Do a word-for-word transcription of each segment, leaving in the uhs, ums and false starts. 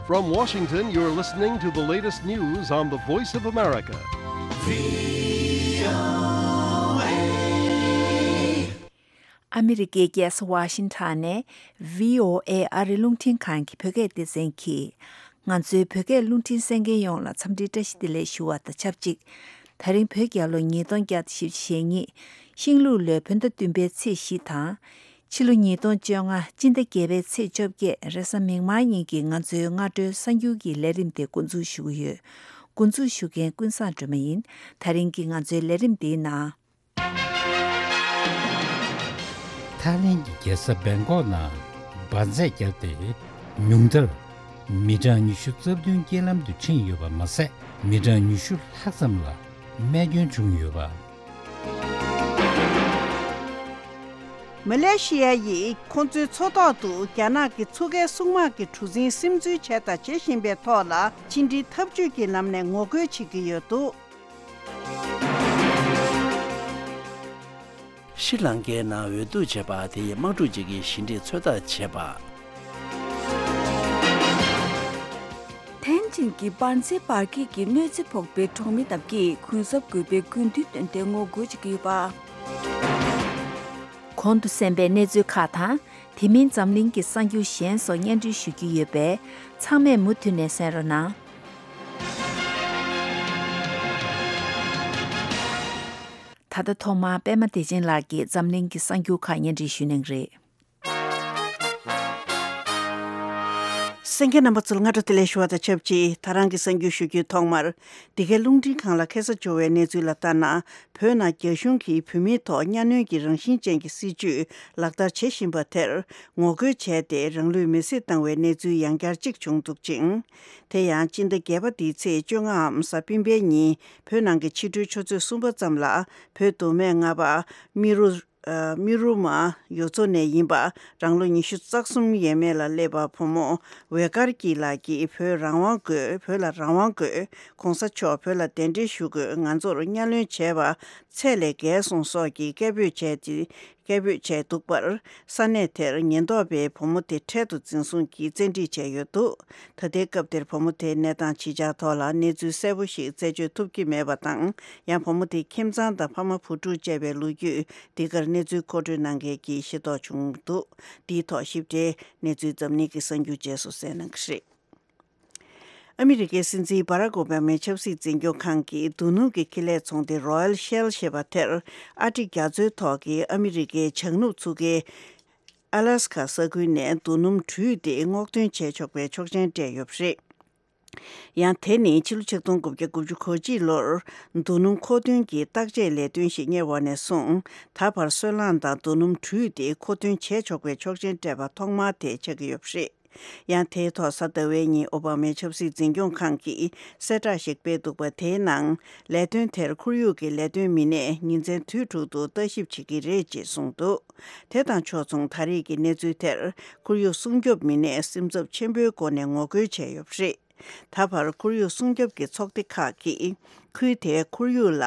From Washington, you're listening to the latest news on the Voice of America. ཨ་མི་རི་ཀའི་རྒྱལ་ས་ཝ་ཤིང་ཊོན་ནས་བྷི་ཨོ་ཨེ་ཨ་རི་རླུང་འཕྲིན་ཁང་གི་བོད་སྐད་སྡེ་ཚན་གྱིས། ང་ཚོའི་བོད་སྐད་རླུང་འཕྲིན་གསན་མཁན་ཡོངས་ལ་འཚམས་འདྲིའི་བཀྲ་ཤིས་བདེ་ལེགས་ཞུ་བ་དང་ཆབས་ཅིག་ད་རིང་བོད་རྒྱལ་ལོ་ཉིས་སྟོང་བརྒྱ་དང་བཞི་བཅུ་ཞེ་གཉིས། ཤིང་ལུག་ལོའི་བོད་ཟླ་བདུན་པའི་ཚེས་བཞི་དང་། ཕྱི་ལོ་ཉིས་སྟོང་བཅོ་ལྔ་སྤྱི་ཟླ་བརྒྱད་པའི་ཚེས་བཅོ་བརྒྱད་རེས་གཟའ་མིག་དམར་ཉིན་གྱི་ང་ཚོའི་སྔ་དྲོའི་གསར་འགྱུར་གྱི་ལས་རིམ་དེ་འགོ་འཛུགས་ཞུ་གི་ཡོད། འགོ་འཛུགས་ཞུ་མཁན་ཀུན་བཟང་སྒྲོལ་མ་ཡིན། ད་རིང་གི་ང་ཚོའི་ལས་རིམ་འདིའི་ནང་། ཐའི་ལེན་གྱི་རྒྱལ་ས་བེང་ཀོག་ནང་འབར་རྫས་བརྒྱབ་སྟེ། ཉུང་མཐར་མི་གྲངས་ཉི་ཤུ་རྩ་བདུན་རྐྱེན་ལམ་དུ་ཁྲིད་ཡོད་པ་མ་ཟད། མི་གྲངས་ཉི་ཤུ་ལྷག་ཙམ་ལ་རྨས་སྐྱོན་བྱུང་ཡོད་པ། མ་ལེ་ཤི་ཡ་ཡིས་ཁོང་ཚོའི་མཚོ་ཐོག་ཏུ་རྒྱ་ནག་གི་མཚོ་ཁའི་སྲུང་དམག་གི་གྲུ་གཟིངས་སིམ་འཛུལ་བྱས་དང་བྱེད་བཞིན་པའི་ཐོག་ལ་ཕྱི་འབྲེལ་འཐབ་ཇུས་ཀྱི་ལམ་ནས་ངོ་རྒོལ་བྱེད་ཀྱི་ཡོད་འདུག། ཤྲི་ལང་ཀའི་ནང་འོས་བསྡུ་བྱས་པ་དེ་ཡི་དམག་འཁྲུག་ཅིག་གི་ཞི་འགྲིག་ཚོད་ལྟ་བྱས་པ། ཐན་ཅིན་གྱི་འབར་རྫས་འབར་གས་ཀྱི་གནོད་འཚེ་ཕོག་པའི་གྲོང་མི་རྣམས་ཀྱིས་གུན་གསབ་དགོས་པའི་དགོས་འདུན་བཏོན་ཏེ་ངོ་རྒོལ་བྱེད་ཀྱི་ཡོད་པ། གོང་དུ་གསན་པའི་གནས་ཚུལ་ཁག་དང་། དེ་མིན་འཛམ་གླིང་གི་གསར་འགྱུར་གཞན་སོགས་སྙན་སྒྲོན་ཞུ་རྒྱུ་ཡོད་པས། ཚང་མས་མུ་མཐུད་ནས་གསན་རོགས་གནང་། ད་ལྟ་ཐོག་མར་པད་མ་བདེ་ཆེན་ལགས་ཀྱིས་འཛམ་གླིང་གི་གསར་འགྱུར་ཁག་སྙན་སྒྲོན་ཞུ་གནང་གི་རེད། གསན་མཁན་རྣམ་པ་ཚོར་སྔ་དྲོ་བདེ་ལེགས་ཞུ་བ་དང་ཆབས་ཅིག་ད་རང་གི་གསར་འགྱུར་ཞུ་རྒྱུའི་ཐོག་མར། འདི་གའི་རླུང་འཕྲིན་ཁང་ལ་ཁ་སང་འབྱོར་བའི་གནས་ཚུལ་ལ་ལྟར་ན། བོད་ནང་རྒྱ་གཞུང་གིས་བོད་མིའི་ཐོག་གཉའ་གནོན་གྱི་རང་བཞིན་ཅན་གྱི་སྲིད་བྱུས་ལག་བསྟར་བྱེད་བཞིན་པ་དེར་ངོ་རྒོལ་བྱས་ཏེ། རང་ལུས་མེར་སྲེག་བཏང་བའི་གནས་ཚུལ་ཡང་བསྐྱར་གཅིག་བྱུང་འདུག་ཅིང་། དེ་ཡང་སྤྱི་ཟླ་བརྒྱད་པ་འདིའི་ཚེས་བཅོ་ལྔའམ་གཟའ་སྤེན་པའི་ཉིན་བོད་ནང་གི་ཕྱི་དྲོའི་ཆུ་ཚོད་གསུམ་པ་ཙམ་ལ་བོད་མདོ་སྨད་རྔ་པ་རྨེ་རུ། ཨ། རྨེ་རུ་མ་ཡུལ་ཚོ་ནས་ཡིན་པ། རང་ལོ་ཉི་ཤུ་རྩ་གསུམ་ཡས་མས་ལ་སླེབས་པ་བུ་མོ་ཝེ་ཀར་ཀི་ལགས་ཀྱིས་བོད་རང་དབང་དགོས། བོད་ལ་རང་དབང་དགོས། གོང་ས་མཆོག་བོད་ལ་གདན་འདྲེན་ཞུ་དགོས། ང་ཚོར་གཉའ་གནོན་བྱས་པ་ཚད་ལས་བརྒལ་སོང་སོགས་ཀྱི་སྐད་འབོད་བྱས་ཏེ། སྐད་འབོད་བྱས་འདུག་པར། ས་གནས་དེར་ཉེན་རྟོག་པས་བུ་མོ་དེ་འཕྲལ་དུ་འཛིན་བཟུང་གིས་བཙན་ཁྲིད་བྱས་ཡོད་འདུག། ད་ལྟའི་སྐབས་དེར་བུ་མོ་དེའི་གནས་སྟངས་ཇི་ཆགས་ཐོག་ལ་གནས་ཚུལ་གསལ་པོ་ཞིག་རྩད་གཅོད་ཐུབ་ཀྱི་མེད་པ་དང་། ཡང་བུ་མོ་དེའི་ཁྱིམ་ཚང་དང་ཕ་མ་བུ་ཕྲུག་བཅས་པའི་ལོ་རྒྱུས་འདི་གར་གནས་ཚུལ་མཁོ་སྤྲོད་གནང་མཁན་གྱིས་ཤེས་རྟོགས་བྱུང་འདུག། འདིའི་ཐོག་ཞིབ་ཕྲའི་གནས་ཚུལ་འཛམ་གླིང་གི་གསར་འགྱུར་རྗེས་སུ་གསན་གནང་གི་རེད། ཨ་མི་རི་ཀའི་སྲིད་འཛིན་བྷ་རག་ཨོ་བྷ་མའི་ཆབ་སྲིད་འཛིན་སྐྱོང་ཁང་གིས་རྡོ་སྣུམ་གྱི་ཁེ་ལས་ཚོང་སྡེ་Royal Shell ཞེས་པ་དེར་ཨར་ཀྟིག་རྒྱ་མཚོའི་ཐོག་གི་ཨ་མི་རི་ཀའི་བྱང་ནུབ་མཚོ་ཁའི་ཨ་ལ་སི་ཀ་ས་ཁུལ་ནས་རྡོ་སྣུམ་དྲུད་དེ་སྔོག་འདོན་བྱས་ཆོག་པའི་ཆོག་མཆན་སྤྲད་ཡོད་པ་རེད། ཡང་དེ་ནི་ཕྱི་ལོ་ཆིག་སྟོང་དགུ་བརྒྱ་དགུ་བཅུ་གོ་གཅིག་ལོར་རྡོ་སྣུམ་མཁོ་འདོན་གྱི་བརྟག་དཔྱད་ལས་དོན་ཞིག་གཉེར་བ་ནས་བཟུང་ད་བར་སོལ་རླངས་དང་རྡོ་སྣུམ་དྲུད་དེ་མཁོ་འདོན་བྱས་ཆོག་པའི་ཆོག་མཆན་སྤྲད་པ་ཐོག་མ་དེ་ཆགས་ཀྱི་ཡོད་པ་རེད། ཡང་དེའི་ཐོག་གཟའ་ཟླ་བའི་ཉིན་ཨོ་བྷ་མའི་ཆབ་སྲིད་འཛིན་སྐྱོང་ཁང་གིས་གསལ་བསྒྲགས་ཤིག་སྤེལ་འདུག་པ། དེའི་ནང་ལས་དོན་དེར་ཁོར་ཡུག་གི་ལས་དོན་མི་སྣས་ཉིན་མཚན་དུས་དྲུག་ཏུ་ལྟ་ཞིབ་བྱེད་ཀྱི་རེད་ཅེས་གསུངས་འདུག། དེ་དང་ཕྱོགས་མཚུངས་ད་རེས་ཀྱི་གནས་ཚུལ་དེར་ཁོར་ཡུག་སྲུང་སྐྱོབ་མི་སྣས་སེམས་འཚབ་ཆེན་པོའི་སྒོ་ནས་ངོ་རྒོལ་བྱས་ཡོད་པ་རེད། ད་བར་ཁོར་ཡུག་སྲུང་སྐྱོབ་ཀྱི་ཚོགས་སྡེ་ཁག་གིས་ཁུལ་དེའི་ཁོར་ཡུག་ལ་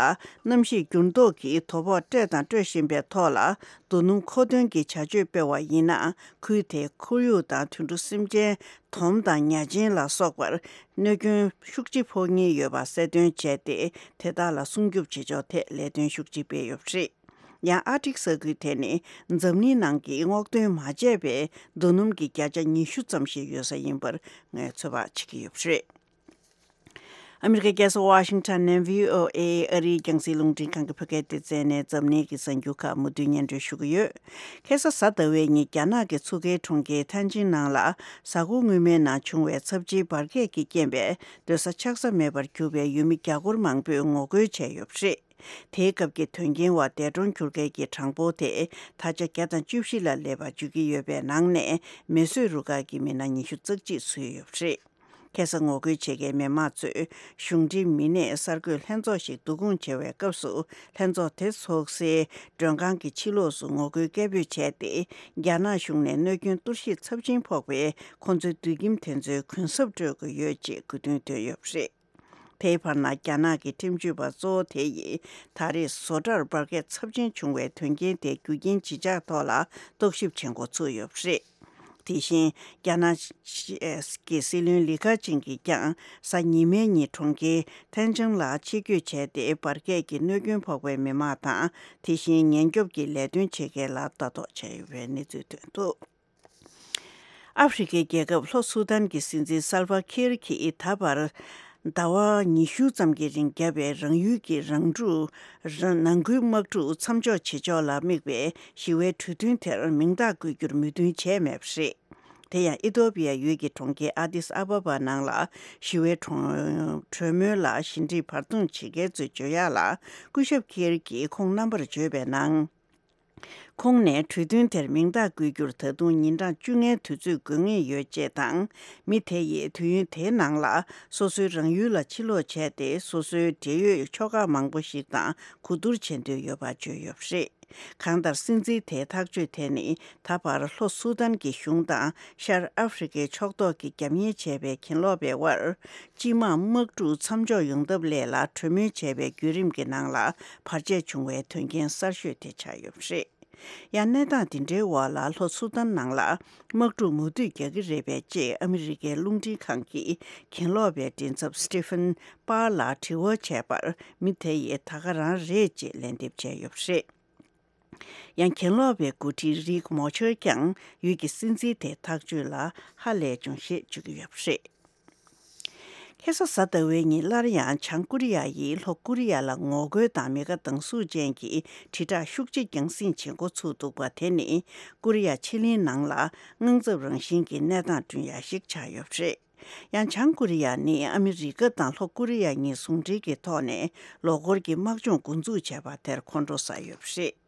གནམ་གཤིས་འགྱུར་ལྡོག་གི་དོ་ཕོག་སྤྲད་དང་སྤྲོད་བཞིན་པའི་ཐོག་ལ། རྡོ་སྣུམ་མཁོ་འདོན་གྱི་བྱ་སྤྱོད་སྤེལ་བ་ཡིན་ན། ཁུལ་དེའི་ཁོར་ཡུག་དང་དུད་འགྲོ་སེམས་ཅན། དོམ་དང་ཉ་ཆེན་ལ་སོགས་པར་གནོད་སྐྱོན་ཤུགས་ཆེ་ཕོག་ཉེན་ཡོད་པ་གསལ་སྟོན་བྱས་ཏེ། དེ་དག་ལ་སྲུང་སྐྱོབ་བྱེད་ཕྱོགས་ཐད་ལས་དོན་ཤུགས་ཆེ་སྤེལ་ཡོད་པ་རེད། ཡང་ཨར་ཀྟིག་ས་ཁུལ་དེ་ནི་འཛམ་གླིང་ནང་གི་སྔོག་འདོན་མ་བྱས་པའི་རྡོ་སྣུམ་གྱི་བརྒྱ་ཆ་ཉི་ཤུ་ཙམ་ཞིག་ཡོད་ས་ཡིན་པར་ངོས་འཛིན་བྱེད་ཀྱི་ཡོད་པ་རེད། ཨ་མི་རི་ཀའི་རྒྱལ་ས་ཝ་ཤིང་ཊོན་ནས་བྷི་ཨོ་ཨེ་ཨ་རིའི་རྒྱང་སྲིང་རླུང་འཕྲིན་ཁང་གི་བོད་སྐད་སྡེ་ཚན་ནས་འཛམ་གླིང་གི་གསར་འགྱུར་ཁག་མུ་མཐུད་སྙན་སྒྲོན་ཞུ་གི་ཡོད། ཁ་སང་གཟའ་ཟླ་བའི་ཉིན་རྒྱ་ནག་གི་མཚོ་ཁའི་གྲོང་ཁྱེར་ཐན་ཅིན་ནང་ལ་གཟའ་འཁོར་སྔོན་མའི་ནང་བྱུང་བའི་ཚབས་ཆེའི་འབར་གས་ཀྱི་རྐྱེན་པས་སྡོད་ས་ཆགས་ས་མེད་པར་གྱུར་པའི་ཡུལ་མི་རྒྱ་སྒོར་མང་པོས་ངོ་རྒོལ་བྱས་ཡོད་པ་རེད། དེའི་སྐབས་ཀྱི་དོན་རྐྱེན་བར་འདས་གྲོངས་གྱུར་མཁན་གྱི་གྲངས་འབོར་དེ་ད་ཆ་བརྒྱ་དང་བཅུ་བཞི་ལ་སླེབས་པ་བརྗོད་ཀྱི་ཡོད་པའི་ནང་ནས་མེ་གསོད་རུ་ཁག་གི་མི་སྣ་ཉི་ཤུ་རྩ་གཅིག་ཚུད་ཡོད་པ་རེད། ཁ་སང་ངོ་རྒོལ་བྱེད་མཁན་མི་མང་ཚོས་གཞུང་འབྲེལ་མི་སྣས་གསར་འགོད་ལྷན་ཚོགས་ཤིག་བསྡུ་སྐོང་བྱེད་པའི་སྐབས་སུ། ལྷན་ཚོགས་དེ་ཚོགས་སའི་མགྲོན་ཁང་གི་ཕྱི་ལོགས་སུ་ངོ་རྒོལ་སྐད་འབོད་བྱས་ཏེ། རྒྱ་ནག་གཞུང་ནས་གནོད་སྐྱོན་གཏོར་བཤིག་ཚབས་ཆེན་ཕོག་པའི་ཁོང་ཚོའི་སྡོད་ཁྱིམ་དེ་ཚོའི་གུན་གསབ་སྤྲོད་དགོས་ཡོད་ཅེས་དགོས་འདུན་བཏོན་ཡོད་པ་རེད། དེའི་བར་ན་རྒྱ་ནག་གི་ཁྲིམས་གཅོད་པ་གཙོ་བོ་དེ་ཡིས་ད་རེས་བཟོ་གྲྭར་འབར་གས་ཚབས་ཆེན་བྱུང་བའི་དོན་རྐྱེན་དེ་རྒྱུ་རྐྱེན་ཇི་ཆགས་ཐོག་ལ་རྟོག་ཞིབ་བྱེད་འགོ་ཚུགས་ཡོད་པ་རེད། དེ་བཞིན་རྒྱ་ནག་གི་སྲིད་བློན་ལི་ཁ་ཆིང་གིས་ཀྱང་གཟའ་ཉི་མའི་ཉིན་གྲོང་ཁྱེར་ཐན་ཅང་ལ་ཆེད་བསྐྱོད་བྱས་ཏེ། འབར་གས་ཀྱི་གནོད་སྐྱོན་ཕོག་པའི་མི་མང་དང་། དེ་བཞིན་ཉེན་སྐྱོབ་ཀྱི་ལས་དོན་བྱེད་མཁན་ལ་ལྟ་རྟོག་བྱས་ཡོད་པའི་གནས་ཚུལ་ཐོན་འདུག་ཨ་ཧྥེ་རི་ཁའི་རྒྱལ་ཁབ་ལྷོ་སུ་དཱན་གྱི་སྲིད་འཛིན་སལ་ཝ་ཁིར་གྱིས་ད་བར་ཟླ་བ་ཉི་ཤུ་ཙམ་གྱི་རིང་བརྒྱབ་པའི་རང་ཡུལ་གྱི་རང་འཁྲུག་རང་ནང་ཁུལ་དམག་འཁྲུག་མཚམས་འཇོག་བྱེད་ཕྱོགས་ལ་དམིགས་པའི་ཞི་བའི་གྲོས་མཐུན་དེར་མིང་རྟགས་བཀོད་རྒྱུར་མོས་མཐུན་བྱས་མེད་པ་རེད། དེ་ཡང་ཨི་ཐོ་པི་ཡ་ཡུལ་གྱི་གྲོང་ཁྱེར་ཨ་དིས་ཨ་བ་བ་ནང་ལ་ཞི་བའི་གྲོང་གྲོས་མོལ་ལ་ཞི་འགྲིག་བར་འདུམ་བྱེད་མཁན་ཚོས་བརྗོད་ཡག་ལ། སྐུ་ཞབས་ཁིར་གྱིས་ཁོང་རྣམ་པར་བརྗོད་པའི་ནང་། ཁོང་ནས་གྲོས་མཐུན་དེར་མིང་རྟགས་བཀོད་རྒྱུར་ད་དུང་ཉིན་གྲངས་བཅོ་ལྔའི་དུས་ཚོད་དགོས་ངེས་ཡོད་ཅེས་དང་། མི་དེ་ཡིས་དུས་ཡུན་དེའི་ནང་ལ་སོ་སོའི་རང་ཡུལ་ལ་ཕྱིར་ལོག་བྱས་ཏེ། སོ་སོའི་འབྲེལ་ཡོད་ཕྱོགས་ཁག་མང་པོ་ཞིག་དང་གོ་བསྡུར་བྱེད་འདོད་ཡོད་པ་བརྗོད་ཡོད་པ་རེད། གང་ལྟར། སྲིད་འཛིན་དེའི་ཐག་གཅོད་དེ་ནི་ད་བར་ལྷོ་སུ་དཱན་གྱི་གཞུང་དང་ཤར་ཨ་ཧྥེ་རི་ཁའི་ཕྱོགས་གཏོགས་ཀྱིས་རྒྱབ་གཉེར་བྱས་པའི་གྱེན་ལོག་པའི་དབར། སྤྱི་དམངས་དམག་འཁྲུག་མཚམས་འཇོག་ཡོང་ཐབས་སླད་ལ་གྲོས་མོལ་བྱས་པའི་བརྒྱུད་རིམ་གྱི་ནང་ལ་བར་ཆད་བྱུང་བའི་དོན་རྐྱེན་གསར་ཤོས་དེ་ཆགས་ཡོད་པ་རེད། ཡང་གནས་སྟངས་འདི་འདྲའི་འོག་ལ། ལྷོ་སུ་དཱན་ནང་ལ་དམག་འཁྲུག་མུ་མཐུད་རྒྱག་གི་རེད་པས། ཅེས་ཨ་མི་རི་ཀའི་རླུང་འཕྲིན་ཁང་གི་གྱེན་ལོག་པའི་མགྲིན་ཚབ་སི་ཏི་ཕན་པར་ལ་དྲི་བ་བྱས་པར། མི་དེ་ཡིས་ད་ག་རང་རེད་ཅེས་ལན་འདེབས་བྱས་ཡོད་པ་རེད། ཡང་གྱེན་ལོག་པའི་འགོ་ཁྲིད་རིག་མོ་ཆར་ཀྱང་ཡུལ་གྱི་སྲིད་འཛིན་དེའི་ཐག་གཅོད་ལ་ཧ་ལས་བྱུང་ཞེས་བརྗོད་ཀྱི་ཡོད་པ་རེད། ཁ་སང་གཟའ་ཟླ་བའི་ཉིན་སླར་ཡང་བྱང་ཀོ་རི་ཡ་ཡིས་ལྷོ་ཀོ་རི་ཡ་ལ་ངོ་རྒོལ་དང་མི་དགའ་སྡང་ཟུག་ཅན་གྱི་དྲིལ་བསྒྲགས་ཤུགས་ཆེ་རྒྱང་སྲིང་བྱེད་འགོ་ཚུགས་འདུག་པ་དེ་ནི་ཀོ་རི་ཡ་ཕྱེད་གླིང་ནང་ལ་དངངས་འཚབ་རང་བཞིན་གྱི་གནས་སྟངས་བསྐྲུན་ཡ་ཞིག་ཆགས་ཡོད་པ་རེད། ཡང་བྱང་ཀོ་རི་ཡ་ནི་ཨ་མི་རི་ཀ་དང་ལྷོ་ཀོ་རི་ཡ་གཉིས་ཟུང་འབྲེལ་གྱི་ཐོག་ནས་ལོ་འཁོར་གྱི་དམག་སྦྱོང་འགོ་འཛུགས་བྱས་པ་དེར་ཁོང་ཁྲོ་ཟ་ཡོད་པ་རེད།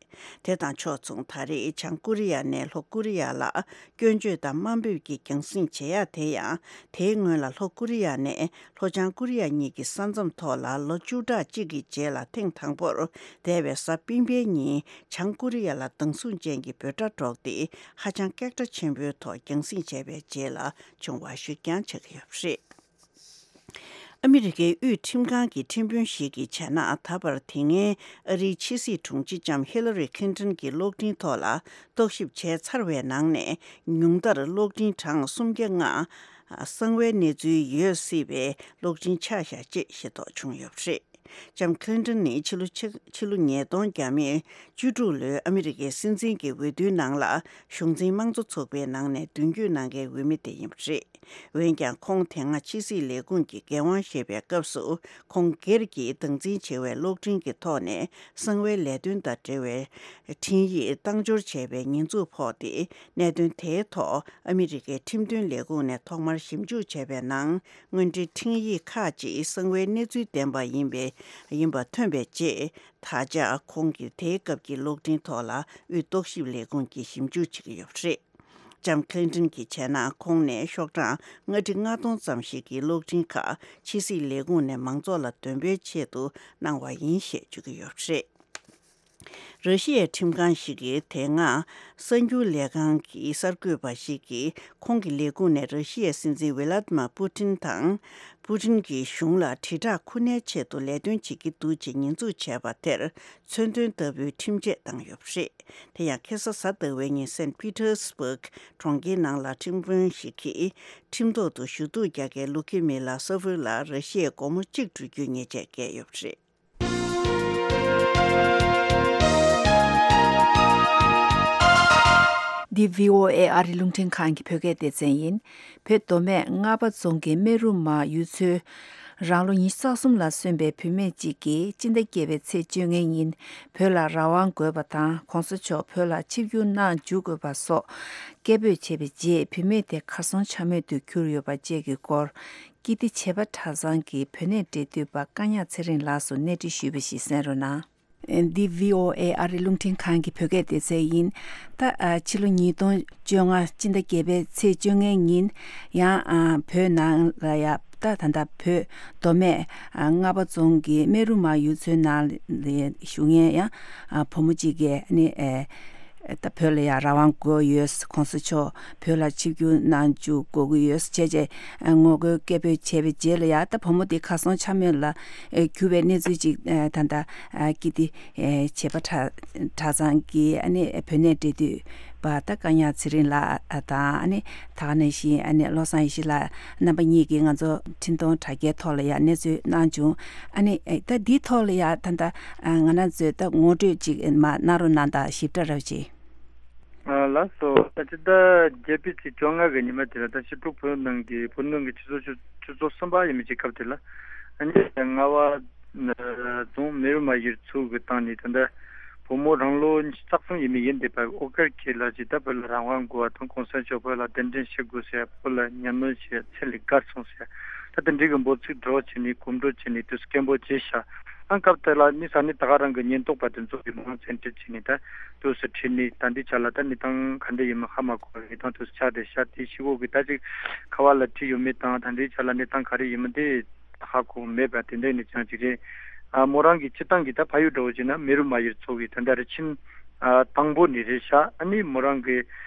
དེ་དང་ཕྱོགས་མཚུངས། ད་རེས་བྱང་ཀོ་རི་ཡ་ནས་ལྷོ་ཀོ་རི་ཡ་ལ་སྐྱོན་བརྗོད་དང་དམའ་འབེབས་ཀྱི་རྒྱང་སྲིང་བྱེད་ཡ་དེ་ཡང་། དེའི་སྔོན་ལ་ལྷོ་ཀོ་རི་ཡ་ནས་ལྷོ་བྱང་ཀོ་རི་ཡ་གཉིས་ཀྱི་ས་མཚམས་ཐོག་ལ་ལོ་བཅུ་ཕྲག་གཅིག་གི་རྗེས་ལ་ཐེངས་དང་པོར་འདས་པའི་གཟའ་སྤེན་པའི་ཉིན་བྱང་ཀོ་རི་ཡ་ལ་སྡང་ཟུག་ཅན་གྱི་འབོད་སྒྲ་སྒྲོག་སྟེ། ཧ་ཅང་སྐད་གྲགས་ཆེན་པོའི་ཐོག་རྒྱང་སྲིང་བྱས་པའི་རྗེས་ལ་བྱུང་བ་ཞིག་ཀྱང་ཆགས་ཀྱི་ཡོད་པ་རེད། ཨ་མི་རི་ཀའི་དབུས་ཁྲིམས་ཁང་གི་ཁྲིམས་དཔོན་ཞིག་གིས་བྱས་ན། ད་བར་དེ་སྔའི་ཨ་རིའི་ཕྱི་སྲིད་དྲུང་ཆེ་ལྕམ་ཧི་ལ་རི་ཁིན་ཏོན་གྱི་གློག་འཕྲིན་ཐོག་ལ་རྟོག་ཞིབ་བྱས་ཚར་བའི་ནང་ནས། ཉུང་མཐར་གློག་འཕྲིན་གྲངས་སུམ་བརྒྱ་ལྔ་གསང་བའི་གནས་ཚུལ་ཡོད་སྲིད་པའི་གློག་འཕྲིན་ཆགས་བཞག་ཅེས་ཤེས་རྟོགས་བྱུང་ཡོད་པ་རེད། ལྕམ་ཁི་ལིན་ཏོན་ནི་ཕྱི་ལོ་ཕྱི་ཕྱི་ལོ་ཉིས་སྟོང་བཅུ་དྲུག་ལོའི་ཨ་མི་རི་ཀའི་སྲིད་འཛིན་གྱི་འོས་བསྡུའི་ནང་ལ་གཞུང་འཛིན་དམངས་གཙོ་ཚོགས་པའི་ནང་ནས་མདུན་སྐྱོད་གནང་མཁན་འོས་མི་དེ་ཡིན་པ་རེད། འོན་ཀྱང་། ཁོང་དེ་སྔ་ཕྱི་སྲིད་ལས་ཁུངས་ཀྱི་འགན་དབང་བཞེས་པའི་སྐབས་སུ། ཁོང་སྒེར་གྱིས་སྟངས་འཛིན་བྱེད་པའི་གློག་འཕྲིན་གྱི་ཐོག་ནས་གསང་བའི་ལས་དོན་དང་འབྲེལ་བའི་འཕྲིན་ཡིག་བཏང་འབྱོར་བྱས་པའི་ཉེས་འཛུགས་ཕོག་སྟེ། གནད་དོན་དེའི་ཐོག་ཨ་མི་རི་ཀའི་ཁྲིམས་དོན་ལས་ཁུངས་ནས་ཐོག་མར་ཞིབ་འཇུག་བྱས་པའི་ནང་། དངོས་འབྲེལ་འཕྲིན་ཡིག་ཁག་ཅིག་གསང་བའི་གནས་ཚུལ་ལྡན་པ་ཡིན་པའི་ཡིན་པ་ཐོན་པའི་རྗེས། ད་ཆ་ཁོང་གིས་དེའི་སྐབས་ཀྱི་གློག་འཕྲིན་ཐོག་ལ་དབུས་རྟོག་ཞིབ་ལས་ཁུངས་ཀྱིས་ཞིབ་འཇུག་བྱེད་ཀྱི་ཡོད་པ་རེད། ལྕམ་ཁི་ལིན་ཏོན་གྱིས་བྱས་ན། ཁོང་ནས་ཤོག་གྲངས་ལྔ་ཁྲི་ལྔ་སྟོང་ཙམ་ཞིག་གི་གློག་འཕྲིན་ཁག་ཕྱི་སྲིད་ལས་ཁུངས་ནས་མང་ཚོགས་ལ་འདོན་སྤེལ་ཆེད་དུ་གནང་བ་ཡིན་ཞེས་བརྗོད་ཀྱི་ཡོད་པ་རེད། ར་ཤི་ཡའི་ཁྲིམས་ཁང་ཞིག་གིས་དེ་སྔ་གསར་འགྱུར་ལས་ཁང་གི་གསར་འགོད་པ་ཞིག་གིས། ཁོང་གི་ལས་ཁུངས་ནས་ར་ཤི་ཡའི་སྲིད་འཛིན་ཝི་ལ་ཏི་མ་པུ་ཏིན་དང་། པུ་ཏིན་གྱི་གཞུང་ལ་དྲིལ་བསྒྲགས་ཁུ་ནའི་ཆེད་དུ་ལས་དོན་བྱེད་ཀྱི་འདུག་ཅེས་ཉེས་འཛུགས་བྱས་པ་དེར། མཚོན་དོན་ལྟ་བུའི་ཁྲིམས་ཆད་བཏང་ཡོད་པ་རེད། དེ་ཡང་ཁ་སང་གཟའ་ཟླ་བའི་ཉིན་སེན་པི་ཏར་སི་བྷག་གྲོང་ཁྱེར་ནང་ལ་ཁྲིམས་དཔོན་ཞིག་གིས། ཁྲིམས་ཐོག་ཏུ་ཞུ་གཏུག་རྒྱག་མཁན་ལུ་ཁི་མི་ལ་སོ་ཧྥུ་ལ་ར་ཤི་ཡའི་སྒོར་མོ་གཅིག་སྤྲོད་རྒྱུའི་ཉེས་ཆད་བཀལ་ཡོད་པ་རེད། འདི་བྷི་ཨོ་ཨེ་ཨ་རི་རླུང་འཕྲིན་ཁང་གི་བོད་སྐད་སྡེ་ཚན་ཡིན། བོད་མདོ་སྨད་རྔ་པ་རྫོང་གི་སྨན་རུ་མ་ཡུལ་ཚོའི་རང་ལོ་ཉི་ཤུ་རྩ་གསུམ་ལ་སོན་པའི་བུད་མེད་ཅིག་གིས་སྤྱི་ཟླ་བརྒྱད་པའི་ཚེས་བཅོ་ལྔའི་ཉིན་བོད་ལ་རང་དབང་དགོས་པ་དང་། ༸གོང་ས་མཆོག་བོད་ལ་ཆིབས་བསྒྱུར་གནང་འཇུག་དགོས་པ་སོགས་སྐད་འབོད་བྱས་པའི་རྗེས། བུད་མེད་དེ་གར་སོང་ཆ་མེད་དུ་གྱུར་ཡོད་པ་བཅས་ཀྱི་སྐོར། ཀིརྟི་བྱེས་པ་གྲྭ་ཚང་གི་བོད་གནས་འབྲེལ་མཐུད་པ་བཀའ་ཉག་ཚེ་རིང་ལགས་སུ་གནས་འདྲི་ཞུས་པ་ཞིག་གསན་རོགས་གནང་། འདི་བྷི་ཨོ་ཨེ་ཨ་རི་རླུང་འཕྲིན་ཁང་གི་བོད་སྐད་སྡེ་ཚན་ཡིན། ད་ཨ་ཕྱི་ལོ་ཉིས་སྟོང་བཅོ་ལྔ་སྤྱི་ཟླ་བརྒྱད་པའི་ཚེས་བཅོ་ལྔའི་ཉིན་ཡང་ཨ་བོད་ནང་ལ་ཡ་ད་ད་ལྟ་བོད་མདོ་སྨད་ཨ་རྔ་པ་རྫོང་གི་སྨན་རུ་མ་ཡུལ་ཚོའི་ནང་ལ་བཞུགས་མཁན་ཡང་ཨ་བུ་མོ་གཅིག་གིས་ནི་ཨེ། ད་བོད་ལ་ཡང་རང་དབང་དགོས་ཡོད། ༸གོང་ས་མཆོག་བོད་ལ་ཆིབས་བསྒྱུར་གནང་འཇུག་དགོས་ཀྱི་ཡོད་ཅེས་བྱས་ངོ་རྒོལ་སྐད་འབོད་བྱས་པའི་རྗེས་ལ་ཡང་ད་བུ་མོ་དེ་གར་སོང་ཆ་མེད་ལ་གྱུར་བའི་གནས་ཚུལ་ཅིག་ད་ལྟ་ཀིརྟི་བྱེས་པ་གྲྭ་གྲྭ་ཚང་གི་ཨ་ནི་བོད་གནས་འབྲེལ་མཐུད་ པ་ད་བཀའ་ཉག་ཚེ་རིང་ལགས་དང་ཨ་ནི་ད་ག་ནང་བཞིན་ཨ་ནི་བློ་བཟང་ཡེ་ཤེས་ལགས་རྣམ་པ་གཉིས་ཀྱིས་ང་ཚོ་འཕྲིན་གཏོང་དྲ་རྒྱའི་ཐོག་ལ་ཡང་གནས་ཚུལ་གནང་བྱུང་། ཨ་ནི་ད་འདིའི་ཐོག་ལ་ཡང་ད་ལྟ་ང་རང་ཚོས་ད་ངོ་སྤྲོད་ཅིག་མར་གནང་རོགས་གནང་དང་ཞིབ་ཕྲ་རོགས་གྱིས། ལགས་སོ། ད་ཅི་ད་བརྒྱད་པའི་ཚེས་བཅོ་ལྔ་གི་ཉི་མ་དེ་ལ་ད་ཕྱི་དྲོ་བོད་ནང་གི་བོད་ནང་གི་ཆུ་ཚོད་ཆུ་ཚོད་གསུམ་པ་ཡིན་མི་ཅིག་སྐབས་དེ་ལ་ཨ་ནི་རྔ་བ་རྫོང་མེ་རུ་མ་ཡུལ་ཚོ་གི་སྟེང་ནས་ད་ལྟ་བུ་མོ་རང་ལོ་ཉི་ཤུ་རྩ་གསུམ་ཡིན་མི་ཡིན་བསྡད་པ་ཨོ་དཀར་ཁྱེད་ལ་ཅི་ད་བོད་ལ་རང་དབང་དགོས་པ་དང་གོང་ས་མཆོག་བོད་ལ་གདན་འདྲེན་བྱེད་དགོས་ཟེར་བོད་ལ་ཉམས་མྱོང་བྱེད་ཚད་ལས་བརྒལ་སོང་ཟེར་ད་དེ་འདྲའི་གི་འབོད་ཚིག་སྒྲོག་བྱས་ནས་གོམ་བགྲོད་བྱས་ནས་དུས་སུ་སྐད་འབོད་བྱས་ཤག་ཨང་སྐབས་དེ་ལ་ནི་ས་གནས་ད་ག་རང་གི་ཉེན་རྟོག་པ་དེ་ཚོ་གི་མང་བཙན་ཁྲིད་བྱས་ནས་ད་དུས་སུ་ཁྲིད་ནས་ད་འདི་ཆ་ལ་ད་གནས་སྟངས་ག་འདྲ་ཡིན་མིན་ཧ་མ་གོ་བའི་གནས་སྟངས་དུས་སུ་ཆགས་བསྡད་ཤག་དེ་ཤི་བོ་གི་ད་ཅིག་ཁ་བ་ལ་ཁྲིད་ཡོད་མེད་དང་ད་འདི་ཆ་ལ་གནས་སྟངས་ག་རེ་ཡིན་མིན་དེ་ཧ་གོ་མེད་པ་དེ་འདྲ་ནས་ཀྱང་ཅིག་རེད། ཨ་མོ་རང་གི་སྤྱི་བཏང་གི་ད་ཕ་ཡུལ་འདྲ་བོ་ཅིག་ན་མེ་རུ་མ་ཡུལ་ཚོ་གི་ད་ལྟ་རི་ཆིན་ཨ་དང་པོ་ནས་རེད་ཤག་ཨ་ནི་མོ་རང་གི་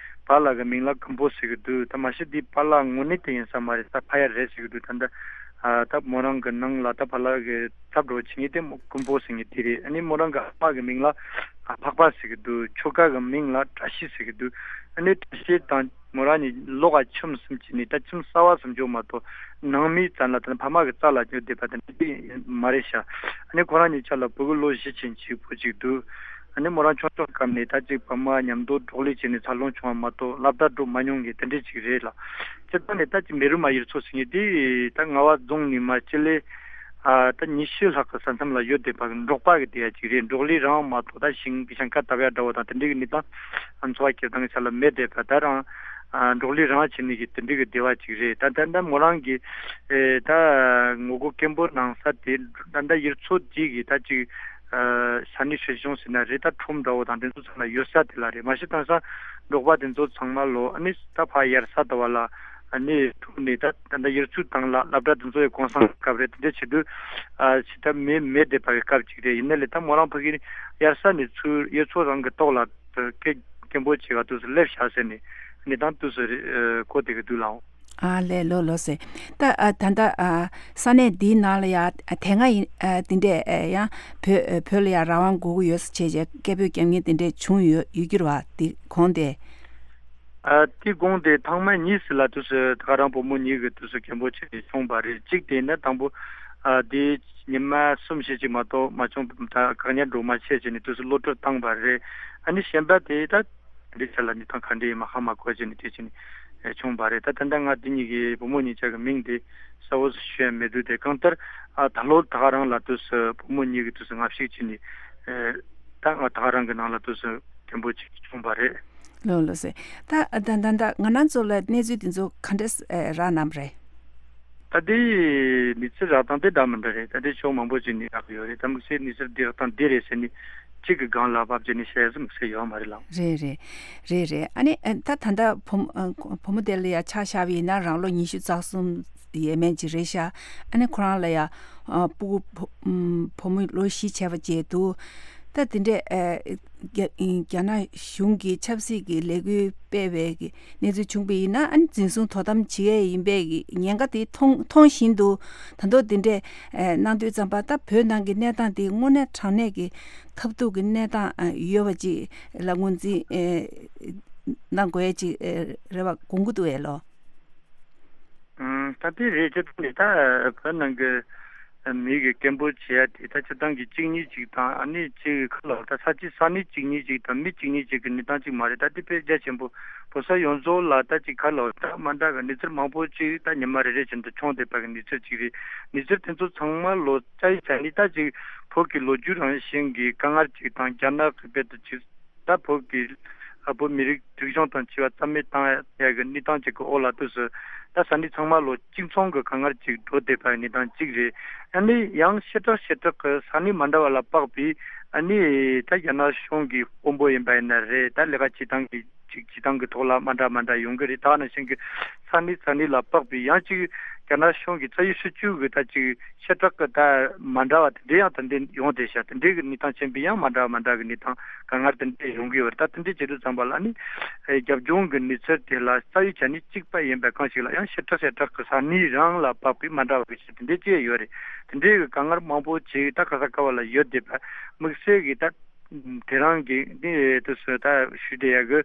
པཱ་ལགས་ཀྱི་མིང་ལ་ཀུན་པོ་ཟེར་གི་འདུག་ད་མ་གཞི་འདི་པཱ་ལགས་དངོས་གནས་དེ་ཡིན་ས་མ་རེད། ད་ཕ་ཡ་རེད་ཟེར་གི་འདུག་ད་ལྟ་ཨ་ད་མོ་རང་གི་ནང་ལ་ད་པཱ་ལགས་ཀྱི་ཚབ་འགྲོ་བྱེད་མཁན་དེ་མོ་ཀུན་པོ་ཟེར་མཁན་དེ་རེད། ཨ་ནི་མོ་རང་གི་ཨ་མ་གི་མིང་ལ་ཨ་འཕགས་པ་ཟེར་གི་འདུག་ཁྱོ་ག་གི་མིང་ལ་བཀྲ་ཤིས་ཟེར་གི་འདུག་ཨ་ནི་བཀྲ་ཤིས་དང་མོ་རང་གཉིས་ལོ་ག་ཁྱིམ་གསུམ་གྱི་ནི་ད་ཁྱིམ་གསར་བ་གསུམ་ཅོག་མ་གཏོགས་ནང་མི་ཙམ་ལ་ད་ཕ་མ་གི་རྩ་ལ་ཉོ་བསྡད་པ་དེ་འདྲ་མ་རེད་ཤག་ཨ་ནི་ཁོ་རང་གཉིས་ཆ་ལ་བུ་གུ་ལོ་བཞི་ཅན་གཅིག་པོ་གཅིག་འདུག་ཨ་ནི་མོ་རང་ཆུང་ཆུང་སྐབས་ནས་ད་ཅིག་ཕ་མ་མཉམ་དུ་འགྲོགས་ལས་བྱས་ནས་འཚར་ལོངས་བྱུང་བ་མ་གཏོགས་སློབ་གྲྭ་འགྲོ་མ་མྱོང་མཁན་དེ་འདྲས་ཅིག་རེད་ལ། སྤྱིར་བཏང་ནས་ད་ཅིག་མེ་རུ་མ་ཡུལ་ཚོ་ཟེར་མཁན་དེ་ད་རྔ་བ་རྫོང་ནས་མར་སྤྱི་ལེ་ཨ་ད་ཉི་ཤུ་ལྷག་གི་ས་མཚམས་ལ་ཡོད་བསྡད་པ་གི་འབྲོག་པ་གི་སྡེ་བ་ཅིག་རེད། འབྲོག་ལས་རང་མ་གཏོགས་ད་ཞིང་གི་ཞིང་ཁ་བཏབ་ཡ་འདྲ་བོ་དང་དེ་འདྲས་གི་གནས་སྟངས་ཨ་འཚོ་བ་སྐྱེལ་སྟངས་གི་ཆ་ལ་མེད་བསྡད་པ་ད་རང་ཨ་འབྲོག་ལས་རང་བྱེད་ནས་གི་དེ་འདྲས་གི་སྡེ་བ་ཅིག་རེད། ད་ད་ད་མོ་རང་གི་ཨེ་ད་ངོ་རྒོལ་སྐད་འབོད་གནང་ས་དེ་ད་ད་ཡུལ་ཚོ་དེ་གི་ད་ཅིག་ཨ་ས་གནས་སྲིད་གཞུང་ཟེར་ན་རེད། ད་ཁྲོམ་འདྲ་བོ་དང་དེ་ཚོ་ཚང་མ་ཡོད་ས་དེ་ལ་རེད། མ་གཞི་དེང་སང་འབྲོག་པ་དེ་ཚོ་ཚང་མ་ལོ་ཨ་ནི་ད་ཕ་ཡར་ས་ད་བ་ལ་ཨ་ནི་ཐུག་ནས་ད་ད་ད་ཡུལ་ཚོའི་སྟེང་ལ་སློབ་གྲྭ་དེ་ཚོ་ཡི་གོང་སང་སྐབས་རེད། དེ་འདྲ་བྱེད་དུས་ཨ་ཕྱི་ད་མེད་མེད་བསྡད་པ་གི་སྐབས་ཅིག་རེད། ཡིན་ན་ལས་ད་མོ་རང་ཕ་གི་ཡར་ས་ནས་ཚུར་ཡུལ་ཚོ་རང་གི་ཐོག་ལ་སྐད་སྐད་འབོད་བྱེད་ག་དུས་སུ་སླེབས་ཤག་ཟེར་ནས་ཨ་ནི་ད་དུས་སུ་རེད་གོ་བསྡད་གི་འདུག་ལགས། ཨ་ལས་ལོ་ལོ་ཟེར། ད་ཨ་ད་ལྟ་ཨ་ས་གནས་འདིའི་ནང་ལ་ཡ་དེ་སྔ་ཡིན་ཨ་དེ་འདྲས་ཨ་ཡང་བོད་ཨ་བོད་ལ་ཡ་རང་དབང་དགོས་ཀྱི་ཡོད་ཟེར་བྱས་བྱས་སྐད་འབོད་རྒྱབ་མཁན་དེ་འདྲས་བྱུང་ཡོད་ཡོད་ཀྱི་རེད་བ། དེ་གོང་དེ། ཨ་དེ་གོང་དེ་ཐེངས་མ་གཉིས་ལ་དུས་སུ་ད་ག་རང་བུ་མོ་གཉིས་ཀྱི་དུས་སུ་སྐད་འབོད་བྱས་ནས་བྱུང་བ་རེད། གཅིག་དེ་ནི་དང་པོ་ཨ་དེ་ཉི་མ་གསུམ་བཞི་ཅིག་མ་གཏོགས་མ་བྱུང་། ད་བཀག་ཉར་འགྲོ་མ་བྱས་བྱས་ནས་དུས་སུ་གློད་གྲོལ་བཏང་བ་རེད། ཨ་ནི་གཞན་པ་དེ་ད། འདི་ཆ་ལ་ནི་ཐང་ག་འདྲ་ཡིན་མ་ཧ་མ་གོ་བྱས་ནས་དེ་བྱས་ནས་བྱུང་བ་རེད། ད་ད་ལྟ་ང་འདི་གཉིས་ཀྱི་བུ་མོ་གཉིས་ཆ་གི་མིང་དེ་གསལ་བོ་ཞུ་ཡ་མེད་དུས་དེ་གང་ལྟར་ཨ་ད་ལོ་ད་ག་རང་ལ་དུས་སུ་བུ་མོ་གཉིས་ཀྱི་དུས་སུ་ང་ཞིག་བྱས་ནས་ད་ང་ད་ག་རང་གི་ནང་ལ་དུས་སུ་མཐུན་པོ་ཅིག་བྱུང་བ་རེད། ལོ་ལོ་སེ། ད་ད་ད་ད་ང་རང་ཚོ་ལ་གནས་ཚུལ་དེ་ཚོ་ག་འདྲ་རག་གནང་རེད། ད་ལྟའི་གནས་ཚུལ་རག་སྟངས་དེ་འདྲ་མི་འདྲ་རེད། ད་ལྟའི་ཕྱོགས་མང་པོ་ཅིག་ནས་རག་གི་ཡོད་རེད། ད་དམིགས་བསལ་གནས་ཚུལ་འདི་རག་སྟངས་འདི་རེད་ཟེར་ནས་གཅིག་གི་སྒང་ལ་བབ་བྱས་ནས་བཤད་ཡ་དམིགས་བསལ་ཡོད་མ་རེད་ལགས། རེད་རེད། རེད་རེད། ཨ་ནི་ད་ད་ལྟ་བུ་མོ་བུ་མོ་དེ་ལ་ཡ་ཆ་བཞག་པ་ཡིན་ན་རང་ལོ་ཉི་ཤུ་རྩ་གསུམ་ཡས་མས་ཅིག་རེད་ཤག་ཨ་ནི་ཁོ་རང་ལ་ཡ་སྤུ་གུ་བུ་མོ་ལོ་བཞི་བྱས་པ་བཅས་འདུག་ད་དེ་འདྲས་རྒྱ་རྒྱ་ནག་གཞུང་གི་ཆབ་སྲིད་ཀྱི་ལས་འགུལ་སྤེལ་བའི་གི་གནས་ཚུལ་བྱུང་བ་ཡིན་ན་ཨ་ནི་འཛིན་བཟུང་དོ་དམ་བྱེད་ཡས་ཡིན་པའི་གི་ཉེན་ཁ་དེ་མཐོང་མཐོང་བཞིན་དུ་ད་མདོ་དེ་འདྲས་གནང་དུས་ཙམ་པ་ད་བོད་ནང་གི་གནས་སྟངས་དེ་དངོས་གནས་དྲང་གནས་ཀྱི་ཐབས་སྡུག་གི་གནས་སྟངས་ཡོད་པ་ཅིག་ལ་ངོས་འཛིན་གནང་དགོས་ཡས་ཅིག་རེད་བ་དགོངས་ཀྱི་འདུག་ཨེ་ལོ། ཨང་། ད་དེ་རེད། སྤྱིར་བཏང་ནས་ད་བོད་ནང་གི་མི་གི་སྐད་འབོད་བྱེད་ཡ་དེ་ད་སྤྱིར་བཏང་གི་གཅིག་གཉིས་གཅིག་དང་ཨ་ནི་གཅིག་གི་ཁ་ལོ་ད་ས་ཆ་ས་གནས་གཅིག་གཉིས་གཅིག་དང་མི་གཅིག་གཉིས་གཅིག་གི་གནས་སྟངས་གཅིག་མ་རེད། ད་དེ་དཔེ་རྒྱ་ཆེན་པོ་བོད་ས་ཡོངས་རྫོགས་ལ་ད་ཅིག་ཁ་ལོ་ད་མ་འདྲ་གི་གནས་ཚུལ་མང་པོ་ཅིག་ད་ཉི་མ་རེ་རེ་བཞིན་དུ་བྱུང་བསྡད་པ་གི་གནས་ཚུལ་ཅིག་རེད། གནས་ཚུལ་དེ་ཚོ་ཚང་མ་ལོ་ཙཱ་ཡི་ཆ་ནས་ད་ཅིག་བོད་ཀྱི་ལོ་རྒྱུས་རང་བཞིན་གྱི་དཀའ་ངལ་ཅིག་དང་རྒྱ་ནག་གི་དཔེ་དེ་ཅིག་ད་བོད་ཀྱི་ཨ་བོད་མི་རིགས་རིག་གཞུང་དང་འཆི་བ་རྩ་མེད་བཏང་ཡ་གི་གནས་སྟངས་ཅིག་གི་འོག་ལ་དུས་སུ་ད་ས་གནས་ཚང་མ་ལོ་གཅིག་མཚུངས་ཀྱི་དཀའ་ངལ་ཅིག་འགྲོ་བསྡད་པའི་གནས་སྟངས་ཅིག་རེད། ཨ་ནི་ཡང་ཤེས་ཁྲག་ཤེས་ཁྲག་གི་ས་གནས་མ་འདྲ་བ་ལ་དཔག་པའི་ཨ་ནི་ད་རྒྱ་ནག་གཞུང་གི་དཔོན་པོ་ཡིན་པ་ཡིན་ན་རེད། ད་ལས་ཀ་བྱེད་སྟངས་ཀྱི་ཅིག་བྱེད་སྟངས་ཀྱི་ཐོག་ལ་མ་འདྲ་མ་འདྲ་ཡོང་གི་རེད། ད་ནང་བཞིན་གྱི་ས་གནས་ས་གནས་ལ་དཔག་པའི་ཡང་ཅིག་རྒྱ་ནག་གཞུང་གི་རྩ་བའི་སྲིད་བྱུས་ཀྱི་ད་ཅིག་ཤེས་ཁྲག་གི་ད་མ་འདྲ་བ་དེ་འདྲ་ཡང་ད་འདི་ཡོང་བསྡད་ཤག་དེ་འདྲའི་གི་གནས་སྟངས་ཆེན་པོའི་ཡང་མ་འདྲ་བ་མ་འདྲ་གི་གནས་སྟངས་དཀའ་ངལ་དེ་འདྲ་ཡོང་གི་ཡོད་རེད། ད་དེ་འདྲའི་བྱེད་དུས་ཙམ་པ་ལ་ནི་རྒྱབ་ལྗོངས་གི་གནས་ཚུལ་དེ་ལ་རྩ་བའི་ཆ་ནས་གཅིག་པ་ཡིན་པ་གང་ཞིག་ལ་ཡང་ཤེས་ཁྲག་ཤེས་ཁྲག་གི་ས་གནས་རང་ལ་དཔག་པའི་མ་འདྲ་བ་གི་ཆ་དེ་འདྲའི་ཅིག་ཡོད་རེད། དེ་འདྲའི་གི་དཀའ་ངལ་མང་པོ་ཅིག་ད་ག་ས་ག་བ་ལ་ཡོད་བསྡད་པ་དམིགས་བསལ་གི་ད། དེ་རང་གི་ནི་དུ་སུ་ད་ཞུ་དེ་ཡ་གི་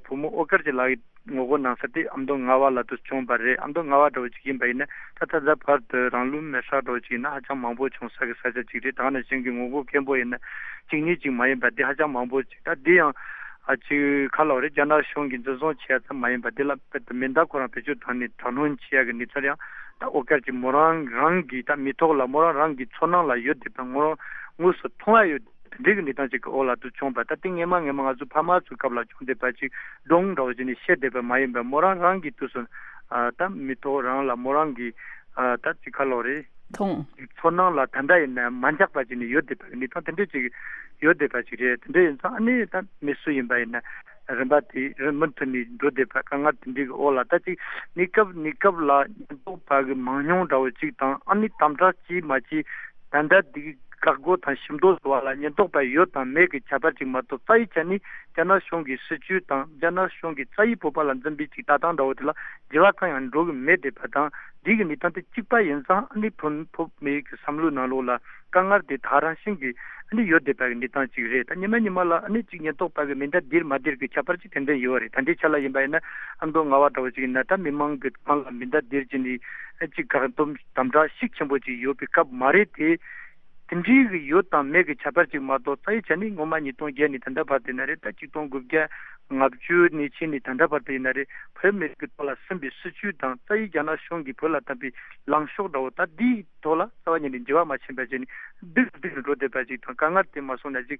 བུ་མོ་ཨོ་དཀར་གྱི་ལག་གི་ངོ་རྒོལ་གནང་ས་དེ་ཨ་མདོ་རྔ་བ་ལ་དུ་བྱུང་བ་རེད། ཨ་མདོ་རྔ་བ་འདྲ་བོ་ཅིག་ཡིན་པ་ཡིན་ན་ད་ད་ལྟ་བར་དུ་རང་ལུས་མེར་སྲེག་འདྲ་བོ་ཅིག་ཡིན་ན་ཧ་ཅང་མང་པོ་བྱུང་ས་གི་ས་ཆ་ཅིག་རེད། ད་ནང་བཞིན་གྱི་ངོ་རྒོལ་སྐད་འབོད་ཡིན་ན་གཅིག་གཉིས་ཅིག་མ་ཡིན་པ་དེ་ཧ་ཅང་མང་པོ་ཅིག་ད་དེ་ཡང་ཨ་ཅིག་ཁ་ལོ་རེད། རྒྱ་ནག་གཞུང་གིས་འཛིན་བཟུང་བྱས་ཙམ་མ་ཡིན་པ་དེ་ལ་དཔེ་དེ་མེ་མདའ་ཁོ་རང་བེད་སྤྱོད་བཏང་ནས་དྲག་གནོན་བྱེད་ཡ་གི་གནས་ཚུལ་ཡང་ད་ཨོ་དཀར་གྱི་མོ་རང་རང་གི་ད་མི་ཐོག་ལ་མོ་རང་རང་གི་ཚོར་སྣང་ལ་ཡོད་བསྡད་པ་ངོ་རང་དངོས་སུ་མཐོང་ཡ་ཡོད། དེ་འདྲའི་གི་གནས་སྟངས་ཅིག་གི་འོག་ལ་དུ་བྱུང་བ་ད་དེ་སྔས་མ་སྔས་མ་ང་ཚོ་ཕ་མ་ཚོའི་སྐབས་ལ་བྱུང་བསྡད་པ་ཅིག་སྒྲུང་འདྲ་བོ་ཅིག་ནས་བཤད་བསྡད་པ་མ་ཡིན་པར་མོ་རང་རང་གི་དུས་སུ་ཨ་ད་མི་ཐོག་རང་ལ་མོ་རང་གི་ཨ་ད་ཅིག་ཁ་ལོ་རེད། མཐོང་། ཚོར་སྣང་ལ་ད་ལྟ་ཡིན་ན་མ་འཇགས་པ་ཅིག་ནས་ཡོད་བསྡད་པ་གི་གནས་སྟངས་དེ་འདྲ་ཅིག་ཡོད་བསྡད་པ་ཅིག་རེད། དེ་འདྲ་ཡིན་ཙང་ཨ་ནི་ད་མི་སུ་ཡིན་པ་ཡིན་ན་རིམ་པ་དེ་རིམ་མུ་མཐུད་ནས་འགྲོ་བསྡད་པ་དཀའ་ངལ་དེ་འདྲའི་གི་འོག་ལ་ད་ཅིག་གནས་སྐབས་གནས་སྐབས་ལ་ཉེན་རྟོག་པ་གི་མང་ཉུང་འདྲ་བོ་ཅིག་དང་ཨ་ནི་དམ་དྲག་ཅིག་མ་ཅིག་ད་ལྟ་འདི་གི་བཀག་འགོག་དང་ཞིབ་འདོགས་བཟོ་བ་ལ་ཉེན་རྟོག་པ་ཡོད་དང་མེད་ཀྱི་ཁྱད་པར་ཅིག་མ་གཏོགས་རྩ་བའི་ཆ་ནས་རྒྱ་ནག་གཞུང་གི་སྲིད་བྱུས་དང་རྒྱ་ནག་གཞུང་གི་རྩ་བའི་བོད་པ་ལ་འཛིན་པའི་ཅིག་ལྟ་སྟངས་འདྲ་བོ་དེ་ལ་འགྱུར་བ་གང་ཡང་འགྲོ་གི་མེད་བསྡད་པ་དང་འདི་གི་གནས་སྟངས་དེ་གཅིག་པ་ཡིན་ཙང་ཨ་ནི་བོད་བོད་མི་གི་བསམ་བློའི་ནང་ལོགས་ལ་དཀའ་ངལ་དེ་དག་རང་བཞིན་གྱི་ཨ་ནི་ཡོད་བསྡད་པ་གི་གནས་སྟངས་ཅིག་རེད། ད་ཉི་མ་ཉི་མ་ལ་ཨ་ནི་ཅིག་ཉེན་རྟོག་པ་གི་མེ་མདའ་ལྡིར་མ་ལྡིར་གི་ཁྱད་པར་ཅིག་དེ་འདྲ་ཡོད་རེད། ད་འདི་ཆ་ལ་ཡིན་པ་ཡིན་ན་ཨ་མདོ་རྔ་བ་འདྲ་བོ་ཅིག་ཡིན་ན་ད་མི་མང་གི་ཁང་ལ་མེ་མདའ་ལྡིར་གྱི་ནི་ཨ་ཅིག་བཀག་སྡོམ་དམ་དྲག་ཤུགས་ཆེན་པོ་ཅིག་ཡོད་པའི་སྐབས་མ་རེད་དེ། དེ་འདྲའི་གི་ཡོད་དང་མེད་ཀྱི་ཁྱད་པར་ཅིག་མ་གཏོགས་རྩ་བའི་ཆ་ནས་སྔོན་མ་ཉིས་སྟོང་བརྒྱད་ནས་ད་ལྟ་བར་དུ་ཡིན་ན་རེད། ད་ཆིག་སྟོང་དགུ་བརྒྱ་ལྔ་བཅུ་ནས་ཕྱིན་ནས་ད་ལྟ་བར་དུ་ཡིན་ན་རེད། བོད་མི་རིགས་ཀྱི་ཐོག་ལ་ཟིན་པའི་སྲིད་བྱུས་དང་རྩ་བའི་རྒྱ་ནག་གཞུང་གིས་བོད་ལ་བཏབ་པའི་ལངས་ཕྱོགས་འདྲ་བོ་ད་འདིའི་ཐོག་ལ་རྩ་བ་ཉིད་ནས་འགྱུར་བ་མ་ཕྱིན་པ་བྱས་ནས་སྡུག་སྡུག་ཏུ་འགྲོ་བསྡད་པ་ཅིག་དང་དཀའ་ངལ་དེ་མ་སོང་ན་ཅིག་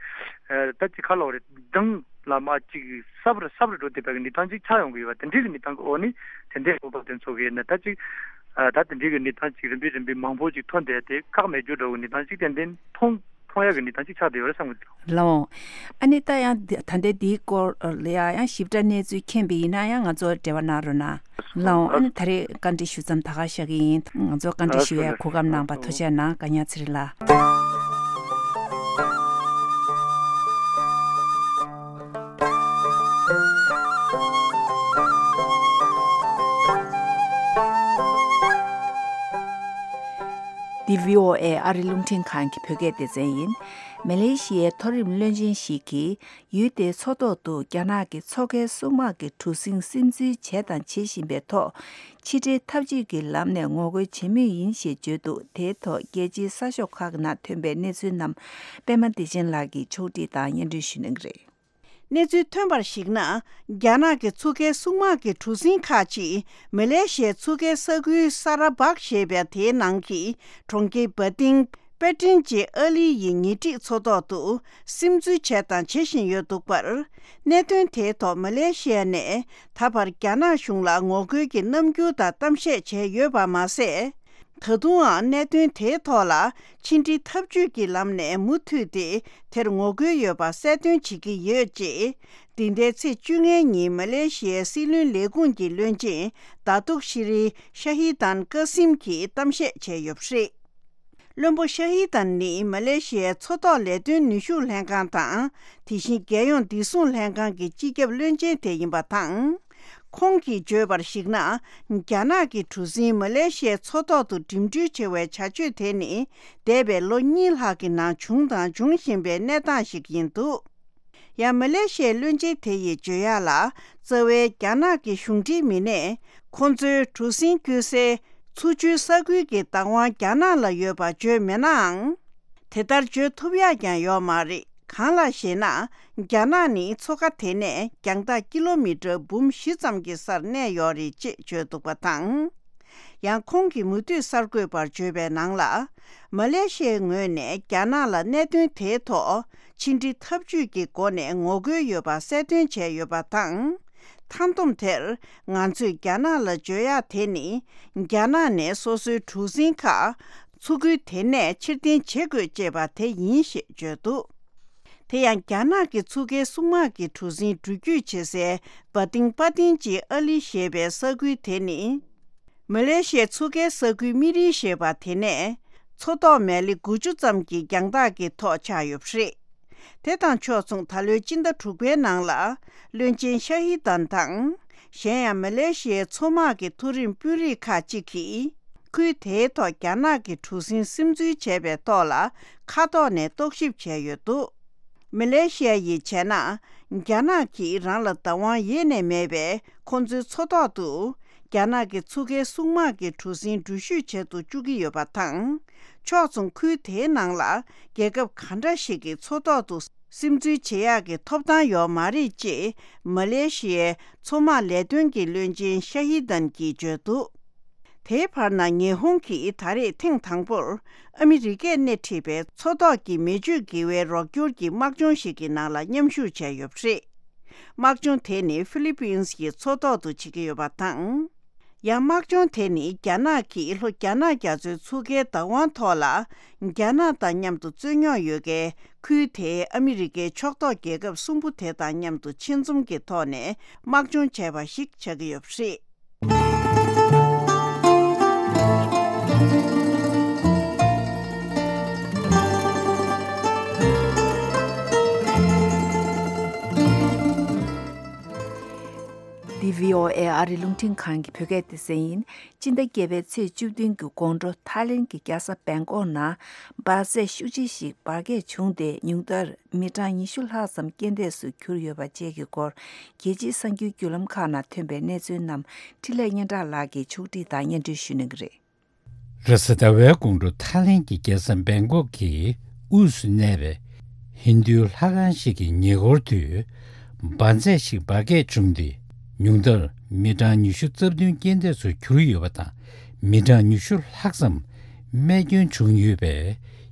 ད་ཅིག་ཁ་ལོ་རེད་སྡང་ལ་མ་ཅིག་སྲབ་རུ་སྲབ་རུ་འགྲོ་བསྡད་པ་གི་གནས་སྟངས་ཅིག་ཆགས་ཡོང་གི་ཡོད་པ་དེ་འདྲའི་གི་གནས་སྟངས་ཀྱི་འོག་ནས་དེ་འདྲའི་བོད་པ་དེ་ཚོ་གི་ཡིན་ན་ད་ཅིག་ད་དེ་འདྲའི་གི་གནས་སྟངས་ཅིག་རིམ་པས་རིམ་པས་མང་པོ་ཅིག་ཐོན་བསྡད་དེ་ཁག་མེད་རྒྱུ་འདྲ་བོ་གནས་སྟངས་ཅིག་ཏན་ཏན་མཐོང་མཐོང་ཡག་གི་གནས་སྟངས་ཅིག་ཆགས་བསྡད་ཡོད་རེད་བསམ་གི་འདུག་ལའོ། ཨ་ནི་ད་ཡང་འདི་ད་ལྟའི་འདིའི་སྐོར་ལ་ཡང་ཡང་ཞིབ་ཕྲ་གནས་ཚུལ་མཁྱེན་པ་ཡིན་ན་ཡང་ང་ཚོར་འབྲེལ་བ་གནང་རོགས་གནང་། ལའོ། ཨ་ནི་ད་རེས་བཀའ་འདྲི་ཞུ་མཚམས་ད་ག་བཞག་གི་ཡིན། ང་ཚོ་བཀའ་འདྲི་ཞུ་ཡའི་གོ་སྐབས་གནང་བ་ཐུགས་རྗེ་གནང་། བཀའ་ཉར་ཚེ་རིང་ལགས། འདི་བྷི་ཨོ་ཨེ་ཨ་རི་རླུང་འཕྲིན་ཁང་གི་བོད་སྐད་སྡེ་ཚན་ཡིན། མ་ལེ་ཤི་ཡའི་མཐོ་རིམ་བློན་ཆེན་ཞིག་གིས་ཡུལ་དེའི་མཚོ་ཐོག་ཏུ་རྒྱ་ནག་གི་མཚོ་ཁའི་སྲུང་དམག་གི་གྲུ་གཟིངས་སིམ་འཛུལ་བྱས་དང་བྱེད་བཞིན་པའི་ཐོག་ཕྱི་འབྲེལ་ཐབས་ཇུས་ཀྱི་ལམ་ནས་ངོ་རྒོལ་བྱེད་མུས་ཡིན་ཞེས་བརྗོད་འདུག་དེའི་ཐོག་རྒྱལ་སྤྱིའི་གསར་ཤོག་ཁག་ནང་ཐོན་པའི་གནས་ཚུལ་རྣམས་པད་མ་བདེ་ཆེན་ལགས་ཀྱིས་ཕྱོགས་སྒྲིག་དང་སྙན་སྒྲོན་ཞུ་གནང་གི་རེད། གནས་ཚུལ་ཐོན་པར་གཞིགས་ན། རྒྱ་ནག་གི་མཚོ་ཁའི་སྲུང་དམག་གི་གྲུ་གཟིངས་ཁག་ཅིག་མ་ལེ་ཤི་ཡའི་མཚོ་ཁའི་ས་ཁུལ་ས་ར་བག་ཞེས་པའི་དེའི་ནང་གི་གྲོང་ཁྱེར་བ་ཏིང་པེ་ཏྲིན་གྱི་ཨ་ལི་ཡི་ཉེ་འཁྲིས་མཚོ་ཐོག་ཏུ་སིམ་འཛུལ་བྱས་དང་བྱེད་བཞིན་ཡོད་འདུག་པར། གནད་དོན་དེའི་ཐོག་མ་ལེ་ཤི་ཡ་ནས་ད་བར་རྒྱ་ནག་གཞུང་ལ་ངོ་རྒོལ་གྱི་རྣམ་འགྱུར་དང་གཏམ་བཤད་བྱས་ཡོད་པ་མ་ཟད། ད་དུང་ཡང་གནད་དོན་དེའི་ཐོག་ལ་ཕྱི་འབྲེལ་ཐབས་ཇུས་ཀྱི་ལམ་ནས་མུ་མཐུད་དེ་དེར་ངོ་རྒོལ་ཡོད་པ་གསལ་སྟོན་བྱེད་ཀྱི་ཡོད་ཅེས། འདི་ཟླའི་ཚེས་བཅོ་ལྔའི་ཉིན་མ་ལེ་ཤི་ཡའི་སྲིད་བློན་ལས་ཁུངས་ཀྱི་བློན་ཆེན་ད་ཏུག་ཤི་རི་ཤ་ཧི་ཏན་ཀ་སིམ་གྱིས་གཏམ་བཤད་བྱས་ཡོད་པ་རེད། བློན་པོ་ཤ་ཧི་ཏན་ནི་མ་ལེ་ཤི་ཡའི་མཚོ་ཐོག་ལས་དོན་ནུས་ཤུགས་ལྷན་ཁང་དང་། དེ་བཞིན་རྒྱལ་ཡོངས་བདེ་སྲུང་ལྷན་ཁང་གི་སྤྱི་ཁྱབ་བློན་ཆེན་དེ་ཡིན་པ་དང་། ཁོང་གིས་བརྗོད་པར་གཞིགས་ན། རྒྱ་ནག་གི་གྲུ་གཟིངས་མ་ལེ་ཤི་ཡའི་མཚོ་ཐོག་ཏུ་འགྲིམ་འགྲུལ་བྱེད་པའི་བྱ་སྤྱོད་དེ་ནི། འདས་པའི་ལོ་གཉིས་ལྷག་གི་ནང་བྱུང་དང་འབྱུང་བཞིན་པའི་གནས་སྟངས་ཤིག་ཡིན་འདུག་ཡང་མ་ལེ་ཤི་ཡའི་བློན་ཆེན་དེ་ཡིས་བརྗོད་ཡག་ལ། རྩ་བའི་རྒྱ་ནག་གི་གཞུང་འབྲེལ་མི་སྣས། ཁོང་ཚོའི་གྲུ་གཟིངས་བསྐྱོད་སའི་མཚོ་ཆུའི་ས་ཁུལ་གྱི་བདག་དབང་རྒྱ་ནག་ལ་ཡོད་པ་བརྗོད་མེད་ནའང་། དེ་ལྟར་བརྗོད་ཐུབ་ཡག་ཀྱང་ཡོད་མ་རེད། གང་ལགས་ཤེ་ན། རྒྱ་ནག་ནི་མཚོ་ཁ་དེ་ནས་རྒྱང་ཐག་ཀི་ལོ་མི་ཊར་འབུམ་བཞི་ཙམ་གྱི་སར་གནས་ཡོད་རེད་ཅེས་བརྗོད་འདུག་པ་དང་། ཡང་ཁོང་གིས་མུ་མཐུད་གསར་འགོད་པར་བརྗོད་པའི་ནང་ལ། མ་ལེ་ཤི་ཡའི་ངོས་ནས་རྒྱ་ནག་ལ་གནད་དོན་དེའི་ཐོག་ཕྱི་འབྲེལ་ཐབས་ཇུས་ཀྱི་སྒོ་ནས་ངོ་རྒོལ་ཡོད་པ་གསལ་སྟོན་བྱས་ཡོད་པ་དང་། མཐའ་བསྡོམས་དེར་ང་ཚོས་རྒྱ་ནག་ལ་བརྗོད་ཡག་དེ་ནི། རྒྱ་ནག་ནས་སོ་སོའི་གྲུ་གཟིངས་ཁག་མཚོ་ཁུལ་དེ་ནས་ཕྱིར་འཐེན་བྱེད་དགོས་ཅེས་པ་དེ་ཡིན་ཞེས་བརྗོད་འདུག་དེ་ཡང་རྒྱ་ནག་གི་མཚོ་ཁའི་སྲུང་དམག་གི་གྲུ་གཟིངས་འགྲུལ་སྐྱོད་བྱེད་སའི་བ་ཏིང་པ་ཏིན་གྱི་ཨ་ལི་ཞེས་པའི་ས་ཁུལ་དེ་ནི། མ་ལེ་ཤི་ཡའི་མཚོ་ཁའི་ས་ཁུལ་སྨི་རི་ཞེས་པ་དེ་ནས། མཚོ་ཐོག་མལ་ལེ་དགུ་བཅུ་ཙམ་གྱི་རྒྱང་ཐག་གི་ཐོག་ཆགས་ཡོད་པ་རེད། དེ་དང་ཕྱོགས་མཚུངས་ད་ལོའི་སྤྱི་ཟླ་དྲུག་པའི་ནང་ལ། བློན་ཆེན་ཤ་ཧི་ཏན་དང་། གཞན་ཡང་མ་ལེ་ཤི་ཡའི་མཚོ་དམག་གི་མཐོ་རིམ་དཔོན་རིགས་ཁག་ཅིག་གིས། ཁུལ་དེའི་ཐོག་རྒྱ་ནག་གི་གྲུ་གཟིངས་སིམ་འཛུལ་བྱས་པའི་ཐོག་ལ། མཁའ་ཐོག་ནས་རྟོག་ཞིབ་བྱས་ཡོད་འདུག་མ་ལེ་ཤི་ཡ་ཡིས་བྱས་ན། རྒྱ་ནག་གིས་རང་ལ་བདག་དབང་ཡེ་ནས་མེད་པས། ཁོ་ཚོའི་མཚོ་ཐོག་ཏུ་རྒྱ་ནག་གི་མཚོ་ཁའི་སྲུང་དམག་གི་གྲུ་གཟིངས་འགྲུལ་བཞུད་བྱེད་དུ་བཅུག་གི་ཡོད་པ་དང་། ཕྱོགས་མཚུངས་ཁུལ་དེའི་ནང་ལ་རྒྱལ་ཁབ་ག་འདྲ་ཞིག་གི་མཚོ་ཐོག་ཏུ་སིམ་འཛུལ་བྱེད་ཡག་གི་ཐོབ་ཐང་ཡོད་མ་རེད་ཅེས་མ་ལེ་ཤི་ཡའི་མཚོ་དམག་ལས་དོན་གྱི་བློན་ཆེན་ཤ་ཧི་དན་གྱིས་བརྗོད་འདུག་དེའི་བར་ན་ཉི་ཧོང་གིས་ད་རེས་ཐེངས་དང་པོར་ཨ་མི་རི་ཀས་སྣེ་ཁྲིད་པའི་མཚོ་ཐོག་གི་མེ་མཆོད་འགྱེད་པའི་རོགས་སྐྱོར་གྱི་དམག་སྦྱོང་ཞིག་གི་ནང་ལ་མཉམ་ཞུགས་བྱས་ཡོད་པ་རེད། དམག་སྦྱོང་དེ་ནི་ཧྥི་ལི་པིན་གྱི་མཚོ་ཐོག་ཏུ་བྱེད་ཀྱི་ཡོད་པ་དང་། ཡང་དམག་སྦྱོང་དེ་ནི་རྒྱ་ནག་གིས་ལྷོ་རྒྱ་ནག་རྒྱ་མཚོའི་མཚོ་ཁའི་བདག་དབང་ཐོག་ལ་རྒྱ་ནག་དང་མཉམ་དུ་རྩོད་རྙོག་ཡོད་མཁན་ཁུལ་དེའི་ཨ་མི་རི་ཀའི་ཕྱོགས་གཏོགས་རྒྱལ་ཁབ་གསུམ་པོ་དེ་དང་མཉམ་དུ་ཆེད་འཛོམས་ཀྱི་ཐོག་ནས་དམག་སྦྱོང་བྱས་པ་ཞིག་ཆགས་ཀྱི་ཡོད་པ་རེད། འདི་བྷི་ཨོ་ཨེ་ཨ་རི་རླུང་འཕྲིན་ཁང་གི་བོད་སྐད་སྡེ་ཚན་ཡིན། སྤྱི་ཟླ་བརྒྱད་པའི་ཚེས་བཅུ་བདུན་གྱི་དགོང་དྲོ་ཐའི་ལེན་གྱི་རྒྱལ་ས་བེང་ཀོག་ནང་འབར་རྫས་ཤུགས་ཆེ་ཞིག་འབར་གས་བྱུང་སྟེ། ཉུང་མཐར་མི་གྲངས་ཉི་ཤུ་ལྷག་ཙམ་རྐྱེན་འདས་སུ་གྱུར་ཡོད་པ་བཅས་ཀྱི་སྐོར། རྒྱལ་སྤྱིའི་གསར་འགྱུར་བརྒྱུད་ལམ་ཁག་ནང་ཐོན་པའི་གནས་ཚུལ་རྣམས་འཕྲིན་ལས་སྙན་གྲགས་ལགས་ཀྱིས་ཕྱོགས་སྒྲིག་དང་སྙན་སྒྲོན་ཞུ་གནང་གི་རེད། རེས་གཟའ་ཟླ་བའི་དགོང་དྲོ་ཐའི་ལེན་གྱི་རྒྱལ་ས་བེང་ཀོག་གི་དབུས་སུ་གནས་པའི་ཧིན་རྡུའི་ལྷ་ཁང་ཞིག་གི་ཉེ་འཁོར་དུ་འབར་རྫས་ཤིག་འབར་གས་བྱུང་སྟེ། ཉུང་མཐར་མི་གྲངས་ཉི་ཤུ་རྩ་བདུན་རྐྱེན་འདས་སུ་གྱུར་ཡོད་པ་དང་། མི་གྲངས་ཉི་ཤུ་ལྷག་ཙམ་རྨས་སྐྱོན་བྱུང་ཡོད་པའི་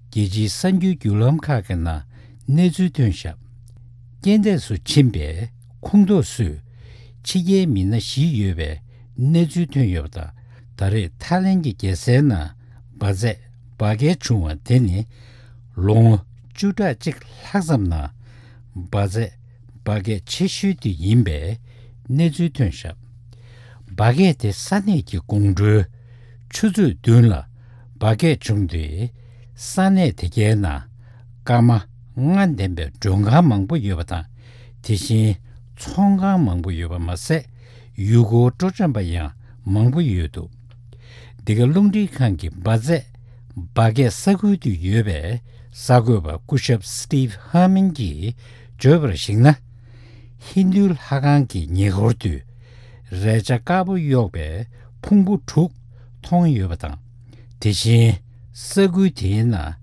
རྒྱལ་སྤྱིའི་གསར་འགྱུར་བརྒྱུད་ལམ་ཁག་གི་ནང་གནས་ཚུལ་ཐོན་བཞག་རྐྱེན་འདས་སུ་ཕྱིན་པའི་ཁོངས་གཏོགས་སུ་ཕྱི་རྒྱལ་མི་སྣ་བཞི་ཡོད་པའི་གནས་ཚུལ་ཐོན་ཡོད་པ་དང་། ད་རེས་ཐའི་ལེན་གྱི་རྒྱལ་སའི་ནང་འབར་རྫས་འབར་གས་བྱུང་བ་དེ་ནི་ལོ་ངོ་བཅུ་ཕྲག་གཅིག་ལྷག་ཙམ་ནང་འབར་རྫས་འབར་གས་ཆེ་ཤོས་དེ་ཡིན་པའི་གནས་ཚུལ་ཐོན་བཞག་འབར་གས་དེ་ས་གནས་ཀྱི་དགོང་དྲོའི་ཆུ་ཚོད་བདུན་ལ་འབར་གས་བྱུང་སྟེ། ས་གནས་དེ་གའི་ནང་སྐར་མ་ལྔ་ལྡན་པའི་མགྲོན་ཁང་མང་པོ་ཡོད་པ་དང་། དེ་བཞིན་ཚོང་ཁང་མང་པོ་ཡོད་པ་མ་ཟད། ཡུལ་སྐོར་སྤྲོ་འཆམ་པ་ཡང་མང་པོ་ཡོད་འདུག་འདི་ག་རླུང་འཕྲིན་ཁང་གི་འབར་རྫས་འབར་གས་ས་ཁུལ་དུ་ཡོད་པའི་གསར་འགོད་པ་སྐུ་ཞབས་Steve Harmon གྱིས་བརྗོད་པར་གཞིགས་ན། ཧིན་རྡུའི་ལྷ་ཁང་གི་ཉེ་འཁོར་དུ་རས་ཆ་དཀར་པོ་གཡོགས་པའི་ཕུང་པོ་དྲུག་མཐོང་ཡོད་པ་དང་། དེ་བཞིན་ས་ཁུལ་དེའི་ནང་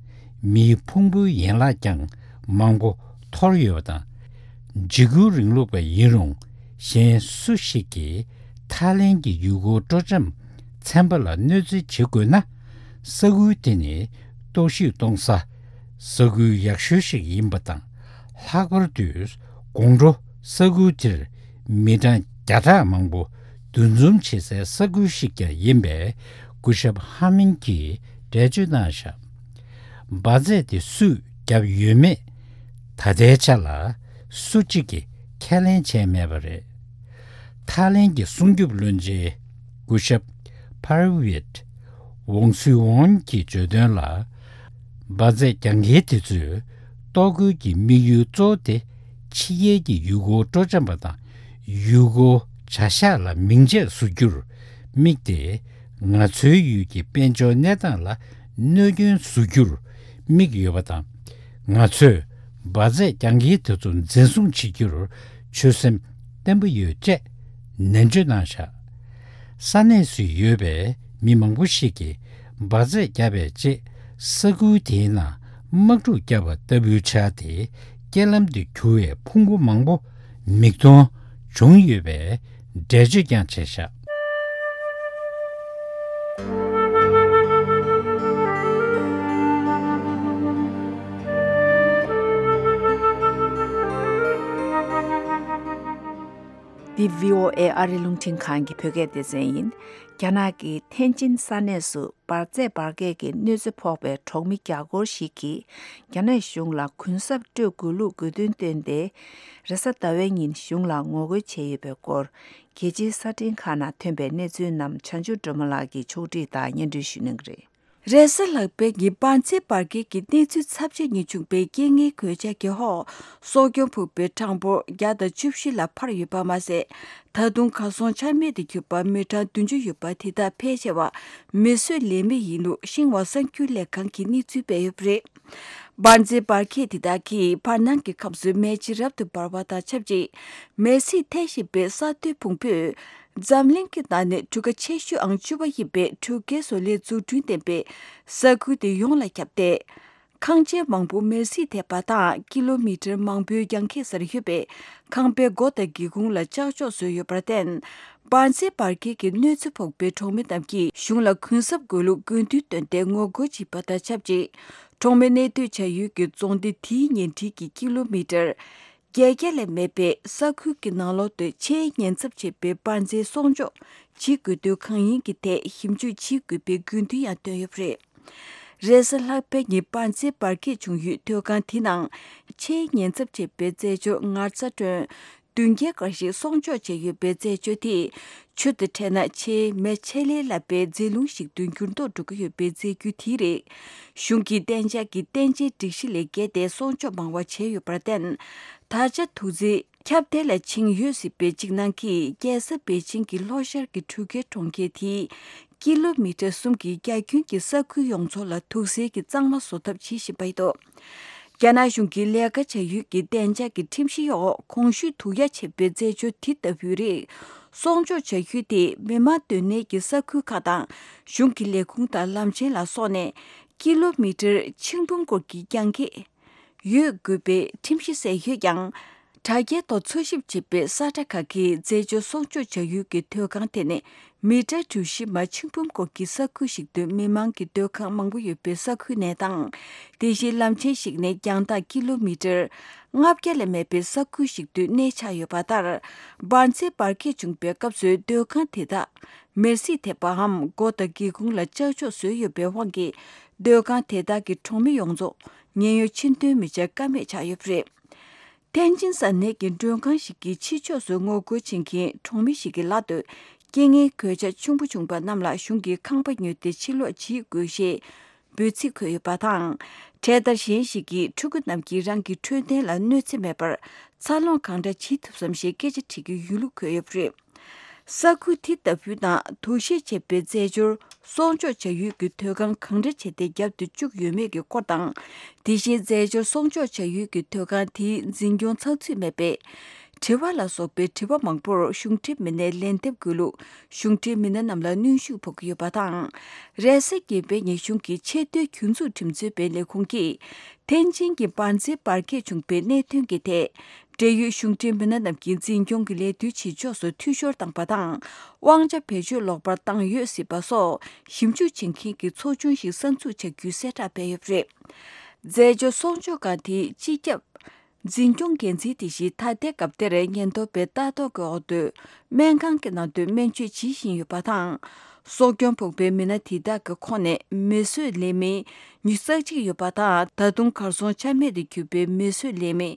མིའི་ཕུང་པོའི་ཡན་ལག་ཀྱང་མང་པོ་འཐོར་ཡོད་པ་དང་། འཇིགས་སྐུལ་རིང་ལུགས་པ་ཡིན་རུང་གཞན་སུ་ཞིག་གིས་ཐའི་ལེན་གྱི་ཡུལ་སྐོར་སྤྲོ་འཆམ་ཚན་པ་ལ་གནོད་འཚེ་བྱེད་དགོས་ན། ས་ཁུལ་དེ་ནི་གཏོར་བཤིག་གཏོང་ས་ས་ཁུལ་ཡག་ཤོས་ཤིག་ཡིན་པ་དང་། ལྷག་པར་དུ་དགོང་དྲོ་ས་ཁུལ་དེར་མི་གྲངས་བརྒྱ་ཕྲག་མང་པོ་འདུ་འཛོམས་བྱེད་སའི་ས་ཁུལ་ཞིག་ཀྱང་ཡིན་པས། སྐུ་ཞབས་ཧ་མིན་གྱིས་འགྲེལ་བརྗོད་གནང་བཞག་འབར་རྫས་དེ་སུས་བརྒྱབ་ཡོད་མེད་ད་ལྟའི་ཆ་ལ་སུ་གཅིག་གིས་ཁས་ལེན་བྱས་མེད་པ་རེད། ཐའི་ལེན་གྱི་སྲུང་སྐྱོབ་བློན་ཆེན་སྐུ་ཞབས་ཕར་ཝིད་ཝོང་སུའི་ཝོན་གྱིས་བརྗོད་དོན་ལ། འབར་རྫས་རྒྱག་མཁན་དེ་ཚོས་གཏོར་རྒོལ་གྱི་དམིགས་ཡུལ་གཙོ་བོ་དེ་ཕྱི་རྒྱལ་གྱི་ཡུལ་སྐོར་སྤྲོ་འཆམ་པ་དང་ཡུལ་སྐོར་བྱ་གཞག་ལ་མིང་ཆད་བཟོ་རྒྱུར་དམིགས་ཏེ། ང་ཚོའི་ཡུལ་གྱི་དཔལ་འབྱོར་གནས་སྟངས་ལ་གནོད་སྐྱོན་བཟོ་རྒྱུར་དམིགས་ཡོད་པ་དང་། ང་ཚོས་འབར་རྫས་རྒྱག་མཁན་དེ་ཚོ་འཛིན་བཟུང་བྱེད་རྒྱུར་ཆོད་སེམས་བརྟན་པོ་ཡོད་ཅེས་ནན་བརྗོད་གནང་བཞག་ས་གནས་སུ་ཡོད་པའི་མི་མང་པོ་ཞིག་གིས་འབར་རྫས་བརྒྱབ་པའི་རྗེས་ས་ཁུལ་དེའི་ནང་དམག་འཁྲུག་བརྒྱབ་པ་ལྟ་བུའི་ཆ་དེ་རྐྱེན་ལམ་དུ་གྱུར་བའི་ཕུང་པོ་མང་པོ་མིག་མཐོང་བྱུང་ཡོད་པའི་འགྲེལ་བརྗོད་ཀྱང་བྱས་བཞག་འདི་བྷི་ཨོ་ཨེ་ཨ་རི་རླུང་འཕྲིན་ཁང་གི་བོད་སྐད་སྡེ་ཚན་ཡིན། རྒྱ་ནག་གི་ཐེན་ཅིན་ས་གནས་སུ་འབར་རྫས་འབར་གས་ཀྱི་གནོད་འཚེ་ཕོག་པའི་གྲོང་མི་བརྒྱ་སྐོར་ཞིག་གིས་རྒྱ་ནག་གཞུང་ལ་གུན་གསབ་སྤྲོད་དགོས་ལུགས་དགོས་འདུན་བཏོན་ཏེ། རེས་གཟའ་ཟླ་བའི་ཉིན་གཞུང་ལ་ངོ་རྒོལ་བྱས་ཡོད་པའི་སྐོར། རྒྱལ་སྤྱིའི་གསར་འཕྲིན་ཁག་ནང་ཐོན་པའི་གནས་ཚུལ་རྣམས་བྱང་ཆུབ་སྒྲོལ་མ་ལགས་ཀྱིས་ཕྱོགས་སྒྲིག་དང་སྙན་སྒྲོན་ཞུ་གནང་གི་རེད། རེས་གཟའ་ལྷག་པའི་ཉིན་འབར་རྫས་འབར་གས་ཀྱི་གནས་ཚུལ་ཚབས་ཆེན་ཉིད་བྱུང་བའི་རྐྱེན་ངན་གོད་ཆག་གི་འོག་གསོ་སྐྱོང་ཕུང་པོའི་གྲངས་འབོར་བརྒྱ་དང་བཅུ་བཞི་ལ་འཕར་ཡོད་པ་མ་ཟད། ད་དུང་གར་སོང་ཆ་མེད་དུ་གྱུར་པ་མི་གྲངས་བདུན་ཅུ་ཡོད་པ་དེ་དག་ཕལ་ཆེ་བ་མེ་གསོད་ལས་མེད་ཡིན་ལུགས་ཤིན་ཧྭ་གསར་འགྱུར་ལས་ཁང་གིས་གནས་ཚུལ་སྤེལ་ཡོད་པ་རེད། འབར་རྫས་འབར་གས་དེ་དག་གིས་བར་སྣང་གི་ཁམས་སུ་མེ་ལྕེ་རབ་ཏུ་འབར་བ་དང་ཆབས་ཅིག་མེ་བསྲེགས་ཐེབས་བཞིན་པའི་ས་མཐོའི་ཕུང་པོས་འཛམ་གླིང་གི་ནང་ནས་གྲུ་ཁ་ཆེ་ཤོས་ཨང་བཅུ་པ་ཡིན་པའི་གྲུ་ཁའི་བཟོ་ལས་འཛུགས་སྐྲུན་ལྡན་པའི་ས་ཁུལ་དེ་ཡོངས་ལ་ཁྱབ་སྟེ། ཁང་ཆེན་མང་པོ་མེར་སྲེག་ཐེབས་པ་དང་ཀི་ལོ་མི་ཊར་མང་པོའི་རྒྱང་ཁྱེར་སར་ཡོད་པའི་ཁང་པའི་སྒོ་དང་སྒེའུ་ཁུང་ལ་ལྕགས་ཤོག་བཟོས་ཡོད་པར་བརྟེན། འབར་རྫས་འབར་གས་ཀྱི་གནོད་འཚེ་ཕོག་པའི་གྲོང་མི་རྣམས་ཀྱིས་གཞུང་ལ་གུན་གསབ་དགོས་ལུགས་དགོས་འདུན་བཏོན་ཏེ་ངོ་རྒོལ་བྱས་པ་དང་ཆབས་ཅིག་གྲོང་མི་གནས་སྡོད་བྱ་ཡུལ་གྱི་རྫོང་སྡེ་དེའི་ཉེ་འཁྲིས་ཀྱི་ཀི་ལོ་མི་ཊར་བརྒྱད་བརྒྱ་ལས་མེད་པའི་ས་ཁུལ་གྱི་ནང་ལོགས་དུ་ཆེས་ཉེན་ཚབས་ཆེ་བའི་འབར་རྫས་གསོག་འཇོག་བྱེད་དགོས་དོན་གང་ཡིན་གྱི་ཐད་ཞིབ་འཇུག་བྱེད་དགོས་པའི་དགོས་འདུན་ཡང་བཏོན་ཡོད་པ་རེད། རེས་གཟའ་ལྷག་པའི་ཉིན་འབར་རྫས་འབར་གས་བྱུང་ཡུལ་སྡོད་ཁང་དེའི་ནང་ཆེས་ཉེན་ཚབས་ཆེ་བའི་རྫས་སྦྱོར་ངར་རྩྭ་ཀྲོན་བདུན་བརྒྱ་འགའ་ཞིག་གསོག་འཇོག་བྱས་ཡོད་པའི་རྫས་སྦྱོར་དེས་ཆུ་དང་འཕྲད་ན་ཆེས་མེ་ཆེ་ལས་སླ་བའི་རྫས་ལུང་ཞིག་ཏུ་འགྱུར་ལྡོག་འགྲོ་གི་ཡོད་པའི་རྫས་འགྱུར་དེ་རེད། གཞུང་གི་གཏན་འཇགས་ཀྱི་བརྟན་ཅིང་སྒྲིག་གཞི་ལས་འགལ་ཏེ་གསོག་འཇོག་མང་བ་བྱས་ཡོད་པར་བརྟེན། ད་ཆ་དུག་རྫས་ཁྱབ་གདལ་ལ་ཕྱིན་ཡོད་སྲིད་པའི་ཅིག་ནང་གིས་རྒྱལ་ས་པེ་ཅིང་གི་ལྷོ་ཤར་གྱི་གྲུ་ཁའི་གྲོང་ཁྱེར་དེའི་ཀི་ལོ་མི་ཊར་གསུམ་གྱི་རྒྱ་ཁྱོན་གྱི་ས་ཁུལ་ཡོངས་རྫོགས་ལ་དུག་སེལ་གྱི་གཙང་མ་བཟོ་ཐབས་བྱེད་བཞིན་པ་ཡིན་འདུག་རྒྱ་ནག་གཞུང་གིས་ལས་ཀ་བྱ་ཡུལ་གྱི་གཏན་འཇགས་ཀྱི་ཁྲིམས་གཞི་འོག་གོང་ཞུས་དུག་ཡ་ཆེ་བའི་རྫས་སྦྱོར་དེ་ལྟ་བུའི་རིགས་གསོག་འཇོག་བྱ་ཡུལ་དེ་མི་མང་སྡོད་གནས་ཀྱི་ས་ཁུལ་ཁག་དང་གཞུང་གི་ལས་ཁུངས་དང་ལམ་ཆེན་ལ་སོགས་ནས་ཀི་ལོ་མི་ཊར་ཆིག་འབུམ་སྐོར་གྱི་རྒྱང་ཁྱེར་ཡོད་དགོས་པའི་ཁྲིམས་གཞི་གསལ་ཡོད་ཀྱང་། དྲ་རྒྱའི་ཐོག་འཚོལ་ཞིབ་བྱེད་པའི་ས་ཁྲ་ཁག་གིས་རྫས་སྦྱོར་གསོག་འཇོག་བྱ་ཡུལ་གྱི་སྡོད་ཁང་དེ་ནས་མི་ཊར་གྲུ་བཞི་མ་ཆིག་འབུམ་སྐོར་གྱི་ས་ཁུལ་ཞིག་ཏུ་མི་མང་གི་སྡོད་ཁང་མང་པོ་ཡོད་པའི་ས་ཁུལ་ནས་དང་། དེ་བཞིན་ལམ་ཆེན་ཞིག་ནས་རྒྱང་ཐག་ཀི་ལོ་མི་ཊར་ལྔ་བརྒྱ་ལས་མེད་པའི་ས་ཁུལ་ཞིག་ཏུ་གནས་འཆའ་ཡོད་པ་ལྟར། འབར་རྫས་འབར་གས་བྱུང་པའི་སྐབས་སུ་སྡོད་ཁང་དེ་དག་མེར་སྲེག་ཐེབས་པའམ་སྒོ་དང་སྒེའུ་ཁུང་ལ་ལྕགས་ཤོག་བཟོས་ཡོད་པའི་དབང་གིས་སྡོད་ཁང་དེ་དག་གི་གྲོང་མི་ཡོངས་རྫོགས་ཉེན་གཡོལ་ཕྱིར་ཐོན་མི་བྱ་ཀ་མེད་ཆགས་ཡོད་པ་རེད། ཐེན་ཅིན་ས་གནས་ཀྱི་མགྲོན་ཁང་ཞིག་གི་ཕྱི་ཕྱོགས་སུ་ངོ་རྒོལ་བྱེད་མཁན་གྲོང་མི་ཞིག་གི་ལག་ཏུ་རྐྱེན་ངན་གོད་ཆག་ཆེན་པོ་བྱུང་པ་རྣམས་ལ་གཞུང་གིས་ཁང་པ་ཉོས་ཏེ་ཕྱིར་ལོག་བྱེད་དགོས་ཞེས་འབོད་ཚིག་འཁོད་ཡོད་པ་དང་། འཕྲེད་དར་གཞན་ཞིག་གིས་ཕྲུ་གུ་རྣམས་ཀྱིས་རང་གི་འཕྲོད་བསྟེན་ལ་གནོད་འཚེ་མེད་པར་འཚར་ལོངས་གང་འདྲ་བྱེད་ཐུབ་བསམ་ཞེས་སྐད་ཆ་དྲིས་ཀྱི་ཡོད་ལུགས་འཁོད་ཡོད་པ་རེད། ས་ཁུལ་དེ་ལྟ་བུའི་ནང་དུག་ཤེད་ཆེ་བའི་རྫས་སྦྱོར་གསོག་འཇོག་བྱ་ཡུལ་གྱི་སྡོད་ཁང་གང་འདྲ་བྱས་ཏེ་བརྒྱབ་ཏུ་བཅུག་ཡོད་མེད་ཀྱི་སྐོར་དང་། དེ་བཞིན་རྫས་སྦྱོར་གསོག་འཇོག་བྱ་ཡུལ་གྱི་སྡོད་ཁང་དེའི་འཛིན་སྐྱོང་ཚགས་ཚུད་མེད་པས། དྲི་བ་ལ་སོགས་པའི་དྲི་བ་མང་པོར་གཞུང་འབྲེལ་མི་སྣས་ལན་འདེབས་དགོས་ལུགས་གཞུང་འབྲེལ་མི་སྣ་རྣམས་ལ་གནོན་ཤུགས་ཕོག་གི་ཡོད་པ་དང་། རེས་གཟའ་གསུམ་པའི་ཉིན་གཞུང་གི་ཆེས་མཐོའི་རྒྱུན་འཛུགས་ཁྲིམས་རྩོད་པའི་ལས་ཁུངས་ཀྱིས། ཐེན་ཅིན་གྱི་འབར་རྫས་འབར་གས་བྱུང་པའི་གནད་དོན་གྱི་ཐད། འབྲེལ་ཡོད་གཞུང་འབྲེལ་མི་སྣ་རྣམས་ཀྱིས་འཛིན་སྐྱོང་གི་ལས་དོན་བྱེད་ཕྱོགས་སུ་འཐུས་ཤོར་བཏང་པ་དང་། དབང་ཆ་བེད་སྤྱོད་ལོག་པར་བཏང་ཡོད་སྲིད་པ་སོགས་ཞིབ་འཇུག་བྱེད་མཁན་གྱི་ཚོགས་ཆུང་ཞིག་གསར་འཛུགས་བྱ་རྒྱུའི་གསལ་བསྒྲགས་སྤེལ་ཡོད་པ་རེད། རྫས་སྦྱོར་གསོག་འཇོག་ཁང་དེའི་སྤྱི་ཁྱབ་འཛིན་སྐྱོང་འགན་འཛིན་དེ་བཞིན་ད་ལྟའི་སྐབས་དེར་ཉེན་རྟོག་པའི་ལྟ་རྟོག་གི་འོག་ཏུ་སྨན་ཁང་གི་ནང་དུ་སྨན་བཅོས་བྱེད་བཞིན་ཡོད་པ་དང་། གསོ་སྐྱོན་ཕོག་པའི་མི་སྣ་དེ་དག་གི་ཁོངས་ནས་མི་གསོད་ལས་མི་ཉི་ཤུ་རྩ་གཅིག་ཡོད་པ་དང་། ད་དུང་གར་སོང་ཆ་མེད་དུ་གྱུར་པའི་མི་གསོད་ལས་མི་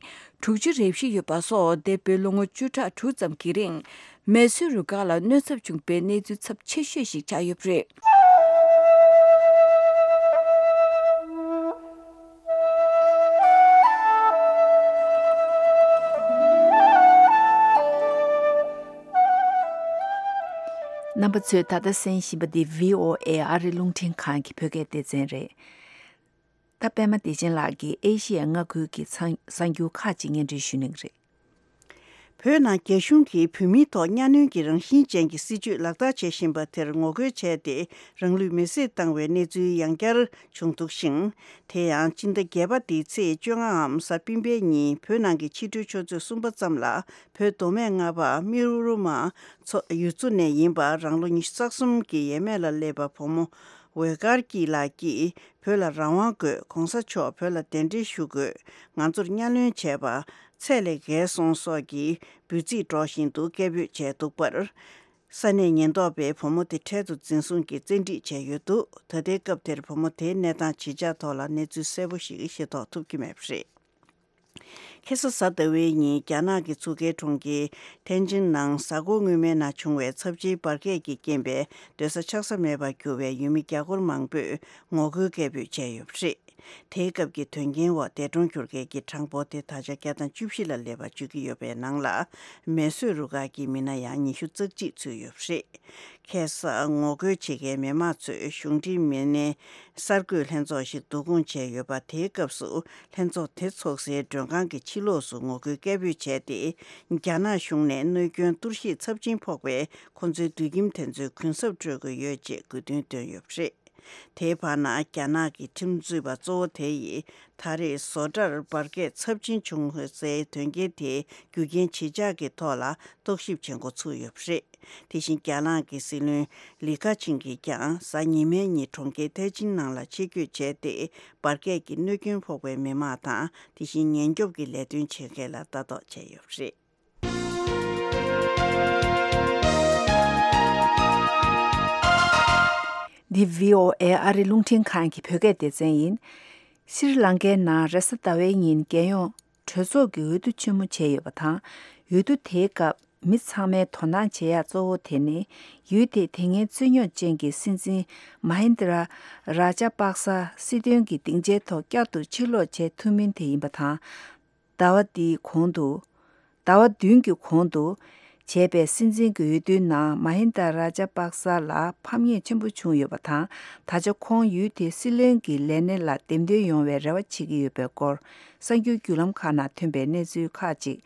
དྲུག་ཅུ་རེ་བཞི་ཡོད་པ་སོགས་འདས་པའི་ལོ་ངོ་བཅུ་ཕྲག་དྲུག་ཙམ་གྱི་རིང་མི་གསོད་རུ་ཁག་ལ་གནོད་ཚབས་བྱུང་པའི་གནས་ཚུལ་ཚབས་ཆེ་ཤོས་ཤིག་ཆགས་ཡོད་པ་རེད། རྣམ་པ་ཚོས་ད་ལྟ་གསན་བཞིན་པ་འདི་བྷི་ཨོ་ཨེ་ཨ་རིའི་རླུང་འཕྲིན་ཁང་གི་བོད་སྐད་སྡེ་ཚན་རེད། ད་པད་མ་བདེ་ཆེན་ལགས་ཀྱིས་ཨེ་ཤི་ཡའི་མངའ་ཁུལ་གྱི་ཚང་གསར་འགྱུར་ཁག་ཅིག་སྙན་སྒྲོན་ཞུ་གནང་གི་རེད། བོད་ནང་རྒྱ་གཞུང་གིས་བོད་མིའི་ཐོག་གཉའ་གནོན་གྱི་རང་བཞིན་ཅན་གྱི་སྲིད་བྱུས་ལག་བསྟར་བྱེད་བཞིན་པ་དེར་ངོ་རྒོལ་བྱས་ཏེ་རང་ལུས་མེར་སྲེག་བཏང་བའི་གནས་ཚུལ་ཡང་བསྐྱར་བྱུང་འདུག་ཅིང་། དེ་ཡང་སྤྱི་ཟླ་བརྒྱད་པ་འདིའི་ཚེས་བཅོ་ལྔའམ་གཟའ་སྤེན་པའི་ཉིན་བོད་ནང་གི་ཕྱི་དྲོའི་ཆུ་ཚོད་གསུམ་པ་ཙམ་ལ་བོད་མདོ་སྨད་རྔ་བ་རྨེ་རུ་མ་མཚོ་ཡུལ་ཚོ་ནས་ཡིན་པ་རང་ལོ་ཉི་ཤུ་རྩ་གསུམ་གྱི་ཡས་མས་ལ་སླེབས་པ་བུ་མོ་འོད་དཀར་སྐྱིད་ལགས་ཀྱིས་བོད་ལ་རང་དབང་དགོས། གོང་ས་མཆོག་བོད་ལ་གདན་འདྲེན་ཞུ་དགོས། ང་ཚོར་གཉའ་གནོན་བྱས་པ་ཚད་ལས་བརྒལ་སོང་སོགས་ཀྱི་འབོད་ཚིག་སྒྲོག་བཞིན་དུ་སྐད་འབོད་བྱས་འདུག་པར། ས་གནས་ཉེན་རྟོག་པས་བུ་མོ་དེ་འཕྲལ་དུ་འཛིན་བཟུང་གིས་བཙན་ཁྲིད་བྱས་ཡོད་འདུག་ད་ལྟའི་སྐབས་དེར་བུ་མོ་དེའི་གནས་སྟངས་ཇི་ཆགས་ཐོག་ལ་གནས་ཚུལ་གསལ་པོ་ཞིག་ཤེས་རྟོགས་ཐུབ་ཀྱི་མེད་པ་རེད། ཁ་སང་གཟའ་ཟླ་བའི་ཉིན་རྒྱ་ནག་གི་མཚོ་ཁའི་གྲོང་ཁྱེར་ཐེན་ཅིན་ནང་གཟའ་འཁོར་སྔོན་མའི་ནང་བྱུང་བའི་ཚབས་ཆེའི་འབར་གས་ཀྱི་རྐྱེན་པས་སྡོད་ས་ཆགས་ས་མེད་པར་གྱུར་བའི་ཡུལ་མི་རྒྱ་སྒོར་མང་པོས་ངོ་རྒོལ་སྐད་འབོད་བྱས་ཡོད་པ་རེད། དེའི་སྐབས་ཀྱི་དོན་རྐྱེན་འོག་འདས་གྲོངས་གྱུར་མཁན་གྱི་གྲངས་འབོར་དེ་ད་ཆ་བརྒྱ་དང་བཅུ་བཞི་ལ་སླེབས་པ་བརྗོད་ཀྱི་ཡོད་པའི་ནང་ལ། མེ་གསོད་རུ་ཁག་གི་མི་སྣ་ཡང་ཉི་ཤུ་རྩ་གཅིག་ཚུད་ཡོད་པ་རེད། ཁ་སང་ངོ་རྒོལ་བྱེད་མཁན་མི་མང་ཚོས་གཞུང་འབྲེལ་མི་སྣའི་གསར་འགོད་ལྷན་ཚོགས་ཤིག་བསྡུ་སྐོང་བྱས་ཡོད་པ། དེའི་སྐབས་སུ་ལྷན་ཚོགས་དེ་ཚོགས་སའི་མགྲོན་ཁང་གི་ཕྱི་ལོགས་སུ་ངོ་རྒོལ་སྐད་འབོད་བྱས་ཏེ། རྒྱ་ནག་གཞུང་ནས་གནོད་སྐྱོན་གཏོར་བཤིག་ཚབས་ཆེན་ཕོག་པའི་ཁོ་ཚོའི་དུད་ཁྱིམ་དེ་ཚོའི་གུན་གསབ་སྤྲོད་དགོས་ཡོད་ཅེས་དགོས་འདུན་བཏོན་ཡོད་པ་རེད། དེའི་བར་ན་རྒྱ་ནག་གི་ཁྲིམས་རྩོད་པ་གཙོ་བོ་དེ་ཡིས་ད་རེས་བཟོ་གྲྭར་འབར་གས་ཚབས་ཆེན་བྱུང་སའི་དོན་རྐྱེན་དེའི་རྒྱུ་རྐྱེན་ཇི་ཆགས་ཀྱི་ཐོག་ལ་རྟོག་ཞིབ་བྱེད་འགོ་ཚུགས་ཡོད་པ་རེད། དེ་བཞིན་རྒྱ་ནག་གི་སྲིད་བློན་ལི་ཁ་ཆིང་གིས་ཀྱང་གཟའ་ཉི་མའི་ཉིན་གྲོང་ཁྱེར་ཐའེ་ཅིན་ནང་ལ་ཆེད་བསྐྱོད་བྱས་ཏེ། འབར་གས་ཀྱི་གནོད་སྐྱོན་ཕོག་པའི་མི་མང་དང་། དེ་བཞིན་ཉེན་སྐྱོབ་ཀྱི་ལས་དོན་བྱེད་མཁན་ལ་ལྟ་རྟོག་བྱས་ཡོད་པ་རེད། འདི་བྷི་ཨོ་ཨེ་ཨ་རི་རླུང་འཕྲིན་ཁང་གི་བོད་སྐད་སྡེ་ཚན་ཡིན། ཤྲི་ལང་ཀའི་ནང་རེས་གཟའ་ཟླ་བའི་ཉིན་རྒྱལ་ཡོངས་གྲོས་ཚོགས་ཀྱི་འོས་བསྡུ་ཆེན་མོ་བྱས་ཡོད་པ་དང་། འོས་བསྡུ་དེའི་སྐབས་མི་ཚང་མས་དོ་སྣང་བྱེད་ཡག་གཙོ་བོ་དེ་ནི། ཡུལ་དེའི་དེ་སྔའི་རྩོད་རྙོག་ཅན་གྱི་སྲིད་འཛིན་མ་ཧིན་དྲ་ར་ཇ་པག་ས་སྲིད་དོན་གྱི་སྡིངས་ཆའི་ཐོག་བསྐྱར་དུ་ཕྱིར་ལོག་བྱེད་ཐུབ་མིན་དེ་ཡིན་པ་དང་། ཟླ་བ་འདིའི་གོང་དུ། ཟླ་བ་བདུན་གྱི་གོང་དུ་བྱས་པའི་སྲིད་འཛིན་གྱི་འོས་བསྡུའི་ནང་མ་ཧིན་དཱ་ར་ཇ་པག་ས་ལ་ཕམ་ཉེས་ཆེན་པོ་བྱུང་ཡོད་པ་དང་། ད་ཆ་ཁོང་ཡུལ་དེའི་སྲིད་བློན་གྱི་ལས་གནས་ལ་འདེམས་ཐོན་ཡོང་བའི་རེ་བ་བྱེད་ཀྱི་ཡོད་པའི་སྐོར། གསར་འགྱུར་བརྒྱུད་ལམ་ཁག་ནང་ཐོན་པའི་གནས་ཚུལ་ཁག་ཅིག་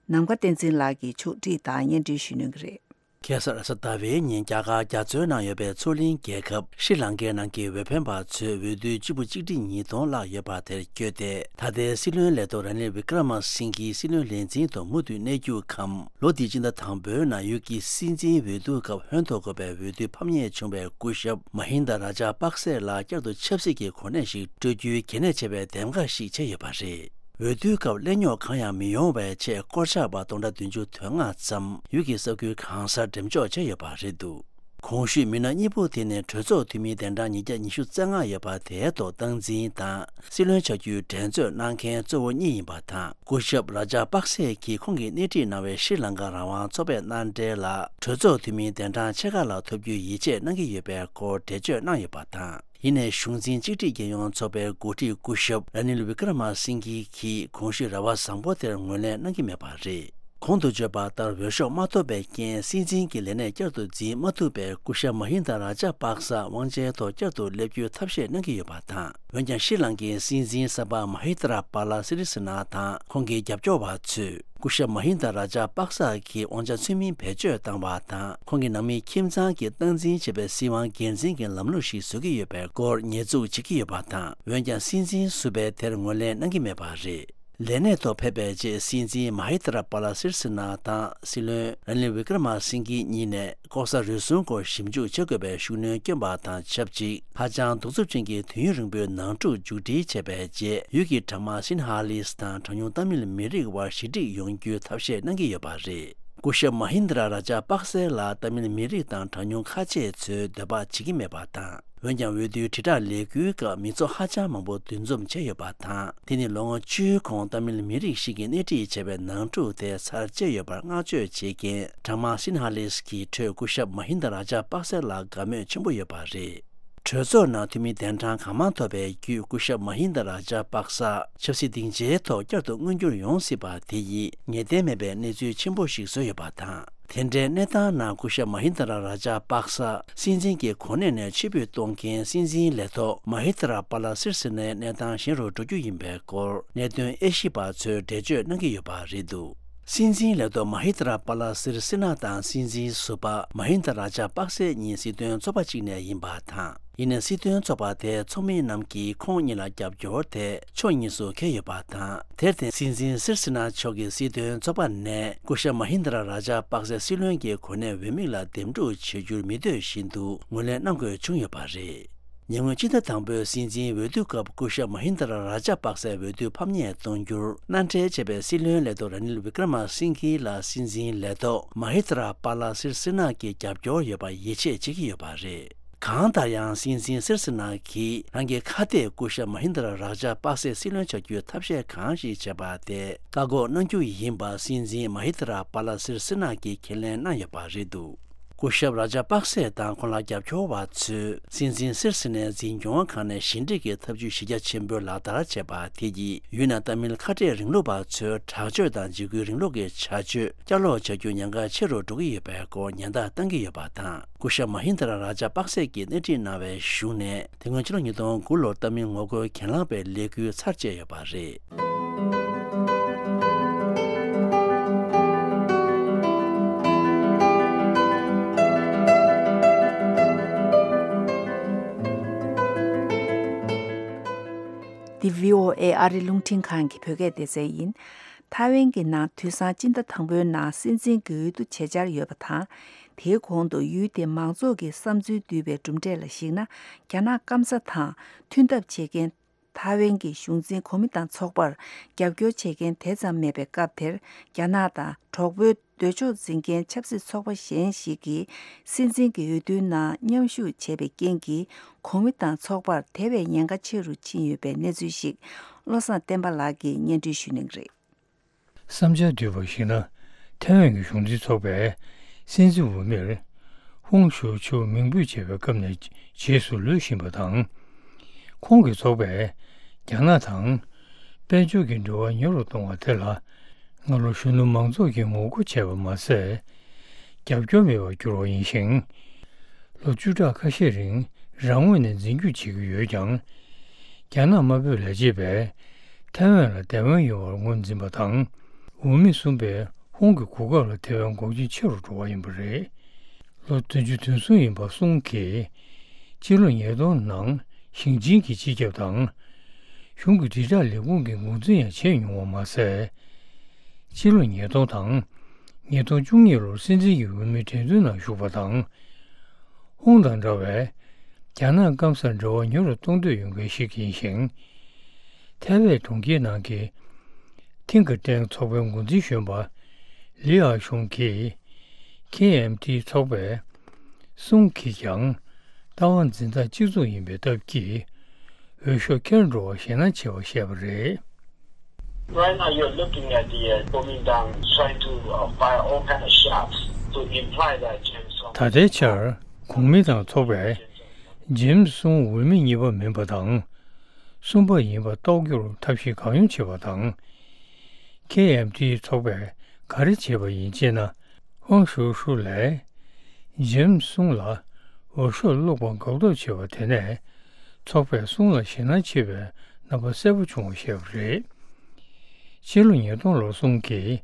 ནམ་མཁའ་བསྟན་འཛིན་ལགས་ཀྱིས་ཕྱོགས་སྒྲིག་དང་སྙན་སྒྲོན་ཞུ་གནང་གི་རེད། ཁ་སང་རེས་གཟའ་ཟླ་བའི་ཉིན་རྒྱ་གར་རྒྱ་མཚོའི་ནང་ཡོད་པའི་མཚོ་གླིང་རྒྱལ་ཁབ་ཤྲི་ལང་ཀའི་ནང་གི་འོས་འཕེན་པ་ཚོས་འོས་བསྡུའི་སྤྱི་འབོར་གཅིག་ཁྲི་ཉིས་སྟོང་ལྷག་ཡོད་པ་དེར་བསྐྱོད་དེ། ད་ལྟའི་སྲིད་བློན་ལས་ཐོག་ར་ནིལ་བི་ཀྲ་མ་སིང་གིའི་སྲིད་བློན་ལས་འཛིན་དུ་མུ་མཐུད་གནས་རྒྱུའི་ཁམས། ལོ་འདིའི་སྤྱི་ཟླ་དང་པོའི་ནང་ཡུལ་གྱི་སྲིད་འཛིན་འོས་བསྡུ་སྐབས་ཧོན་ཐོར་དགོས་པའི་འོས་བསྡུ་ཕམ་ཉེས་བྱུང་བའི་སྐུ་ཞབས་མ་ཧིན་དཱ་ར་ཇ་པག་སེ་ལ་བསྐྱར་དུ་ཆབ་སྲིད་ཀྱི་གོ་གནས་ཤིག་སྤྲོད་རྒྱུའི་གལ་གནད་ཆེ་བའི་འདེམས་ཀ་ཞིག་བྱས་ཡོད་པ་རེད། འོས་བསྡུའི་སྐབས་གླེང་རྙོག་གང་ཡང་མི་ཡོང་བའི་ཆེད་སྐོར་ཆག་པ་སྟོང་ཕྲག་བདུན་ཅུ་དོན་ལྔ་ཙམ་ཡུལ་གྱི་ས་ཁུལ་གང་སར་འགྲེམས་འཇོག་བྱས་ཡོད་པ་རེད་འདུག་གོང་ཞུས་མི་སྣ་གཉིས་པོ་དེ་ནི་གྲོས་ཚོགས་འཐུས་མིའི་གདན་གྲངས་ཉིས་བརྒྱ་ཉི་ཤུ་རྩ་ལྔ་ཡོད་པ་དེའི་ཐོག་སྟངས་འཛིན་དང་སྲིད་བློན་ཆགས་རྒྱུའི་འགྲན་རྩོད་གནང་མཁན་གཙོ་བོ་གཉིས་ཡིན་པ་དང་། སྐུ་ཞབས་ར་ཇ་པག་སེ་གིས་ཁོང་གིས་སྣེ་ཁྲིད་གནང་བའི་ཤྲི་ལང་ཀ་རང་དབང་ཚོགས་པའི་མནའ་འབྲེལ་ལ་གྲོས་ཚོགས་འཐུས་མིའི་གདན་གྲངས་ཕྱེད་ཀ་ལ་ཐོབ་རྒྱུའི་ཡིད་ཆེས་གནང་གི་ཡོད་པའི་སྐོར་འགྲེལ་བརྗོད་གནང་ཡོད་པ་དང་། ཡིན་ནའི་གཞུང་འཛིན་གཅིག་སྒྲིལ་རྒྱལ་ཡོངས་ཚོགས་པའི་འགོ་ཁྲིད་སྐུ་ཞབས་ར་ནིལ་བི་ཀྲ་མ་སིང་གི་གིས་གོང་ཞུས་རེ་བ་བཟང་པོ་དེར་ངོས་ལེན་གནང་གི་མེད་པ་རེད། གོང་དུ་བརྗོད་པ་ལྟར་འོས་ཤོག་མ་ཐོབ་པའི་རྐྱེན་སྲིད་འཛིན་གྱི་ལས་གནས་བསྐྱར་དུ་འཛིན་མ་ཐུབ་པའི་སྐུ་ཞབས་མ་ཧིན་དཱ་ར་ཇ་པག་ས་དབང་ཆའི་ཐོག་བསྐྱར་དུ་སླེབས་རྒྱུའི་ཐབས་ཤེས་གནང་གི་ཡོད་པ་དང་། འོན་ཀྱང་ཤྲི་ལང་ཀའི་སྲིད་འཛིན་གསར་པ་མ་ཧི་ཏྲ་པཱ་ལ་སི་རི་སི་ན་དང་ཁོང་གི་རྒྱབ་སྐྱོར་བ་ཚོས། སྐུ་ཞབས་མ་ཧིན་དཱ་ར་ཇ་པག་ས་གིས་དབང་ཆ་ཚུལ་མིན་བེད་སྤྱོད་བཏང་བ་དང་། ཁོང་གི་ནང་མི་ཁྱིམ་ཚང་གི་སྟངས་འཛིན་བྱེད་པའི་སྲིད་དབང་སྒེར་འཛིན་གྱི་ལམ་ལུགས་ཤིག་བཟོ་གི་ཡོད་པའི་སྐོར་ཉེས་འཛུགས་བྱེད་ཀྱི་ཡོད་པ་དང་། འོན་ཀྱང་སྲིད་འཛིན་ཟུར་པས་དེར་ངོས་ལེན་གནང་གི་མེད་པ་རེད། ལས་གནས་ཐོག་ཕེབས་པའི་རྗེས་སྲིད་འཛིན་མ་ཧི་ཏྲ་པཱ་ལ་སིར་སི་ན་དང་སྲིད་བློན་ར་ནིལ་བི་ཀྲ་མ་སིང་གི་གཉིས་ནས། ལྐོག་ཟ་རུལ་སུངས་སྐོར་ཞིབ་འཇུག་བྱེད་དགོས་པའི་ཤུགས་སྣོན་བསྐྱོན་པ་དང་ཆབས་ཅིག་ཧ་ཅང་གདུག་རྩུབ་ཅན་གྱི་དུས་ཡུན་རིང་པོའི་ནང་འཁྲུག་མཇུག་སྒྲིལ་བྱས་པའི་རྗེས། ཡུལ་གྱི་གྲངས་མང་སིན་ཧ་ལིས་དང་གྲངས་ཉུང་ཏཱ་མིལ་མི་རིགས་དབར་ཞི་འགྲིག་ཡོང་རྒྱུའི་ཐབས་ཤེས་གནང་གི་ཡོད་པ་རེད། སྐུ་ཞབས་མ་ཧིན་དྲ་ར་ཇ་པག་སེ་ལ་ཏཱ་མིལ་མི་རིགས་དང་གྲངས་ཉུང་ཁ་ཆེ་ཚོས་འདོད་པ་བྱེད་ཀྱི་མེད་པ་དང་། འོན་ཀྱང་། འོས་བསྡུའི་དྲིལ་བསྒྲགས་ལས་འགུལ་སྐབས་མི་ཚོགས་ཧ་ཅང་མང་པོ་འདུ་འཛོམས་བྱས་ཡོད་པ་དང་། དེ་ནི་ལོ་ངོ་བཅུའི་གོང་ཏཱ་མིལ་མི་རིགས་ཤིག་གིས་སྣེ་ཁྲིད་བྱས་པའི་ནང་འཁྲུག་དེ་ཚར་བཅད་ཡོད་པར་བསྔགས་བརྗོད་བྱེད་མཁན་གྲངས་མང་སིན་ཧ་ལིས་ཀྱི་ཁྲོད་སྐུ་ཞབས་མ་ཧིན་དཱ་ར་ཇ་པག་སེ་ལ་དགའ་མོས་ཆེན་པོ་ཡོད་པ་རེད། གྲོས་ཚོགས་ནང་འཐུས་མི་གདན་གྲངས་གང་མང་ཐོབ་པའི་བརྒྱུད། སྐུ་ཞབས་མ་ཧིན་དཱ་ར་ཇ་པག་ས་ཆབ་སྲིད་སྡིངས་ཆའི་ཐོག་བསྐྱར་དུ་མངོན་འགྱུར་ཡོང་སྲིད་པ་དེ་ཡིས་ངེས་གཏན་མེད་པའི་གནས་ཚུལ་ཆེན་པོ་ཞིག་བཟོས་ཡོད་པ་དང་། དེ་འདྲའི་གནས་སྟངས་ནང་སྐུ་ཞབས་མ་ཧིན་དཱ་ར་ར་ཇ་པག་ས་སྲིད་འཛིན་གྱི་གོ་གནས་ནས་ཕྱིར་འབུད་གཏོང་མཁན་སྲིད་འཛིན་ལས་ཐོག་མ་ཧི་ཏྲ་པཱ་ལ་སིར་སི་ནའི་གནས་སྟངས་ཞན་རུ་འགྲོ་རྒྱུ་ཡིན་པའི་སྐོར་གནད་དོན་དབྱེ་ཞིབ་པ་ཚོས་འགྲེལ་བརྗོད་གནང་གི་ཡོད་པ་རེད་འདུག་སྲིད་འཛིན་ལས་ཐོག་མ་ཧི་ཏྲ་པཱ་ལ་སིར་སི་ན་དང་སྲིད་འཛིན་ཟུར་པ་མ་ཧིན་དཱ་ར་ཇ་པག་སེ་གཉིས་སྲིད་དོན་ཚོགས་པ་གཅིག་ནས་ཡིན་པ་དང་། ཡིན་ནའི་སྲིད་དོན་ཚོགས་པ་དེའི་ཚོགས་མི་རྣམས་ཀྱིས་ཁོང་གཉིས་ལ་རྒྱབ་སྐྱོར་དེ་ཕྱོགས་གཉིས་སུ་འཁེལ་ཡོད་པ་དང་། དེར་བརྟེན་སྲིད་འཛིན་སིར་སི་ན་མཆོག་གིས་སྲིད་དོན་ཚོགས་པ་ནས་སྐུ་ཞབས་མ་ཧིན་དཱ་ར་ར་ཇ་པག་སེ་སྲིད་བློན་གྱི་གོ་གནས་འོས་མི་ལ་འདེམས་སྒྲུག་བྱེད་རྒྱུར་མི་འདོད་བཞིན་དུ་ངོས་ལེན་གནང་དགོས་བྱུང་ཡོད་པ་རེད། ཉེ་སྔོན་སྤྱི་ཟླ་དང་པོའི་སྲིད་འཛིན་འོས་བསྡུ་སྐབས་སྐུ་ཞབས་མ་ཧིན་དཱ་ར་ར་ཇ་པག་སེ་འོས་བསྡུ་ཕམ་ཉེས་གཏོང་རྒྱུར་མནའ་འབྲེལ་བྱས་པའི་སྲིད་བློན་ལས་ཐོག་ར་ནིལ་བི་ཀྲ་མ་སིང་གི་ལ་སྲིད་འཛིན་ལས་ཐོག་མ་ཧི་ཏྲ་པཱ་ལ་སིར་སི་ན་གྱི་རྒྱབ་སྐྱོར་ཡོད་པར་ཡིད་ཆེས་བྱེད་ཀྱི་ཡོད་པ་རེད། གང་ལྟར་ཡང་སྲིད་འཛིན་སིར་སི་ན་གིས་རང་གི་ཁ་གཏད་སྐུ་ཞབས་མ་ཧིན་དཱ་ར་ར་ཇ་པག་སེ་སྲིད་བློན་ཆགས་རྒྱུའི་ཐབས་ཤེས་གང་ཞིག་བྱས་པ་དེ་བཀག་འགོག་གནང་རྒྱུ་ཡིན་པ་སྲིད་འཛིན་མ་ཧི་ཏྲ་པཱ་ལ་སིར་སི་ན་གིས་ཁས་ལེན་གནང་ཡོད་པ་རེད་འདུག་སྐུ་ཞབས་ར་ཇཱ་པག་སེ་དང་ཁོང་ལ་རྒྱབ་སྐྱོར་བ་ཚོས་སྲིད་འཛིན་སིར་སི་ནས་འཛིན་སྐྱོང་ཁང་ནས་ཞི་འགྲིག་གི་ཐབས་ཇུས་གཞི་རྒྱ་ཆེན་པོས་ལག་བསྟར་བྱས་པ་དེ་ཡིས་ཡུན་ནན་ཏཱ་མིལ་ཁ་བྲལ་རིང་ལུགས་པ་ཚོའི་དྲག་སྤྱོད་དང་འཇིགས་སྐུལ་རིང་ལུགས་ཀྱི་བྱ་སྤྱོད་བསྐྱར་ལོག་བྱ་རྒྱུ་ཉེན་ཁ་ཆེ་རུ་འགྲོ་གི་ཡོད་པའི་སྐོར་ཉེན་བརྡ་བཏང་གི་ཡོད་པ་དང་། སྐུ་ཞབས་མ་ཧིན་དར་ར་ཇཱ་པག་སེ་གྱིས་སྣེ་ཁྲིད་གནང་བའི་གཞུང་ནས་དེ་སྔོན་ཕྱི་ལོ་ཉིས་སྟོང་དགུ་ལོར་ཏཱ་མིལ་ངོ་རྒོལ་གྱེན་ལངས་པའི་ལས་འགུལ་ཚར་བཅད་ཡོད་པ་རེད། འདི་བྷི་ཨོ་ཨེ་ཨ་རི་རླུང་འཕྲིན་ཁང་གི་བོད་སྐད་སྡེ་ཚན་ཡིན། ཐའེ་ཝན་གྱི་ནང་དུས་སང་སྤྱི་ཟླ་དང་པོའི་ནང་སྲིད་འཛིན་གྱི་འོས་བསྡུ་བྱེད་འཆར་ཡོད་པ་དང་། དེའི་གོང་དུ་ཡུལ་དེའི་མང་ཚོགས་ཀྱི་བསམ་ཚུལ་བསྡུས་པའི་གྲུབ་འབྲས་ལ་གཞིགས་ན། རྒྱ་ནག་སྐམ་ས་དང་མཐུན་ཐབས་བྱེད་མཁན་ཐའེ་ཝན་གྱི་གཞུང་འཛིན་གོ་མི་དང་ཚོགས་པར་རྒྱབ་སྐྱོར་བྱེད་མཁན་དེ་ཙམ་མེད་པའི་སྐབས་དེར། རྒྱ་ནག་དང་གྲོགས་པོའི་འདོད་ཕྱོགས་འཛིན་མཁན་ཆབ་སྲིད་ཚོགས་པ་གཞན་ཞིག་གིས་སྲིད་འཛིན་གྱི་འོས་བསྡུའི་ནང་མཉམ་ཞུགས་བྱས་པའི་རྐྱེན་གྱིས། གོ་མི་དང་ཚོགས་པར་དེ་བས་ཉེན་ཁ་ཆེ་རུ་ཕྱིན་ཡོད་པའི་གནས་ཚུལ་ཞིག་བློ་བཟང་བསྟན་པ་ལགས་ཀྱིས་སྙན་སྒྲོན་ཞུ་གནང་གི་རེད། བསམ་འཆར་བསྡུས་པར་གཞིགས་ན། ཐའེ་ཝན་གྱི་གཞུང་འཛིན་ཚོགས་པས་སྲིད་འཛིན་འོས་མིར་ཧོང་ཞུའུ་ཆུ་མིང་འབོད་བྱས་པའི་སྐབས་ནས་རྗེས་སུ་ལུས་བཞིན་པ་དང་། ཁོང་གི་ཚོགས་པས་རྒྱ་ནག་དང་དཔལ་འབྱོར་གྱི་འབྲེལ་བ་ཉུང་རུ་གཏོང་བ་དེ་ལ་སྔ་ལོ་གཞོན་ནུ་མང་ཚོགས་ཀྱིས་ངོ་རྒོལ་བྱས་པ་མ་ཟད། རྒྱབ་སྐྱོར་མེད་པར་གྱུར་བ་ཡིན་ཞིང་། ལོ་བཅུ་ཕྲག་ཁ་ཤས་རིང་རང་ངོས་ནས་འཛིན་སྐྱོང་བྱེད་ཀྱི་ཡོད་ཀྱང་། རྒྱ་ནག་དམར་པོའི་ལས་བྱེད་པས་ཐའེ་ཝན་ལ་བདེན་དཔང་ཡོད་པར་ངོས་འཛིན་པ་དང་། འོས་མི་གསུམ་པས་ཧོང་གི་གོ་སྐབས་ལ་དེ་བས་འགོག་རྐྱེན་ཆེ་རུ་འགྲོ་བ་ཡིན་པ་རེད། ལོ་བདུན་ཅུ་དོན་གསུམ་ཡིན་པ་སུང་གིས་ཕྱི་ལོ་ཉིས་སྟོང་ནང་ཞིང་ཆེན་གྱི་སྤྱི་ཁྱབ་དང་། གཞུང་གི་དྲིལ་བསྒྲགས་ལས་ཁུངས་ཀྱི་འགོ་འཛིན་ཡང་བྱས་མྱོང་བ་མ་ཟད། ཕྱི་ལོ་ཉིས་སྟོང་དང་ཉིས་སྟོང་བཅུ་གཉིས་ལོར་སྲིད་འཛིན་གྱི་འོས་མིའི་འགྲན་བསྡུར་ནང་ཞུགས་པ་དང་། ཧོང་དང་འདྲ་བའི་རྒྱ་ནག་སྐམ་སར་འབྲེལ་བ་ཉུང་རུ་གཏོང་འདོད་ཡོད་མཁན་ཞིག་ཡིན་ཞིང་། ཐའེ་ཝན་གྲོང་ཁྱེར་ནང་གི་ཐིང་གི་ཊེང་ཚོགས་པའི་འགོ་འཛིན་གཞོན་པ་ལི་ཨ་ཤུང་གིས། ཁེ་ཨེམ་ཊི་ཚོགས་པས་སུང་གིས་ཀྱང་ལྟ་བ་འཛིན་སྟངས་གཅིག་མཚུངས་ཡིན་པའི་སྟབས་ཀྱིས། འོས་ཤོག་འཁྱེར་འགྲོ་བར་ཞེད་སྣང་ཆེ་བ་བཤད་པ་རེད། Right now, you're looking at the uh, Kuomintang trying to uh, fire all kind of shots to imply that James Song. ད་ལྟའི་ཆར་གོང་མི་དང་ཚོགས་པས་ཇེམ་སུང་འོས་མི་གཉིས་པ་མིན་པ་དང་། གསུམ་པ་ཡིན་པ་རྟོགས་རྒྱུར་ཐབས་ཤེས་གང་ཡོང་བྱེད་པ་དང་། ཁེ་ཨེམ་ཊི་ཚོགས་པས་ག་རེ་བྱས་པ་ཡིན་ཅེ་ན། ཧོང་ཞུའུ་ཧྲུའུ་ལས་ཇེམ་སུང་ལ་འོས་ཤོག་བླུགས་པར་འགག་ཐབས་བྱས་པ་དེ་ནས། ཚོགས་པས་སུང་ལ་ཞེད་སྣང་ཆེ་བའི་རྣམ་པ་གསལ་པོ་བྱུང་བ་ཞེས་པ་རེད། ཕྱི་ལོ་ཉིས་སྟོང་ལོར་སུང་གིས་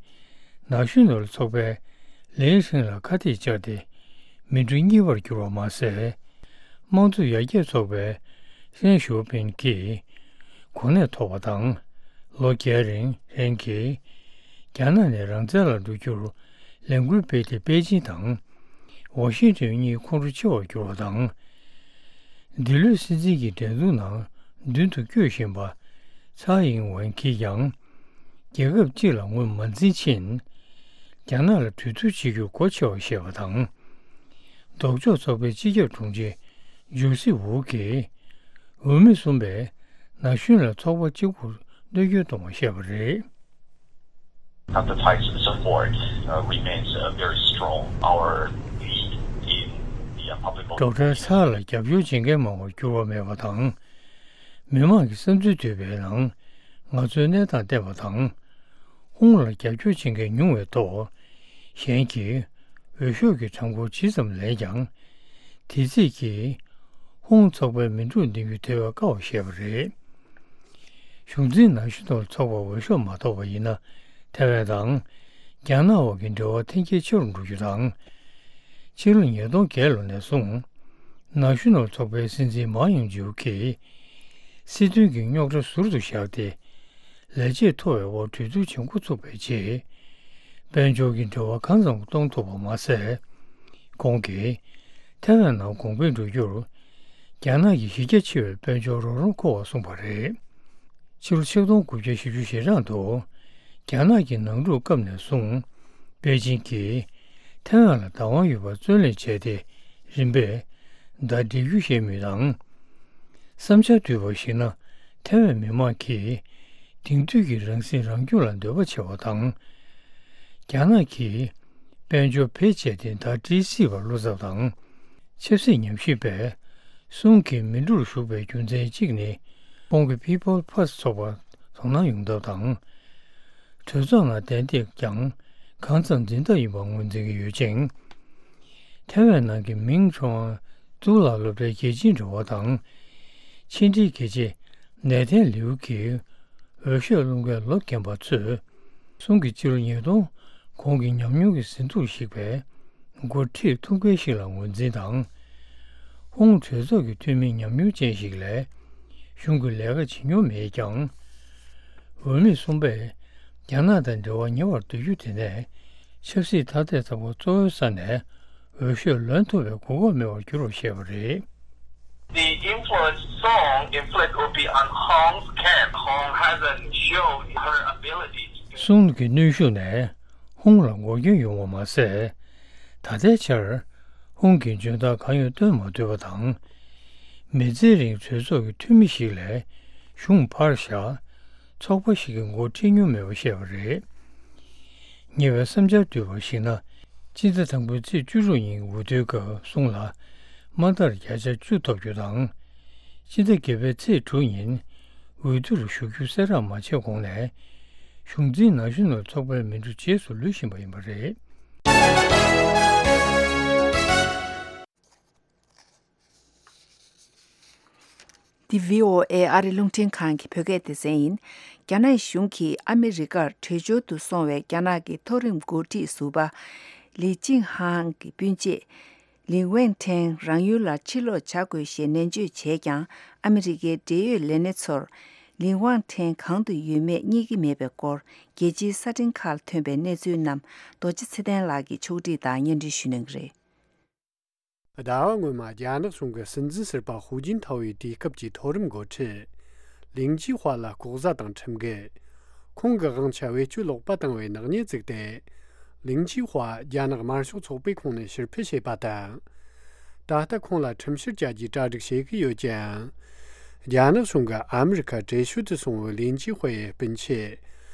ནཱ་ཤུ་ནལ་ཚོགས་པས་ལིན་ཧྲིན་ལ་ཁ་གཏད་བཅག་སྟེ། མི་འགྲོ་གཉིས་པར་གྱུར་བ་མ་ཟད། དམངས་གཙོ་ཡར་རྒྱས་ཚོགས་པའི་ཧྲེན་ཞོ་པིན་གྱིས་གོ་གནས་ཐོབ་པ་དང་། ལོ་བརྒྱད་རིང་ཧྲེན་གྱིས་རྒྱ་ནག་ནས་རང་བཙན་ལ་འགྲོ་རྒྱུར་ལས་འགུལ་སྤེལ་ཏེ། པེ་ཅིན་དང་ཝ་ཤིང་ཏོན་གཉིས་ཁོང་ཁྲོ་ཆེ་བར་གྱུར་བ་དང་། འདི་ལོའི་སྲིད་འཛིན་གྱི་འགྲན་བསྡུར་ནང་མདུན་དུ་བསྐྱོད་བཞིན་པ་ཚའེ་ཨིང་ཝེན་གྱིས་ཀྱང་། རྒྱལ་ཁབ་གཅིག་ལ་ངོས་མ་འཛིན་ཕྱིན། རྒྱ་ནག་ལ་གྲོས་བསྡུར་བྱེད་རྒྱུར་སྒོ་ཕྱེ་བར་བཤད་པ་དང་། ལྡོག་ཕྱོགས་ཚོགས་པའི་སྤྱི་ཁྱབ་དྲུང་ཆེ་ཇོ་སི་ཝུ་གིས། འོས་མི་གསུམ་པས་ནཱ་ཤུ་ནལ་ཚོགས་པ་གཅིག་པུར་གནོད་སྐྱོན་གཏོང་བ་བཤད་པ་རེད། At the Thai support uh, remains uh, very strong. Our lead in the uh, public vote. ཌོག་ཊར་ཚའེ་ལ་རྒྱབ་སྐྱོར་བྱེད་མཁན་མང་བར་འགྱུར་བ་མེད་པ་དང་། མི་མང་གི་བསམ་ཚུལ་བསྡུས་པའི་ནང་ང་ཚོའི་གནས་སྟངས་བསྟན་པ་དང་། ཧོང་ལ་རྒྱབ་སྐྱོར་བྱེད་མཁན་ཉུང་བའི་ཐོག་གཞན་གྱིས་འོས་ཤོག་གི་གྲངས་འབོར་ཇི་ཙམ་ལེན་ཀྱང་། དེ་ཚིག་གིས་ཧོང་ཚོགས་པའི་མི་འགྲོ་འདི་གུ་དེ་བས་དཀའ་བ་བཤད་པ་རེད། གཞུང་འཛིན་ནཱ་ཤུ་ནལ་ཚོགས་པ་འོས་ཤོག་མ་ཐོབ་པ་ཡིན་ན། ཐའེ་ཝན་དང་རྒྱ་ནག་དབར་གྱི་འབྲེལ་བ་འཐེན་འཁྱེར་ཆེ་རུ་འགྲོ་རྒྱུ་དང་། ཕྱི་ལོ་ཉིས་སྟོང་བརྒྱད་ལོ་ནས་བཟུང་ནཱ་ཤུ་ནལ་ཚོགས་པའི་སྲིད་འཛིན་མཱ་ཡུང་ཇུའུ་གིས་སྲིད་དོན་གྱི་རྙོག་དྲ་ཟུར་དུ་བཞག་སྟེ། ལས་བྱེད་མཐོ་བའི་དབར་གྲོས་བསྡུར་བྱེད་འགོ་ཚུགས་པའི་རྗེས། དཔལ་འབྱོར་གྱི་འབྲེལ་བ་གང་ཙམ་གཏོང་ཐུབ་པ་མ་ཟད། ཁོང་གིས་ཐའེ་ཝན་ནང་གོང་འཕེལ་འགྲོ་རྒྱུར་རྒྱ་ནག་གི་གཞི་རྒྱ་ཆེ་བའི་དཔལ་འབྱོར་རོགས་རམ་མཁོ་བར་གསུངས་པ་རེད། ཕྱི་ལོ་ཆིག་སྟོང་དགུ་བརྒྱ་བཞི་བཅུ་ཞེ་གྲངས་དུ་རྒྱ་ནག་གི་ནང་འཁྲུག་སྐབས་ནས་བཟུང་པེ་ཅིན་གྱིས་ཐའེ་ཝན་ལ་བདག་དབང་ཡོད་པར་བརྩོན་ལེན་བྱས་ཏེ། རིམ་པས་ཟླ་སྒྲིལ་རྒྱུ་བཤད་མུས་དང་། བསམ་འཆར་བསྡུས་པར་གཞིགས་ན། ཐའེ་ཝན་མི་མང་གིས་དེང་དུས་ཀྱི་རང་སྲིད་རང་སྐྱོང་ལ་འདོད་པ་ཆེ་བ་དང་། རྒྱ་ནག་གིས་ དཔལ་འབྱོར་བེད་སྤྱད་དེ་ཟླ་སྒྲིལ་སྲིད་པར་བློ་འཚབ་དང་། ཆབ་སྲིད་ཉམས་ཞིབ་པས་སུང་གིས་མི་འགྲོར་ཞུགས་པའི་རྒྱུ་མཚན་གཅིག་ནི། ཁོང་གིས་People First་ཚོགས་པར་དོ་སྣང་ཡོང་ཐབས་དང་། གྲོས་ཚོགས་ནང་གདན་ཐེབས་ཀྱང་གང་ཙམ་འཛིན་ཐབས་ཡིན་པ་ངོས་འཛིན་གྱི་ཡོད་ཅིང་། ཐའེ་ཝན་ནང་གི་མིང་ཁྲོང་ཨན་གཙུག་ལག་སློབ་གྲྭའི་དགེ་ཆེའི་འབྲེལ་བ་དང་། ཕྱི་འབྲེལ་དགེ་ཆེ་ནེ་ཐན་ལིའུ་གིས་འོས་ཤོག་སློང་མཁན་ལོ་རྒན་པ་ཚོས། སུང་གིས་སྤྱི་ལོ་ཉིས་སྟོང་གོང་གི་ཉམས་མྱོང་གི་ཟིན་ཐོ་ཞིག་པའི་འགོ་ཁྲིད་ཐུགས་འགན་ཞིག་ལ་ངོས་འཛིན་དང་། ཧུང་གྲོས་ཚོགས་ཀྱི་འཐུས་མི་ཉམས་མྱོང་ཅན་ཞིག་ལས་གཞུང་གི་ལས་ཀ་བྱེད་མྱོང་མེད་ཀྱང་། འོས་མི་གསུམ་པས་རྒྱ་ནག་དང་འབྲེལ་བ་ཉེ་བར་བསྡུར་རྒྱུ་དེ་ནས་ཆབ་སྲིད་ཐ་དད་ཚོགས་པ་གཙོ་བོའི་ས་ནས་འོས་ཤོག་ལོན་ཐུབ་པའི་གོ་སྐབས་མེད་པར་འགྱུར་བར་བཤད་པ་རེད། The influence Song inflict will be on Hong's camp. Hong hasn't shown her ability to do. སུང་གི་གནོན་ཤུགས་ནས་ཧུང་ལ་འགོག་རྐྱེན་ཡོང་བ་མ་ཟད། ད་ལྟའི་ཆར་ཧུང་གིས་འཇོན་ཐང་གང་ཡང་སྟོན་མ་ཐུབ་པ་དང་། མི་ཚེ་རིང་གྲོས་ཚོགས་ཀྱི་འཐུས་མི་ཞིག་ལས་གཞུང་ཕར་བཞག་ཚོགས་པ་ཞིག་གི་འགོ་ཁྲིད་མྱོང་མེད་པ་བཤད་པ་རེད། ཉེ་བའི་བསམ་འཆར་བསྡུས་པར་གཞིགས་ན། སྤྱི་ཟླ་དང་པོའི་ཚེས་བཅུ་དྲུག་ཉིན་འོས་བསྡུའི་སྐབས་སུང་ལ་མ་མཐར་བརྒྱ་ཆ་བཅུ་ཐོབ་རྒྱུ་དང་། སྤྱི་ཟླ་བརྒྱད་པའི་ཚེས་དྲུག་ཉིན་འོས་བསྡུ་ལ་ཞུགས་རྒྱུ་གསལ་བསྒྲགས་མ་བྱས་གོང་ནས། གཞུང་འཛིན་ནང་གཞོན་ནུ་ཚོགས་པའི་མི་འགྲོ་རྗེས་སུ་ལུས་བཞིན་པ་ཡིན་པ་རེད། འདི་བྷི་ཨོ་ཨེ་ཨ་རི་རླུང་འཕྲིན་ཁང་གི་བོད་སྐད་སྡེ་ཚན་ཡིན། རྒྱ་ནག་གཞུང་གིས་ཨ་མི་རི་ཀར་བྲོས་བྱོལ་དུ་སོང་བའི་རྒྱ་ནག་གི་མཐོ་རིམ་འགོ་ཁྲིད་ཟུར་པ་ལི་ཅིང་ཧང་གི་སྤུན་མཆེད་ལིན་ཝན་ཁྲེང་རང་ཡུལ་ལ་ཕྱིར་ལོག་བྱ་དགོས་ཞེས་ནན་བརྗོད་བྱས་ཀྱང་། ཨ་མི་རི་ཀའི་འབྲེལ་ཡོད་ལས་སྣེ་ཚོར་ལིན་ཝན་ཁྲེང་གང་དུ་ཡོད་མེད་རྙེད་ཀྱི་མེད་པའི་སྐོར་རྒྱལ་སྤྱིའི་གསར་འཕྲིན་ཁག་ལ་ཐོན་པའི་གནས་ཚུལ་རྣམས་རྡོ་རྗེ་ཚེ་བརྟན་ལགས་ཀྱིས་ཕྱོགས་སྒྲིག་དང་སྙན་སྒྲོན་ཞུ་གནང་གི་རེད། ཟླ་བ་སྔོན་མ་རྒྱ་ནག་གཞུང་གི་སྲིད་འཛིན་ཟུར་པ་ཧུའུ་ཅིན་ཐའོ་ཡི་དུས་སྐབས་ཀྱི་མཐོ་རིམ་འགོ་ཁྲིད་ལིང་ཅི་ཧྭ་ལ་ལྐོག་ཟ་དང་ཁྲིམས་འགལ། ཁོང་གི་དབང་ཆ་བེད་སྤྱོད་ལོག་པ་བཏང་བའི་ནག་ཉེས་བཙུགས་ཏེ། ལིང་ཅི་ཧྭ་རྒྱ་ནག་དམར་ཤོག་ཚོགས་པའི་ཁོངས་ནས་ཕྱིར་འཕུད་བྱས་པ་དང་། ད་ལྟ་ཁོང་ལ་ཁྲིམས་བཤེར་བྱ་རྒྱུའི་གྲ་སྒྲིག་བྱེད་ཀྱི་ཡོད་ཀྱང་། རྒྱ་ནག་གཞུང་གིས་ཨ་མི་རི་ཁར་བྲོས་བྱོལ་དུ་སོང་བའི་ལིང་ཅི་ཧྭ་ཡི་སྤུན་མཆེད་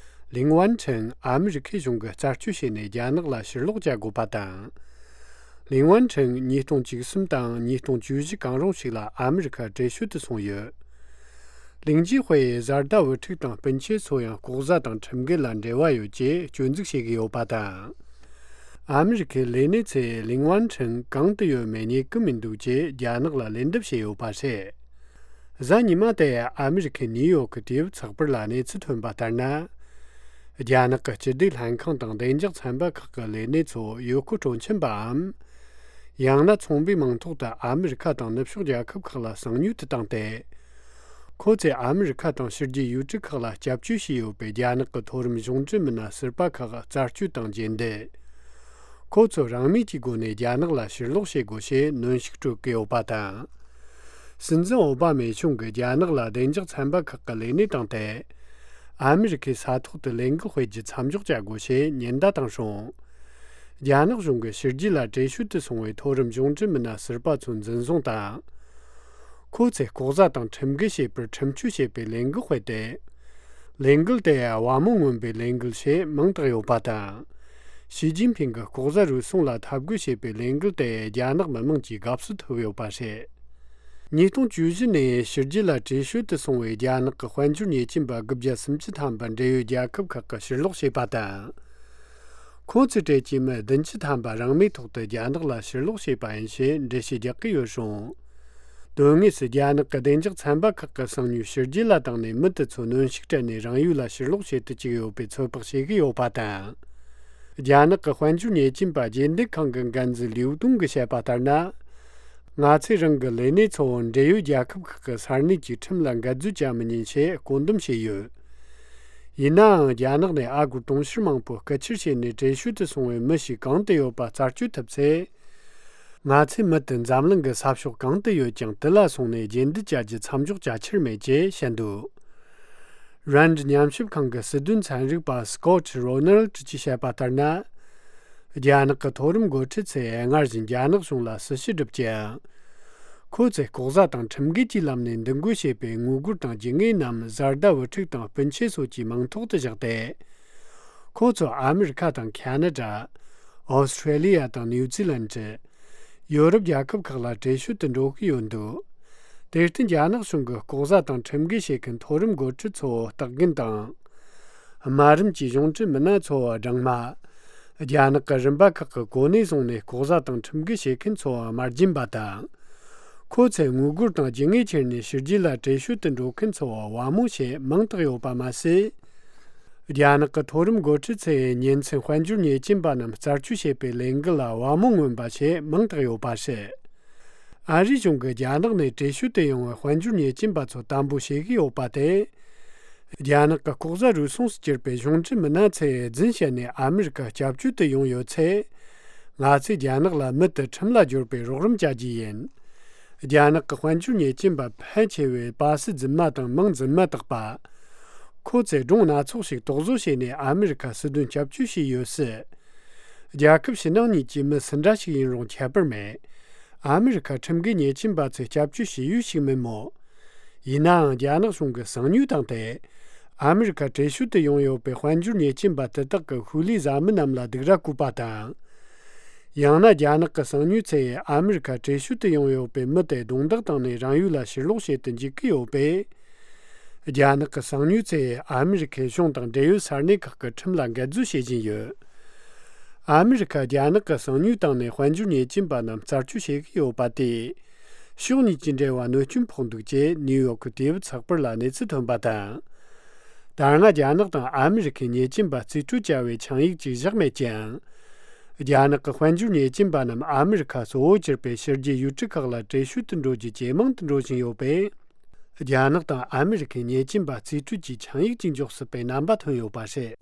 ལིང་ཝན་ཁྲེང་ཨ་མི་རི་ཁའི་གཞུང་གིས་རྩད་གཅོད་བྱས་ནས་རྒྱ་ནག་ལ་ཕྱིར་ལོག་བྱ་དགོས་པ་དང་། ལིང་ཝན་ཁྲེང་ཉིས་སྟོང་བཅུ་གསུམ་དང་ཉིས་སྟོང་བཅུ་བཞི་གང་རུང་ཞིག་ལ་ཨ་མི་རི་ཁར་བྲོས་བྱོལ་དུ་སོང་ཡོད། ལིང་ཅི་ཧྭ་ཡི་བཟའ་ཟླ་བུ་ཕྲུག་དང་སྤུན་མཆེད་ཚོ་ཡང་ལྐོག་ཟ་དང་ཁྲིམས་འགལ་ལ་འབྲེལ་བ་ཡོད་ཅེས་སྐྱོན་འཛུགས་བྱེད་ཀྱི་ཡོད་པ་དང་། ཨ་མི་རི་ཁའི་ལས་སྣེ་ཚོས་ལིང་ཝན་ཁྲེང་གང་དུ་ཡོད་མེད་རྙེད་ཀྱི་མི་འདུག་ཅེས་རྒྱ་ནག་ལ་ལན་འདེབས་བྱས་ཡོད་པ་རེད། གཟའ་ཉི་མ་དེ་ཨ་མི་རི་ཁའི་ནིའུ་ཡོག་གི་དུས་བབ་ཚགས་པར་ལ་གནས་ཚུལ་ཐོན་པ་ལྟར་ན། རྒྱ་ནག་གི་སྤྱི་བདེ་ལྷན་ཁང་དང་བདེ་འཇགས་ཚན་པ་ཁག་གི་ལས་སྣེ་ཚོ་ཡུལ་སྐོར་སྤྲོ་འཆམ་པའམ། ཡང་ན་ཚོང་པའི་མིང་ཐོག་ཏུ་ཨ་མི་རི་ཁ་དང་ནུབ་ཕྱོགས་རྒྱལ་ཁབ་ཁག་ལ་གསང་མྱུལ་དུ་བཏང་སྟེ། ཁོ་ཚོས་ཨ་མི་རི་ཁ་དང་ཕྱི་རྒྱལ་ཡུལ་གྲུ་ཁག་ལ་སྐྱབས་བཅོལ་བྱས་ཡོད་པའི་རྒྱ་ནག་གི་མཐོ་རིམ་གཞུང་འབྲེལ་མི་སྣ་ཟུར་པ་ཁག་རྩད་གཅོད་དང་རྗེས་འདེད། ཁོ་ཚོ་རང་མོས་ཀྱི་སྒོ་ནས་རྒྱ་ནག་ལ་ཕྱིར་ལོག་བྱེད་དགོས་ཞེས་གནོན་ཤུགས་སྤྲོད་ཀྱི་ཡོད་པ་དང་། སྲིད་འཛིན་ཨོ་བྷ་མས་གཞུང་གིས་རྒྱ་ནག་ལ་བདེ་འཇགས་ཚན་པ་ཁག་གི་ལས་སྣེ་བཏང་སྟེ། ཨ་མི་རི་ཁའི་ས་ཐོག་ཏུ་ལས་འགུལ་སྤེལ་རྒྱུ་མཚམས་འཇོག་བྱ་དགོས་ཞེས་ཉེན་བརྡ་བཏང་བྱུང་། རྒྱ་ནག་གཞུང་གིས་ཕྱི་རྒྱལ་ལ་བྲོས་བྱོལ་དུ་སོང་བའི་མཐོ་རིམ་གཞུང་འབྲེལ་མི་སྣ་ཟུར་པ་ཚོ་འཛིན་བཟུང་དང་། ཁོ་ཚོས་ལྐོག་ཟ་དང་ཁྲིམས་འགལ་བྱས་པར་ཁྲིམས་གཅོད་བྱེད་པའི་ལས་འགུལ་སྤེལ་ཏེ། ལས་འགུལ་དེ་ཡང་དབང་མོ་མངོན་པའི་ལས་འགུལ་ཞེས་མིང་བཏགས་ཡོད་པ་དང་། ཞི་ཅིན་ཕིང་གི་ལྐོག་ཟ་རུལ་སུངས་ལ་འཐབ་རྒོལ་བྱེད་པའི་ལས་འགུལ་དེ་རྒྱ་ནག་མི་དམངས་ཀྱི་དགའ་བསུ་ཐོབ་ཡོད་པ་རེད། ཉིས་སྟོང་བཅུ་བཞི་ནས་ཕྱི་རྒྱལ་ལ་བྲོས་བྱོལ་དུ་སོང་བའི་རྒྱ་ནག་གི་དཔལ་འབྱོར་ཉེས་ཅན་པ་དགུ་བརྒྱ་སུམ་ཅུ་ཐམ་པ་འབྲེལ་ཡོད་རྒྱལ་ཁབ་ཁག་གིས་ཕྱིར་ལོག་བྱས་པ་དང་། ཁོ་ཚོའི་གྲས་ཀྱི་མི་བདུན་ཅུ་ཐམ་པ་རང་མོས་ཐོག་ཏུ་རྒྱ་ནག་ལ་ཕྱིར་ལོག་བྱས་པ་ཡིན་ཞེས་འགྲེལ་བཤད་རྒྱག་གི་ཡོད་རུང་། དོན་དངོས་སུ་རྒྱ་ནག་གི་བདེ་འཇགས་ཚན་པ་ཁག་གི་གསང་མྱུལ་ཕྱི་རྒྱལ་ལ་བཏང་ནས་མི་དེ་ཚོ་གནོན་ཤུགས་སྤྲད་ནས་རང་ཡུལ་ལ་ཕྱིར་ལོག་བྱེད་དུ་བཅུག་ཡོད་པའི་ཚོད་དཔག་བྱེད་ཀྱི་ཡོད་པ་དང་། རྒྱ་ནག་གི་དཔལ་འབྱོར་ཉེས་ཅན་པ་རྗེས་འདེད་ཁང་གི་འགན་འཛིན་ལིའུ་ཏུང་གིས་བཤད་པ་ལྟར་ན། ང་ཚོས་རང་གི་ལས་སྣེ་ཚོ་འབྲེལ་ཡོད་རྒྱལ་ཁབ་ཁག་གི་ས་གནས་ཀྱི་ཁྲིམས་ལ་འགལ་འཛུལ་བྱ་མི་ཉན་ཞེས་བཀོད་འདོམས་བྱས་ཡོད། ཡིན་ནའང་རྒྱ་ནག་ནས་ཨ་སྒོར་དུང་ཕྱུར་མང་པོ་རྐུ་འཁྱེར་བྱས་ནས་བྲོས་བྱོལ་དུ་སོང་བའི་མི་ཞིག་གང་དུ་ཡོད་པ་རྩད་གཅོད་ཐུབ་ཚེ། ང་ཚོའི་མི་དེ་འཛམ་གླིང་གི་ས་ཕྱོགས་གང་དུ་ཡོད་ཀྱང་དེ་ལ་སོང་ནས་རྗེས་འདེད་བྱ་རྒྱུ་མཚམས་འཇོག་བྱ་ཁྱེར་མེད་ཅེས་བཤད་འདུག་རན་ཌི་ཉམས་ཞིབ་ཁང་གི་སྲིད་དོན་ཚན་རིག་པ་སྐོ་ཊི་རོ་ནལ་ཌི་གྱིས་བཤད་པ་ལྟར་ན། རྒྱ་ནག་གི་མཐོ་རིམ་འགོ་ཁྲིད་ཚོས་སྔར་བཞིན་རྒྱ་ནག་གཞུང་ལ་སྲི་ཞུ་བསྒྲུབས་ཀྱང་། ཁོ་ཚོས་ལྐོག་ཟ་དང་ཁྲིམས་འགལ་གྱི་ལམ་ནས་འདུ་འགོད་བྱས་པའི་དངུལ་སྒོར་དང་རྒྱུ་དངོས་རྣམས་བཟའ་ཟླ་བུ་ཕྲུག་དང་སྤུན་མཆེད་སོགས་ཀྱི་མིང་ཐོག་ཏུ་བཞག་སྟེ། ཁོ་ཚོ་ཨ་མི་རི་ཁ་དང་ཁ་ན་ཌ། ཨོ་སི་ཁྲེ་ལི་ཡ་དང་ནིའུ་ཛི་ལན་ཌི། ཡོ་རོབ་རྒྱལ་ཁབ་ཁག་ལ་བྲེལ་ཤོད་དུ་འགྲོ་གི་ཡོད་འདུག་དེར་བརྟེན་རྒྱ་ནག་གཞུང་གི་ལྐོག་ཟ་དང་ཁྲིམས་འགལ་བྱེད་མཁན་མཐོ་རིམ་འགོ་ཁྲིད་ཚོ་བརྟག་འགན་དང་། དམའ་རིམ་གྱི་གཞུང་འབྲེལ་མི་སྣ་ཚོ་སྦྲང་མ། རྒྱ་ནག་གི་རིམ་པ་ཁག་གི་གོ་གནས་བཟུང་ནས་ལྐོག་ཟ་དང་ཁྲིམས་འགལ་བྱེད་མཁན་ཚོ་དམར་རྗེན་པ་དང་། ཁོ་ཚོས་དངུལ་སྒོར་དང་རྒྱུ་དངོས་ཁྱེར་ནས་ཕྱི་རྒྱལ་ལ་བྲེལ་ཤོད་དུ་འགྲོ་མཁན་ཚོ་དབང་མོ་བྱེད་མང་དག་ཡོད་པ་མ་ཟད། རྒྱ་ནག་གི་མཐོ་རིམ་འགོ་ཁྲིད་ཚོས་ཉིན་མཚན་དཔལ་འབྱོར་ཉེས་ཅན་པ་རྣམས་རྩད་གཅོད་བྱེད་པའི་ལས་འགུལ་ལ་དབང་མོ་མངོན་པ་བྱེད་མང་དག་ཡོད་པ་རེད། ཨ་རིའི་གཞུང་གིས་རྒྱ་ནག་ནས་བྲེལ་ཤོད་དུ་ཡོང་བའི་དཔལ་འབྱོར་ཉེས་ཅན་པ་ཚོ་དམ་པོ་བྱེད་ཀྱི་ཡོད་པ་དེ། རྒྱ་ནག་གི་ལྐོག་ཟ་རུལ་སུངས་སུ་གྱུར་པའི་གཞུང་འབྲེལ་མི་སྣ་ཚོས་རྫུན་བཤད་ནས་ཨ་མི་རི་ཀར་སྐྱབས་བཅོལ་དུ་ཡོང་ཡོད་ཚེ། ང་ཚོས་རྒྱ་ནག་ལ་མུ་མཐུད་ཁྲིམས་ལ་སྦྱོར་བའི་རོགས་རམ་བྱ་རྒྱུ་ཡིན། རྒྱ་ནག་གི་དཔལ་འབྱོར་ཉེས་ཅན་པ་ཕལ་ཆེ་བས་པ་སི་རྫུན་མ་དང་མིང་རྫུན་མ་བཏགས་པ། ཁོ་ཚོས་སྒྲུང་སྣ་ཚོགས་ཤིག་རྟོག་བཟོ་བྱས་ནས་ཨ་མི་རི་ཁ་སྲིད་དོན་སྐྱབས་བཅོལ་བྱས་ཡོད་སྲིད། རྒྱལ་ཁབ་ཕྱི་ནང་གཉིས་ཀྱི་མི་སུ་འདྲ་ཞིག་ཡིན་རུང་ཁྱད་པར་མེད། ཨ་མི་རི་ཁ་ཁྲིམས་འགལ་ཉེས་ཅན་པ་ཚོས་སྐྱབས་བཅོལ་བྱས་ཡོད་ཞིག་མིན་མོད། ཡིན་ནའང་རྒྱ་ནག་གཞུང་གི་གསང་ཉུལ་བཏང་སྟེ། ཨ་མི་རི་ཁར་བྲེལ་ཤོད་དུ་ཡོང་ཡོད་པའི་དཔལ་འབྱོར་ཉེས་ཅན་པ་དེ་དག་གི་ཤུལ་ལུས་བཟའ་མི་རྣམས་ལ་སྡིགས་ར་བསྐུལ་པ་དང་། ཡང་ན་རྒྱ་ནག་གི་གསང་ཉུལ་ཚོས་ཨ་མི་རི་ཁར་བྲེལ་ཤོད་དུ་ཡོང་ཡོད་པའི་མི་དེ་རྡུང་རྡེག་བཏང་ནས་རང་ཡུལ་ལ་ཕྱིར་ལོག་བྱེད་དུ་འཇུག་གི་ཡོད་པས། རྒྱ་ནག་གི་གསང་ཉུལ་ཚོས་ཨ་མི་རི་ཁའི་གཞུང་དང་འབྲེལ་ཡོད་ས་གནས་ཁག་གི་ཁྲིམས་ལ་འགལ་འཛུལ་བྱེད་བཞིན་ཡོད། ཨ་མི་རི་ཁ་རྒྱ་ནག་གི་གསང་ཉུལ་བཏང་ནས་དཔལ་འབྱོར་ཉེས་ཅན་པ་རྣམས་རྩད་གཅོད་བྱེད་ཀྱི་ཡོད་པ་དེས། ཕྱོགས་གཉིས་ཀྱི་འབྲེལ་བ་གནོད་སྐྱོན་ཕོག་འདུག་ཅེས་ནིའུ་ཡོག་གི་དུས་བབ་ཚགས་པར་ལ་གནས་ཚུལ་ཐོན་པ་དང་། ད་སྔ་རྒྱ་ནག་དང་ཨ་མི་རི་ཁས་ཉེས་ཅན་པ་རྩིས་སྤྲོད་བྱ་བའི་ཆིངས་ཡིག་ཅིག་བཞག་མེད་ཀྱང་། རྒྱ་ནག་གི་དཔལ་འབྱོར་ཉེས་ཅན་པ་རྣམས་ཨ་མི་རི་ཁ་གཙོ་བོ་གྱུར་པའི་ཕྱི་རྒྱལ་ཡུལ་གྲུ་ཁག་ལ་བྲེལ་ཤོད་དུ་འགྲོ་རྒྱུ་ཇེ་མང་དུ་འགྲོ་བཞིན་ཡོད་པས། རྒྱ་ནག་དང་ཨ་མི་རི་ཁས་ཉེས་ཅན་པ་རྩིས་སྤྲོད་ཀྱི་ཆིངས་ཡིག་ཅིག་འཇོག་སྲིད་པའི་རྣམ་པ་ཐོན་ཡོད་པ་རེད།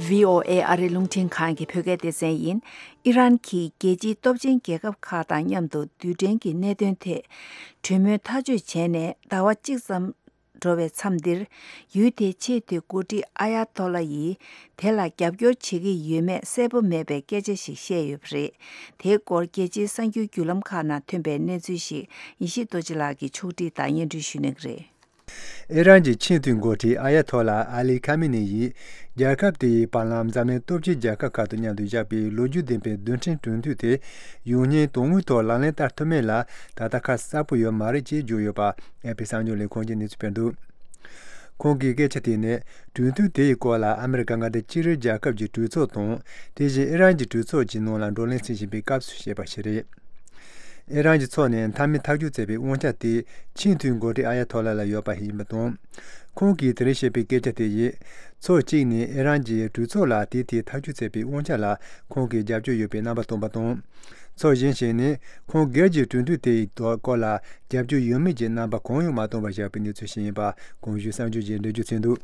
ཝི་ཨོ་ཨེ་ཨ་རིའི་རླུང་འཕྲིན་ཁང་གི་བོད་སྐད་སྡེ་ཚན་ཡིན། ཨི་རན་གྱིས་རྒྱལ་སྤྱིའི་སྟོབས་ཆེན་རྒྱལ་ཁབ་ཁག་དང་མཉམ་དུ་རྡུལ་ཕྲན་གྱི་གནད་དོན་ཐད་གྲོས་མོལ་ཐག་གཅོད་བྱས་ནས་ཟླ་བ་གཅིག་ཙམ་འགྲོ་བའི་མཚམས་འདིར། ཡུལ་དེའི་ཆེས་མཐོའི་འགོ་ཁྲིད་ཨ་ཡ་ཐོ་ལ་ཡིས་དེ་ལ་རྒྱབ་སྐྱོར་བྱེད་ཀྱི་ཡོད་མེད་གསལ་པོ་མེད་པའི་སྐད་ཆ་ཞིག་བཤད་ཡོད་པ་རེད། དེའི་སྐོར་རྒྱལ་སྤྱིའི་གསར་འགྱུར་བརྒྱུད་ལམ་ཁག་ནང་ཐོན་པའི་གནས་ཚུལ་ཞིག་ཡེ་ཤེས་རྡོ་རྗེ་ལགས་ཀྱིས་ཕྱོགས་སྒྲིག་དང་སྙན་སྒྲོན་ཞུ་གནང་གི་རེད། ཨི་རན་གྱི་ཆེས་མཐོའི་འགོ་ཁྲིད་ཨ་ཡ་ཐོ་ལ་ཨ་ལི་ཁ་མི་ནེ་ཡིས། རྒྱལ་ཁབ་དེ་ཡི་བར་ལམ་འཛམ་གླིང་སྟོབས་ཆེན་རྒྱལ་ཁབ་ཁག་དང་མཉམ་དུ་བཞག་པའི་ལོ་རྒྱུས་ལྡན་པའི་རྡུལ་ཕྲན་གྲོས་མཐུན་དེ། ཡོང་སྙིང་དོན་དངོས་ཐོག་ལག་ལེན་བསྟར་ཐུབ་མིན་ལ་ད་ལྟ་ཁ་གསལ་པོ་ཡོད་མ་རེད་ཅེས་བརྗོད་ཡོད་པ། ཨེ་པི་གསར་འགྱུར་ལས་ཁུངས་ཀྱིས་གནས་ཚུལ་སྤེལ་འདུག་ཁོང་གིས་སྐད་ཆ་དེ་ནི། གྲོས་མཐུན་དེ་ཡི་སྐོར་ལ་ཨ་མི་རི་ཀ་མངའ་སྡེ་གཅིག་རིགས་རྒྱལ་ཁབ་ཀྱི་གྲོས་ཚོགས་དང་། དེ་བཞིན་ཨི་རན་གྱི་གྲོས་ཚོགས་ཀྱི་ནང་ལ་བགྲོ་གླེང་བྱེད་བཞིན་པའི་སྐབས་སུ་བཤད་པ་ཞིག་རེད། ཨི་རན་གྱི་ཕྱོགས་ནས་མཐའ་མའི་ཐག་གཅོད་མཛད་པའི་དབང་ཆ་དེ་ཆེས་མཐོའི་འགོ་ཁྲིད་ཨ་ཡ་ཐོ་ལ་ལ་ཡོད་པ་ཡིན་པ་དང་། ཁོང་གིས་དེ་རིང་བཤད་པའི་སྐད་ཆ་དེ་ཡིས། ཕྱོགས་གཅིག་ནས་ཨི་རན་གྱིས་གྲོས་ཚོགས་ལ་དེའི་ཐད་ཐག་གཅོད་མཛད་པའི་དབང་ཆ་ལ་ཁོང་གིས་རྒྱབ་སྐྱོར་ཡོད་པའི་རྣམ་པ་བསྟན་པ་དང་། ཕྱོགས་གཞན་ཞིག་ནས་ཁོང་སྒེར་གྱི་གྲོས་མཐུན་དེའི་ཐོག་སྐོར་ལ་རྒྱབ་སྐྱོར་ཡོད་མེད་ཀྱི་རྣམ་པ་གང་ཡང་མ་བསྟན་པར་བཞག་པའི་གནས་ཚུལ་ཞིག་ཡིན་པ་གོང་ཞུས་གསར་འགྱུར་གྱིས་འགྲེལ་བརྗོད་བྱས་འདུག་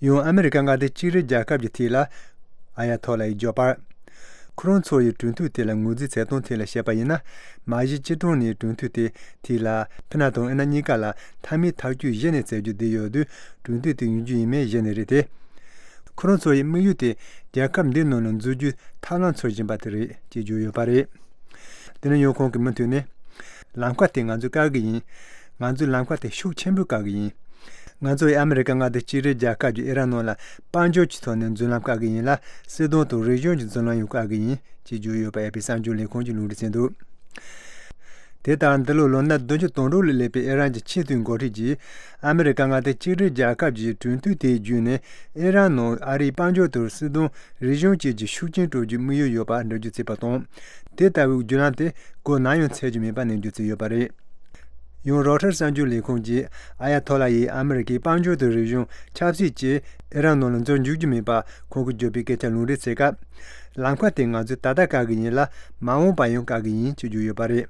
ཡང་ཨ་མི་རི་ཀ་མངའ་སྡེ་གཅིག་རིགས་རྒྱལ་ཁབ་ཀྱི་ཐད་ལ། ཨ་ཡ་ཐོ་ལ་ཡིས་བརྗོད་པར། ཁོ་རང་ཚོ་ཡི་གྲོས་མཐུན་དེ་ལ་ངོས་འཛིན་བྱེད་སྟངས་ཐད་ལ་བཤད་པ་ཡིན་ན། མ་གཞི་སྤྱི་བཏང་ནས་གྲོས་མཐུན་དེ་ཐད་ལ་ཕི་ན་དང་ཨི་ན་གཉིས་ཀ་ལ་མཐའ་མའི་ཐག་གཅོད་གཞི་ནས་བྱེད་རྒྱུ་བསྡད་ཡོད་དུས་གྲོས་མཐུན་དེ་ཡོང་རྒྱུ་ཡིན་མིན་གཞི་ནས་རེད་དེ། ཁོ་རང་ཚོ་ཡི་དམིགས་ཡུལ་དེ་རྒྱལ་ཁབ་འདིའི་ནང་ལ་འཛུལ་རྒྱུའི་ཐབས་ལམ་འཚོལ་བཞིན་པ་དེ་རེད་ཅེས་བརྗོད་ཡོད་པ་རེད། དེ་ནས་ཡང་ཁོང་གིས་མུ་མཐུད་ནས། ལམ་ཁ་དེ་ང་ཚོས་བཀག་གི་ཡིན། ང་ཚོས་ལམ་ཁ་དེ་ཤུགས་ཆེན་པོས་བཀག་གི་ཡིན། ང་ཚོས་ཨ་མི་རི་ཀ་མངའ་སྡེ་གཅིག་རིགས་རྒྱལ་ཁབ་ཀྱི་ཨི་རན་ནང་ལ་དཔལ་འབྱོར་གྱི་ཐོག་ནས་འཛུལ་ལམ་བཀག་གི་ཡིན་ལ། སྲིད་དོན་དང་རིག་གཞུང་གི་འཛུལ་ལམ་ཡང་བཀག་གི་ཡིན་ཅེས་བརྗོད་ཡོད་པ་ཨེ་པི་གསར་འགྱུར་ལས་ཁུངས་ཀྱིས་ལུང་འདྲེན་བྱས་འདུག་དེ་ལྟར་འདི་ལོ་ལོ་ན་བདུན་ཅུ་དོན་དྲུག་ལ་སླེབས་པའི་ཨི་རན་གྱི་ཆེས་མཐོའི་འགོ་ཁྲིད་ཀྱིས་ཨ་མི་རི་ཀ་མངའ་སྡེ་གཅིག་རིགས་རྒྱལ་ཁབ་ཀྱི་གྲོས་མཐུན་དེའི་བརྒྱུད་ནས་ཨི་རན་ནང་ཨ་རིའི་དཔལ་འབྱོར་དང་སྲིད་དོན། རིག་གཞུང་བཅས་ཀྱི་ཤུགས་རྐྱེན་སྤྲོད་རྒྱུའི་དམིགས་ཡུལ་ཡོད་པ་འགྲེལ་བརྗོད་བྱས་པ་དང་། དེ་ལྟ་བུའི་བརྒྱུད་ལམ་དེ་གོ་ནམ་ཡང་ཚར་རྒྱུ་མེད་པ་ནས་བརྗོད་ཀྱི་ཡོད་པ་རེད། ཡང་རོའི་ཊར་གསར་འགྱུར་ལས་ཁུངས་ཀྱིས་ཨ་ཡ་ཐོ་ལ་ཡིས་ཨ་མི་རི་ཀའི་དཔལ་འབྱོར་དང་རིག་གཞུང་ཆབ་སྲིད་བཅས་ཨི་རན་ནང་ལ་འཛུལ་འཇུག་རྒྱུ་མེད་པ་ཁོང་གིས་བརྗོད་པའི་སྐད་ཆ་ལུང་འདྲེན་བྱེད་སྐབས། ལམ་ཁ་དེ་ང་ཚོས་ད་ལྟ་བཀག་གི་ཡིན་ལ་མ་འོངས་པ་ཡང་བཀག་གི་ཡིན་ཅེས་བརྗོད་ཡོད་པ་རེད།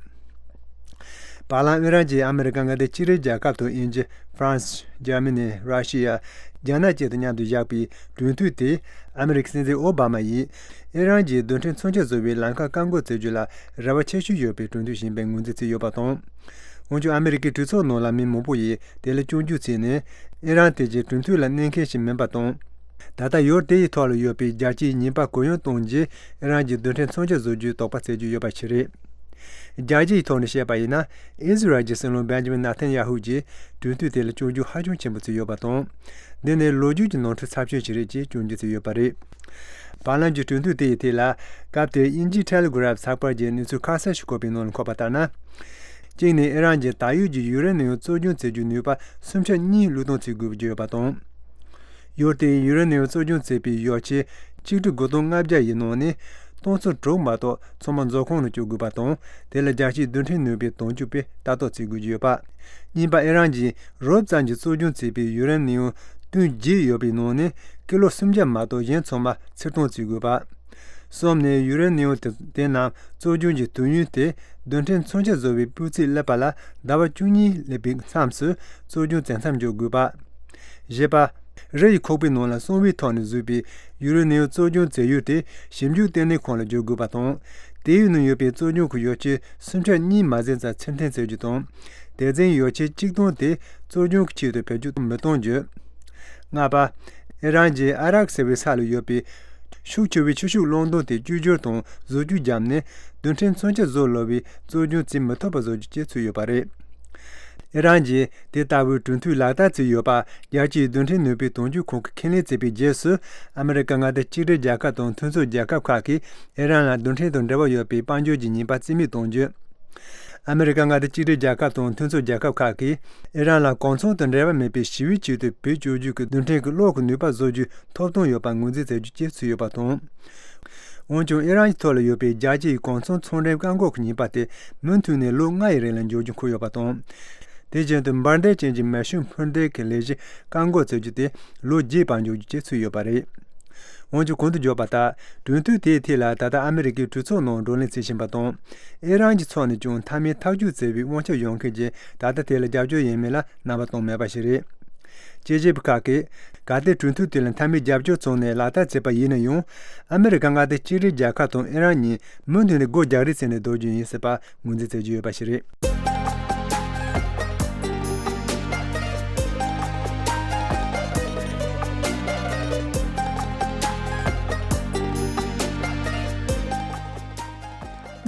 བར་ལམ་ཨི་རན་གྱིས་ཨ་མི་རི་ཀ་མངའ་སྡེ་གཅིག་རིགས་རྒྱལ་ཁབ་དང་དབྱིན་ཇི། ཧྥ་རན་སི། འཇར་མ་ནི། ར་ཤི་ཡ། རྒྱ་ནག་བཅས་དང་མཉམ་དུ་བཞག་པའི་གྲོས་མཐུན་དེ་ཨ་མི་རི་ཀའི་སྲིད་འཛིན་ཨོ་བྷ་མ་ཡིས་ཨི་རན་གྱི་རྡུལ་ཕྲན་མཚོན་ཆ་བཟོ་བའི་ལམ་ཁ་བཀག་འགོག་བྱེད་རྒྱུ་ལ་རེ་བ་ཆེ་ཤོས་ཡོད་པའི་གྲོས་མཐུན་ཞིག་ཡིན་པའི་ངོས་འཛིན་བྱས་ཡོད་པ་དང་། འོན་ཀྱང་ཨ་མི་རི་ཀའི་གྲོས་ཚོགས་ནང་ལ་མི་མང་པོ་ཡིས་དེ་ལ་སྐྱོན་བརྗོད་བྱས་ནས་ཨི་རན་དེ་གའི་གྲོས་མཐུན་ལ་གནས་མཁན་ཞིག་མིན་པ་དང་། ད་ལྟ་ཡུལ་དེ་ཡི་ཐོག་ལ་ཡོད་པའི་རྒྱལ་སྤྱིའི་ཉེས་པ་གུ་ཡངས་གཏོང་རྒྱུས་ཨི་རན་གྱི་རྡུལ་ཕྲན་མཚོན་ཆ་བཟོ་རྒྱུའི་དོགས་པ་སེལ་རྒྱུ་ཡོད་པ་ཞིག་རེད། རྒྱལ་སྤྱིའི་ཐོག་ནས་བཤད་པ་ཡིན་ན། ཨི་ཟི་རལ་གྱི་སྲིད་བློན་བེན་ཇ་མིན་ནཱ་ཐན་ཡ་ཧུ་གྱིས་གྲོས་མཐུན་དེ་ལ་སྐྱོན་བརྗོད་ཧ་ཅང་ཆེན་པོ་བྱས་ཡོད་པ་དང་། འདི་ནི་ལོ་རྒྱུས་ཀྱི་ནོར་འཁྲུལ་ཚབས་ཆེན་ཞིག་རེད་ཅེས་སྐྱོན་བརྗོད་བྱས་ཡོད་པ་རེད། བར་ལམ་གྱི་གྲོས་མཐུན་དེ་ཡི་ཐད་ལ། སྐབས་དེར་དབྱིན་ཇིའི་ཊེ་ལི་གྷི་རབ་ཚགས་པར་གྱིས་གནས་ཚུལ་ཁ་གསལ་ཞིག་བཀོད་པའི་ནང་ལ་འཁོད་པ་ལྟར་ན། གཅིག་ནས་ཨི་རན་གྱིས་ད་ཡོད་ཀྱི་ཡུ་རེ་ནི་ཡམ་བཙོག་སྦྱོང་བྱེད་རྒྱུའི་ནུས་པ་སུམ་ཆ་གཉིས་བློས་གཏོང་བྱེད་དགོས་ཀྱི་ཡོད་པ་དང་། ཡུལ་དེའི་ཡུ་རེ་ནི་ཡམ་བཙོག་སྦྱོང་བྱེད་པའི་ཡོ་ཆས་ཆིག་ཁྲི་དགུ་སྟོང་ལྔ་བརྒྱ་ཡི་ནང་ནས་སྟོང་ཚོ་དྲུག་མ་གཏོགས་ཚང་མ་མཛོད་ཁང་ནང་བསྐྱོད་དགོས་པ་དང་། དེ་ལ་རྒྱལ་སྤྱིའི་རྡུལ་ཕྲན་ནུས་པའི་དོན་གཅོད་པས་ལྟ་རྟོག་བྱེད་དགོས་ཀྱི་ཡོད་པ། གཉིས་པ། ཨི་རན་གྱིས་རོབ་ཙམ་གྱིས་བཙོག་སྦྱོང་བྱས་པའི་ཡུ་རེ་ནི་ཡམ་བཏོན་བརྗེད་ཡོད་པའི་ནང་ནས་ཀི་ལོ་སུམ་བརྒྱ་མ་གཏོགས་གཞན་ཚང་མ་ཕྱིར་གཏོང་བྱེད་དགོས་པ། གསུམ་ནས་ཡུ་རེ་ནི་ཡམ་དེ་དེ་རྣམས་བཙོག་སྦྱོང་གི་དུས་ཡུན་དེ་རྡུལ་ཕྲན་མཚོན་ཆ་བཟོ་བའི་སྤུས་ཚད་སླེབས་པ་ལ་ཟླ་བ་བཅུ་གཉིས་སླེབས་པའི་མཚམས་སུ་བཙོག་སྦྱོང་བྱེད་མཚམས་འཇོག་དགོས་པ། བཞི་པ། རི་ཡི་ཁོག་པའི་ནང་ལ་གསང་བའི་ཐོག་ནས་བཟོས་པའི་ཡུ་རེ་ནི་ཡམ་བཙོག་སྦྱོང་བྱེད་ཡུལ་དེ་ཞིབ་འཇུག་ལྟེ་གནས་ཁང་ལ་བསྒྱུར་དགོས་པ་དང་། དེའི་ནང་ཡོད་པའི་བཙོག་སྦྱོང་གི་ཡོ་ཆས་སུམ་ཆ་གཉིས་མ་ཟིན་ཙམ་ཕྱིར་འཐེན་བྱེད་རྒྱུ་དང་། དེ་འཛིན་ཡོ་ཆས་གཅིག་སྟོང་དེ་བཙོག་སྦྱོང་གི་ཆེད་དུ་བེད་སྤྱོད་མི་གཏོང་རྒྱུ། ལྔ་པ། ཨི་རན་གྱིས་ཨ་རག་ཟེར་བའི་ས་ལ་ཡོད་པའི་ཤུགས་ཆེ་བའི་ཆུ་ཤུགས་རླུང་རྡུལ་དེ་བཅོས་བསྒྱུར་དང་བཟོ་བཅོས་བརྒྱབ་ནས་རྡུལ་ཕྲན་མཚོན་ཆ་བཟོ་སླ་བའི་བཙོག་སྦྱོང་བྱེད་མི་ཐུབ་པ་བཟོ་རྒྱུ་བཅས་ཚུད་ཡོད་པ་རེད། ཨི་རན་གྱིས་དེ་ལྟ་བུའི་གྲོས་མཐུན་ལག་བསྟར་བྱས་ཡོད་པ་རྒྱལ་སྤྱིའི་རྡུལ་ཕྲན་ནུས་པའི་དོན་གཅོད་ཁང་གིས་ཁས་ལེན་བྱས་པའི་རྗེས་སུ། ཨ་མི་རི་ཀ་མངའ་སྡེ་གཅིག་སྒྲིལ་རྒྱལ་ཁབ་དང་མཐུན་ཚོགས་རྒྱལ་ཁབ་ཁག་གིས་ཨི་རན་ལ་རྡུལ་ཕྲན་དང་འབྲེལ་བ་ཡོད་པའི་དཔལ་འབྱོར་གྱི་ཉེས་པ་རྩིས་མེད་གཏོང་རྒྱུ། ཨ་མི་རི་ཀ་མངའ་སྡེ་གཅིག་སྒྲིལ་རྒྱལ་ཁབ་དང་མཐུན་ཚོགས་རྒྱལ་ཁབ་ཁག་གིས་ཨི་རན་ལ་གོ་མཚོན་དང་འབྲེལ་བ་མེད་པའི་ཞི་བའི་ཆེད་དུ་བེད་སྤྱོད་རྒྱུ་གི་རྡུལ་ཕྲན་གྱི་གློག་གི་ནུས་པ་བཟོ་རྒྱུའི་ཐོབ་ཐང་ཡོད་པར་ངོས་འཛིན་བྱ་རྒྱུ་བཅས་ཚུད་ཡོད་པ་དང་། འོན་ཀྱང་ཨི་རན་གྱི་ཐོག་ལ་ཡོད་པའི་རྒྱལ་སྤྱིའི་གོ་མཚོན་ཚོང་འབྲེལ་བཀག་འགོག་གི་ཉེས་པ་དེ་མུ་མཐུད་ནས་ལོ་ལྔ་ཡི་རིང་ལ་འཇོག་རྒྱུ་འཁོད་ཡོད་པ་དང་། དེ་བཞིན་དུ་འབར་མདེལ་ཅན་གྱི་མེ་ཤུགས་འཕུར་མདེལ་གྱི་ལས་གཞི་བཀག་འགོག་བྱ་རྒྱུ་དེ་ལོ་བརྒྱའི་བར་འཇོག་རྒྱུ་བཅས་ཚུད་ཡོད་པ་རེད། འོན་ཀྱང་གོང་དུ་བརྗོད་པ་ལྟར་གྲོས་མཐུན་དེའི་ཐད་ལ་ད་ལྟ་ཨ་མི་རི་ཀའི་གྲོས་ཚོགས་ནང་བགྲོ་གླེང་བྱེད་བཞིན་པ་དང་། ཨི་རན་གྱི་ཕྱོགས་ནས་ཀྱང་མཐའ་མའི་ཐག་གཅོད་བྱེད་པའི་དབང་ཆ་ཡོད་མཁན་གྱིས་ད་ལྟ་དེ་ལ་རྒྱབ་སྐྱོར་ཡིན་མིན་ལ་རྣམ་པ་གཏོང་མེད་པ་ཞིག་རེད། དཔྱད་ཞིབ་པ་ཁག་གིས་གལ་ཏེ་གྲོས་མཐུན་དེ་ལ་མཐའ་མའི་རྒྱབ་སྐྱོར་བྱུང་ནས་ལག་བསྟར་བྱས་པ་ཡིན་ན་ཡང་། ཨ་མི་རི་ཀ་མངའ་སྡེ་གཅིག་སྒྲིལ་རྒྱལ་ཁབ་དང་ཨི་རན་གཉིས་མུ་མཐུད་ནས་སྒོ་རྒྱག་རེས་བྱས་ནས་སྡོད་རྒྱུ་ཡིན་སྲིད་པ་ངོས་འཛིན་བྱེད་ཀྱི་ཡོད་པ་ཞིག་རེད།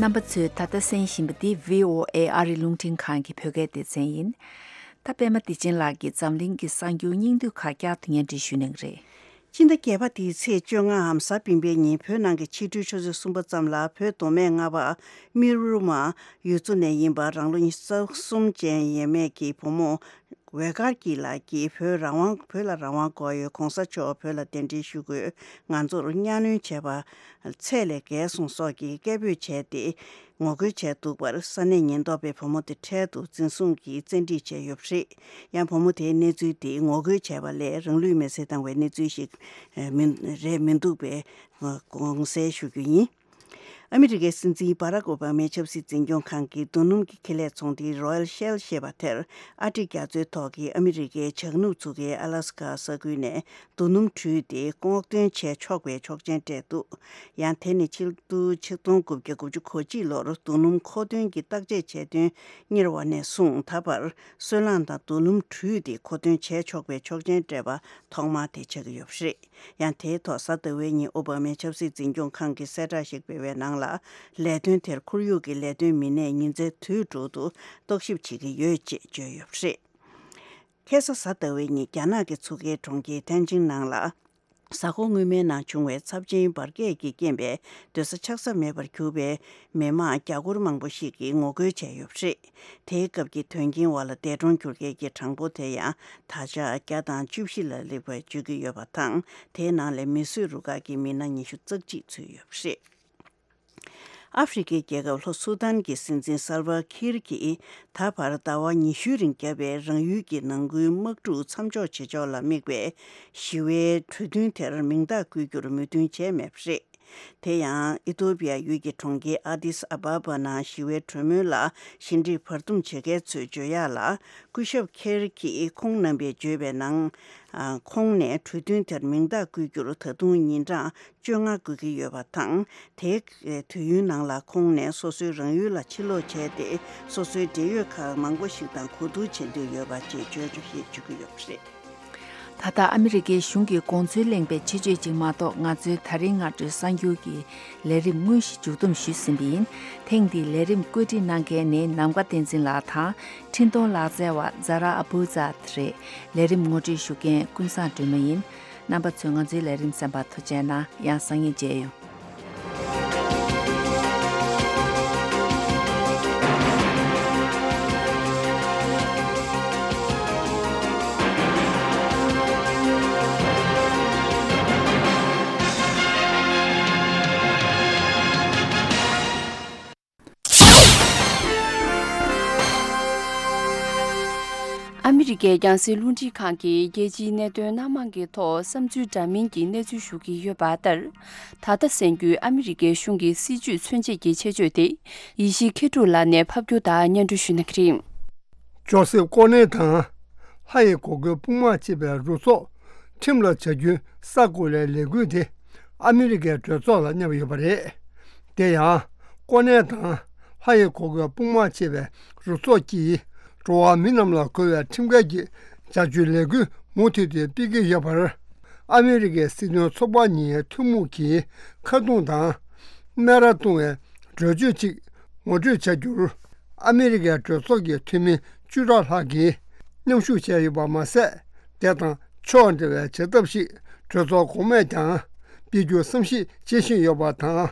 རྣམ་པ་ཚོས་ད་ལྟ་གསན་བཞིན་པ་འདི་བྷི་ཨོ་ཨེ་ཨ་རིའི་རླུང་འཕྲིན་ཁང་གི་བོད་སྐད་སྡེ་ཚན་ཡིན། ད་པད་མ་བདེ་ཆེན་ལགས་ཀྱིས་འཛམ་གླིང་གི་གསར་འགྱུར་སྙིང་བསྡུས་ཁག་བསྐྱར་དུ་སྙན་སྒྲོན་ཞུ་གནང་གི་རེད། སྤྱི་ཟླ་བརྒྱད་པ་འདིའི་ཚེས་བཅོ་ལྔའམ་གཟའ་སྤེན་པའི་ཉིན་བོད་ནང་གི་ཕྱི་དྲོའི་ཆུ་ཚོད་གསུམ་པ་ཙམ་ལ་བོད་མདོ་སྨད་རྔ་པ་རྨེ་རུ་མ་ཡུལ་ཚོ་ནས་ཡིན་པ་རང་ལོ་ཉི་ཤུ་རྩ་གསུམ་ཅན་ཡས་མས་ཀྱི་བུ་མོ་ཝེ་གར་གྱི་ལགས་ཀྱིས་བོད་རང་དབང་བོད་ལ་རང་དབང་དགོས་ཡོད། གོང་ས་མཆོག་བོད་ལ་གདན་འདྲེན་ཞུ་དགོས། ང་ཚོར་གཉའ་གནོན་བྱས་པ་ཚད་ལས་བརྒལ་སོང་སོགས་ཀྱི་སྐད་འབོད་བྱས་ཏེ། ངོ་རྒོལ་བྱས་འདུག་པར་ས་གནས་ཉེན་རྟོག་པས་བུ་མོ་དེ་འཕྲལ་དུ་འཛིན་བཟུང་གིས་བཙན་ཁྲིད་བྱས་ཡོད་པ་རེད། ཡང་བུ་མོ་དེའི་གནས་ཚུལ་དེ་ངོ་རྒོལ་བྱས་པ་ལས་རང་ལུས་མེར་སྲེག་བཏང་བའི་གནས་ཚུལ་ཞིག་ཨ་མི་རེད་མི་འདུག་པའི་ཨ་དགོངས་སེལ་ཞུ་རྒྱུ་ཡིན། ཨ་མི་རི་ཀའི་སྲིད་འཛིན་བྷ་རག་ཨོ་བྷ་མའི་ཆབ་སྲིད་འཛིན་སྐྱོང་ཁང་གི་རྡོ་སྣུམ་གྱི་ཁེ་ལས་ཚོང་འདུས་Royal Shell ཞེས་པ་དེར་ཨ་འབྲི་རྒྱ་མཚོའི་ཐོག་གི་ཨ་མི་རི་ཀའི་བྱང་ནུབ་མཚོ་ཁའི་ཨ་ལ་སི་ཀ་ས་ཁུལ་ནས་རྡོ་སྣུམ་དྲུད་དེ་སྔོག་འདོན་བྱས་ཆོག་པའི་ཆོག་མཆན་སྤྲད་འདུག་ཡང་དེ་ནི་ཕྱི་ལོ་ཆིག་སྟོང་དགུ་བརྒྱ་དགུ་བཅུ་གོ་གཅིག་ལོར་རྡོ་སྣུམ་མཁོ་འདོན་གྱི་བརྟག་དཔྱད་བྱས་དོན་གཉེར་བ་ནས་བཟུང་ད་བར་སོལ་རླངས་དང་རྡོ་སྣུམ་དྲུད་དེ་མཁོ་འདོན་བྱས་ཆོག་པའི་ཆོག་མཆན་སྤྲད་པ་ཐོག་མ་དེ་ཆགས་ཀྱི་ཡོད་པ་རེད། ཡང་དེའི་ཐོག་གཟའ་ཟླ་བའི་ཉིན་ཨོ་བྷ་མའི་ཆབ་སྲིད་འཛིན་སྐྱོང་ཁང་གིས་གསལ་བསྒྲགས་ཤིག་སྤེལ་བའི་ནང་ལ། ལས་དོན་དེར་ཁོར་ཡུག་གི་ལས་དོན་མི་སྣས་ཉིན་མཚན་དུས་དྲུག་ཏུ་རྟོག་ཞིབ་བྱེད་ཀྱི་ཡོད་ཅེས་བརྗོད་ཡོད་པ་རེད། ཁ་སང་གཟའ་ཟླ་བའི་ཉིན་རྒྱ་ནག་གི་མཚོ་ཁའི་གྲོང་ཁྱེར་ཐེན་ཅིན་ནང་ལ། གཟའ་འཁོར་སྔོན་མའི་ནང་བྱུང་བའི་ཚབས་ཆེན་འབར་གས་ཀྱི་རྐྱེན་པས་སྡོད་ས་ཆགས་ས་མེད་པར་གྱུར་པའི་མི་མང་རྒྱ་སྒོར་མང་པོ་ཞིག་གིས་ངོ་རྒོལ་བྱས་ཡོད་པ་རེད། དེའི་སྐབས་ཀྱི་དོན་རྐྱེན་འོག་ལ་འདས་གྲོངས་གྱུར་མཁན་གྱི་གྲངས་འབོར་དེ་ཡང་ད་ཆ་བརྒྱ་དང་བཅུ་བཞི་ལ་སླེབས་པར་བརྗོད་ཀྱི་ཡོད་པ་དང་། དེའི་ནང་ལས་མིས་བཟོས་རུ་ཁག་གི་མི་སྣ་ཉི་ཤུ་རྩ་གཅིག་ཚུད་ཡོད་པ་རེད། ཨ་ཧྥེ་རི་ཁའི་རྒྱལ་ཁབ་ལྷོ་སུ་དཱན་གྱི་སྲིད་འཛིན་སལ་ཝ་ཁིར་གྱིས་ད་བར་ཟླ་བ་ཉི་ཤུའི་རིང་བརྒྱབ་པའི་རང་ཡུལ་གྱི་ནང་ཁུལ་དམག་འཁྲུག་མཚམས་འཇོག་བྱེད་ཕྱོགས་ལ་དམིགས་པའི་ཞི་བའི་གྲོས་མཐུན་དེར་མིང་རྟགས་བཀོད་རྒྱུར་མོས་མཐུན་བྱས་མེད་པ་རེད། དེ་ཡང་ཨི་ཐོ་པི་ཡ་ཡུལ་གྱི་གྲོང་ཁྱེར་ཨ་དིས་ཨ་བ་བ་ནང་ཞི་བའི་གྲོས་མོལ་ལ་ཞི་འགྲིག་བར་འདུམ་བྱེད་མཁན་ཚོས་བརྗོད་ཡག་ལ། སྐུ་ཞབས་ཁེར་གྱིས་ཁོང་རྣམ་པས་བརྗོད་པའི་ནང་། ཁོང་ནས་གྲོས་མཐུན་དེར་མིང་རྟགས་བཀོད་རྒྱུར་ད་དུང་ཉིན་གྲངས་བཅོ་ལྔ་དགོས་ཀྱི་ཡོད་པ་དང་། དེའི་དུས་ཡུན་ནང་ལ་ཁོང་ནས་སོ་སོའི་རང་ཡུལ་ལ་ཕྱིར་ལོག་བྱས་ཏེ། སོ་སོའི་འབྲེལ་ཡོད་ཁག་མང་པོ་ཞིག་དང་གོ་བསྡུར་བྱེད་འདོད་ཡོད་པ་ཅེས་བརྗོད་འདུག་ཞེས་བརྗོད་ཀྱི་ཡོད་པ་རེད། ད་ལྟ་ཨ་མི་རི་ཀའི་གཞུང་གི་དགོངས་ཚུལ་གླེང་པའི་ཆེད་བརྗོད་ཅིག་མ་གཏོགས། ང་ཚོའི་ད་རིང་སྔ་དྲོའི་གསར་འགྱུར་གྱི་ལས་རིམ་དངོས་གཞི་མཇུག་བསྡོམས་ཞུས་ཟིན་པ་ཡིན། ཐེངས་འདིའི་ལས་རིམ་བཀོད་སྒྲིག་གནང་མཁན་ནི་ནམ་མཁའ་བསྟན་འཛིན་ལགས་དང་། འཕྲིན་གཏོང་ལག་རྩལ་བ་ཛ་ར་ཨ་བུ་ཛ་རེད། ལས་རིམ་ངོ་སྤྲོད་ཞུ་མཁན་ཀུན་བཟང་སྒྲོལ་མ་ཡིན། རྣམ་པ་ཚོས་ང་ཚོའི་ལས་རིམ་གསན་པར་ཐུགས་རྗེ་གནང་། ཡང་སང་ཉིན་མཇལ་ཡོང་། ཨ་མི་རི་ཀའི་རྒྱང་སྲིང་རླུང་འཕྲིན་ཁང་གིས་རྒྱལ་སྤྱིའི་གནད་དོན་སྣ་མང་གི་ཐོག་བསམ་ཚུལ་འདྲ་མིན་གྱི་གནས་ཚུལ་ཞུ་གི་ཡོད་པ་ལྟར། ད་ལྟ་གསན་རྒྱུའི་ཨ་མི་རི་ཀའི་གཞུང་གི་སྲིད་ཇུས་མཚོན་བྱེད་ཀྱི་ཆེད་བརྗོད་དེ། ཡེ་ཤེས་མཁས་གྲུབ་ལགས་ནས་ཕབ་སྒྱུར་དང་སྙན་སྒྲོན་ཞུ་གནང་གི་རེད། ཇོ་སེབ་ཀོ་ནེ་དང་། ལྷ་ཡི་གོ་གོལ་དཔུང་དམག་ཅེས་པའི་རུ་ཚོགས་ཁྲིམས་ལ་བྱ་རྒྱུའི་ས་གོ་ལའི་ལས་འགུལ་དེ་ཨ་མི་རི་ཀའི་གྲོས་ཚོགས་ལ་མཉམ་ཡོད་པ་རེད། དེ་ཡང་། ཀོ་ནེ་དང་ལྷ་ཡི་གོ་གོལ་དཔུང་དམག་ཅེས་པའི་རུ་ཚོགས་ཀྱིས་འགྲོ་བ་མི་རྣམས་ལ་གོ་བའི་ཁྲིམས་འགལ་གྱི་བྱ་སྤྱོད་ལས་འགུལ་མུ་མཐུད་དེ་སྤེལ་གྱི་ཡོད་པར། ཨ་མི་རི་ཀའི་སྲིད་དོན་ཚོགས་པ་གཉིས་ཐུན་མོང་གིས་ཁ་རྡུང་དང་སྨད་ར་བརྡུང་བའི་གྲོས་ཆོད་ཅིག་ངོ་སྤྲོད་བྱ་རྒྱུར། ཨ་མི་རི་ཀའི་གྲོས་ཚོགས་ཀྱི་འཐུས་མི་བཅུ་ཕྲག་ལྷག་གིས་མཉམ་ཞུགས་བྱས་ཡོད་པ་མ་ཟད། དེ་དང་ཕྱོགས་འབྲེལ་བའི་བྱེད་ཐབས་ཤིག་གྲོས་ཚོགས་གོང་མས་ཀྱང་སྤེལ་རྒྱུ་བསམ་གཞིག་བྱེད་བཞིན་ཡོད་པ་དང་།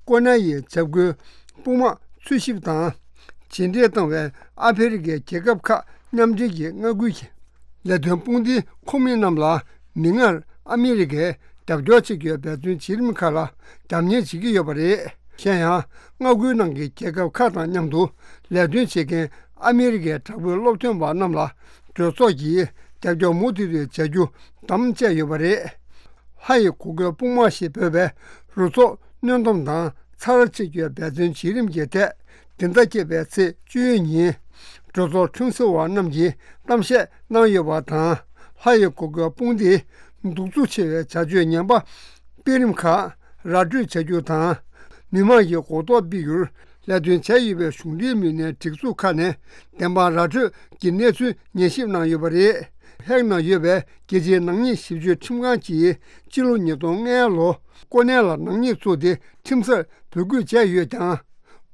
ཀོ་ནེ་ཡི་བྱ་རྒོད་དཔུང་དམག་འཚོལ་ཞིབ་དང་། བྱས་འབྲས་བཏང་བའི་ཨ་ཧྥེ་རི་ཁའི་རྒྱལ་ཁབ་ཁག་མཉམ་འབྲེལ་གྱི་མངའ་ཁུལ་གྱི་ལས་དོན་དཔུང་སྡེའི་ཁོངས་མི་རྣམས་ལ། མིག་སྔར་ཨ་མི་རི་ཀས་རྒྱབ་སྐྱོར་བྱེད་རྒྱུའི་འབད་བརྩོན་བྱེད་རིམ་ཁག་ལ་རྒྱབ་གཉེར་བྱེད་ཀྱི་ཡོད་པ་རེད། གཞན་ཡང་། མངའ་ཁུལ་ནང་གི་རྒྱལ་ཁབ་ཁག་དང་མཉམ་དུ་ལས་དོན་བྱེད་མཁན་ཨ་མི་རི་ཀའི་དྲག་པོའི་སློབ་སྟོན་པ་རྣམས་ལ་གྲོས་ཚོགས་ཀྱིས་རྒྱབ་སྐྱོར་མུ་མཐུད་དུ་བྱ་རྒྱུ་དམ་བཅས་ཡོད་པ་རེད། ལྷ་ཡི་གོ་གོལ་དཔུང་དམག་ཞེས་འབོད་པའི་རུ་ཚོགས་སྣོན་སྡོམ་དང་ཚར་བཅད་རྒྱུའི་འབད་བརྩོན་བྱེད་རིམ་གྱི་ཐད། འདི་ཟླ་བརྒྱད་པའི་ཚེས་བཅུ་ཡོལ་ཉིན། གྲོས་ཚོགས་ཁྲིམས་བཟོ་བ་རྣམས་ཀྱིས་གཏམ་བཤད་གནང་ཡོད་པ་དང་། ལྷ་ཡི་གོ་གོལ་དཔུང་སྡེའི་གདུག་རྩུབ་ཆེ་བའི་བྱ་སྤྱོད་ངན་པ་སྤེལ་རིམ་ཁག་ར་སྤྲོད་བྱ་རྒྱུ་དང་། མི་མང་གི་གོ་རྟོགས་སྤེལ་རྒྱུར་ལས་དོན་བྱས་ཡོད་པའི་གཞུང་འབྲེལ་མི་སྣའི་སྒྲིག་འཛུགས་ཁག་ནས་བདེན་དཔང་ར་སྤྲོད་ཀྱི་གནས་ཚུལ་ཉན་ཞིབ་གནང་ཡོད་པ་རེད། ཧེག་ནང་ཡོད་པའི་རྒྱལ་སྤྱིའི་ནག་ཉེས་ཞིབ་དཔྱོད་ཁྲིམས་ཁང་གིས་སྤྱི་ལོ་ཉིས་སྟོང་ལྔ་ལོ་ཀོ་ནེ་ལ་ནག་ཉེས་བཙུགས་ཏེ་ཁྲིམས་སར་འབོད་སྐུལ་བྱས་ཡོད་ཀྱང་།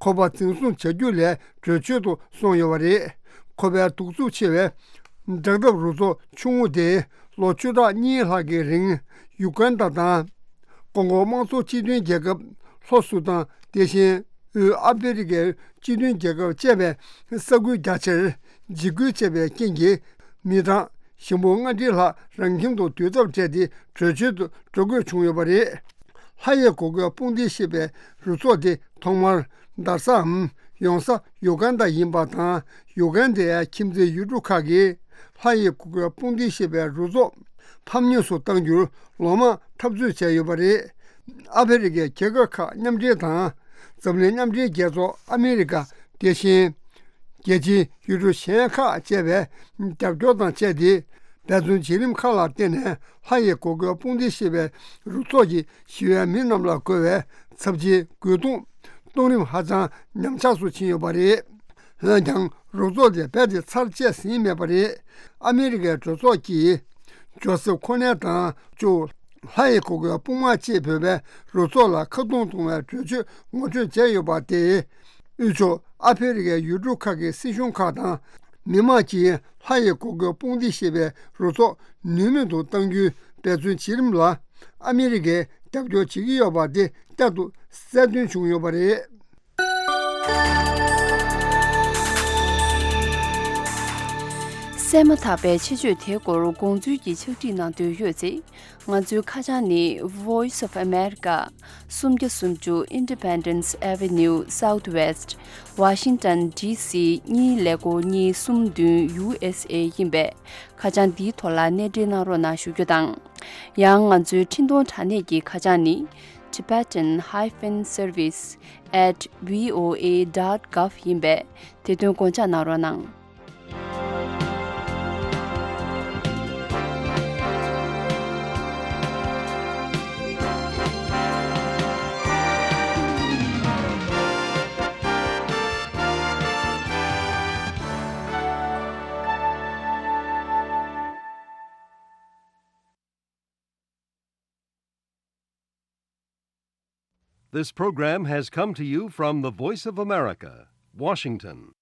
ཁོ་པ་འཛིན་བཟུང་བྱ་རྒྱུ་ལས་གྲོས་ཆོད་དུ་སོང་ཡོད་པ་རེད། ཁོ་པའི་གདུག་རྩུབ་ཆེ་བའི་དྲག་འཐབ་རུ་ཚོགས་ཆུང་ངུ་དེ་ལོ་བཅུ་ཕྲག་གཉིས་ལྷག་གི་རིང་ཡུ་གན་དཱ་དང་། ཀོང་གོ་དམངས་གཙོ་སྤྱི་མཐུན་རྒྱལ་ཁབ་ལྷོ་སུ་དཱན། དེ་བཞིན་དབུས་ཨ་ཧྥེ་རི་ཁའི་སྤྱི་མཐུན་རྒྱལ་ཁབ་བཅས་པའི་ས་ཁུལ་རྒྱ་ཆེར་འཇིགས་སྐུལ་བྱས་པའི་རྐྱེན་གྱིས། མི་གྲངས་ཞིང་པོ་ལྔ་ཁྲི་ལྷག་རང་ཁྱིམ་དུ་སྡོད་ཐབས་བྲལ་ཏེ་བྲོས་བྱོལ་དུ་འགྲོ་དགོས་བྱུང་ཡོད་པ་རེད། ལྷ་ཡི་གོ་གོལ་དཔུང་སྡེ་ཞེས་པའི་རུ་ཚོགས་དེ་ཐོག་མར་རྡར་སའམ་ཡོང་ས་ཡུ་གན་དཱ་ཡིན་པ་དང་། ཡུ་གན་དཱའི་ཁྱིམ་མཚེས་ཡུལ་གྲུ་ཁག་གིས་ལྷ་ཡི་གོ་གོལ་དཔུང་སྡེ་ཞེས་པའི་རུ་ཚོགས་ཕམ་ཉེས་སུ་གཏང་རྒྱུར་ལོ་མང་འཐབ་རྩོད་བྱས་ཡོད་པ་རེད། ཨ་ཧྥེ་རི་ཁའི་རྒྱལ་ཁབ་ཁག་མཉམ་འབྲེལ་དང་། འཛམ་གླིང་མཉམ་འབྲེལ་རྒྱལ་ཚོགས། ཨ་མི་རི་ཀ། དེ་བཞིན། རྒྱལ་སྤྱིའི་ཡུལ་གྲུ་གཞན་ཁག་བཅས་པའི་རྒྱབ་སྐྱོར་དང་བཅས་ཏེ། འབད་བརྩོན་བྱེད་རིམ་ཁག་ལ་བརྟེན་ནས། ལྷ་ཡི་གོ་གོལ་དཔུང་སྡེ་ཞེས་པའི་རུ་ཚོགས་ཀྱིས་ཞི་བའི་མི་རྣམས་ལ་རྒོལ་བའི་ཚབས་ཆེའི་རྒོལ་རྡུང་གཏོང་རིམ་ཧ་ཅང་ཉམས་ཆག་སུ་ཕྱིན་ཡོད་པ་རེད། འོན་ཀྱང་། རུ་ཚོགས་དེ་རྦད་དེ་ཚར་བཅད་ཟིན་མེད་པ་རེད། ཨ་མི་རི་ཀའི་གྲོས་ཚོགས་ཀྱིས། ཇོ་སེབ་ཁོ་ནེ་དང་གཅིག་ལྷ་ཡི་གོ་གོལ་དཔུང་དམག་ཅེས་འབོད་པའི་རུ་ཚོགས་ལ་ཁ་རྡུང་གཏོང་བའི་གྲོས་ཆོད་ངོ་སྤྲོད་བྱས་ཡོད་པ་དེས། དབུས་ཕྱོགས་ཨ་ཧྥེ་རི་ཁའི་ཡུལ་གྲུ་ཁག་གི་སྲིད་གཞུང་ཁག་དང་མི་མང་གིས་ལྷ་ཡི་གོ་གོལ་དཔུང་སྡེ་ཞེས་པའི་རུ་ཚོགས་ནུས་མེད་དུ་གཏང་རྒྱུའི་འབད་བརྩོན་བྱེད་རིམ་ལ་ཨ་མི་རི་ཀས་རྒྱབ་སྐྱོར་བྱེད་ཀྱི་ཡོད་པ་དེ་བསྐྱར་དུ་གསལ་སྟོན་བྱུང་ཡོད་པ་རེད། གསན་མ་ཐག་པའི་ཆེད་བརྗོད་དེའི་སྐོར་དགོངས་ཚུལ་གྱི་ཕྱག་བྲིས་གནང་འདོད་ཡོད་ཚེ། ང་ཚོའི་ཁ་བྱང་ནི། Voice of America། སུམ་བརྒྱ་སུམ་ཅུ་Independence Avenue Southwest། Washington D C གཉིས་ཀླད་ཀོར་གཉིས་གསུམ་བདུན། U S A ཡིན་པས། ཁ་བྱང་འདིའི་ཐོག་ལ་གནས་འབྲེལ་གནང་རོགས་གནང་ཞུ་རྒྱུ་དང་། ཡང་ང་ཚོའི་འཕྲིན་གཏོང་དྲ་གནས་ཀྱི་ཁ་བྱང་ནི། Tibetan hyphen service at V O A dot gov ཡིན་པས། དེ་དོན་དགོངས་འཇགས་གནང་རོགས་གནང་། This program has come to you from the Voice of America, Washington.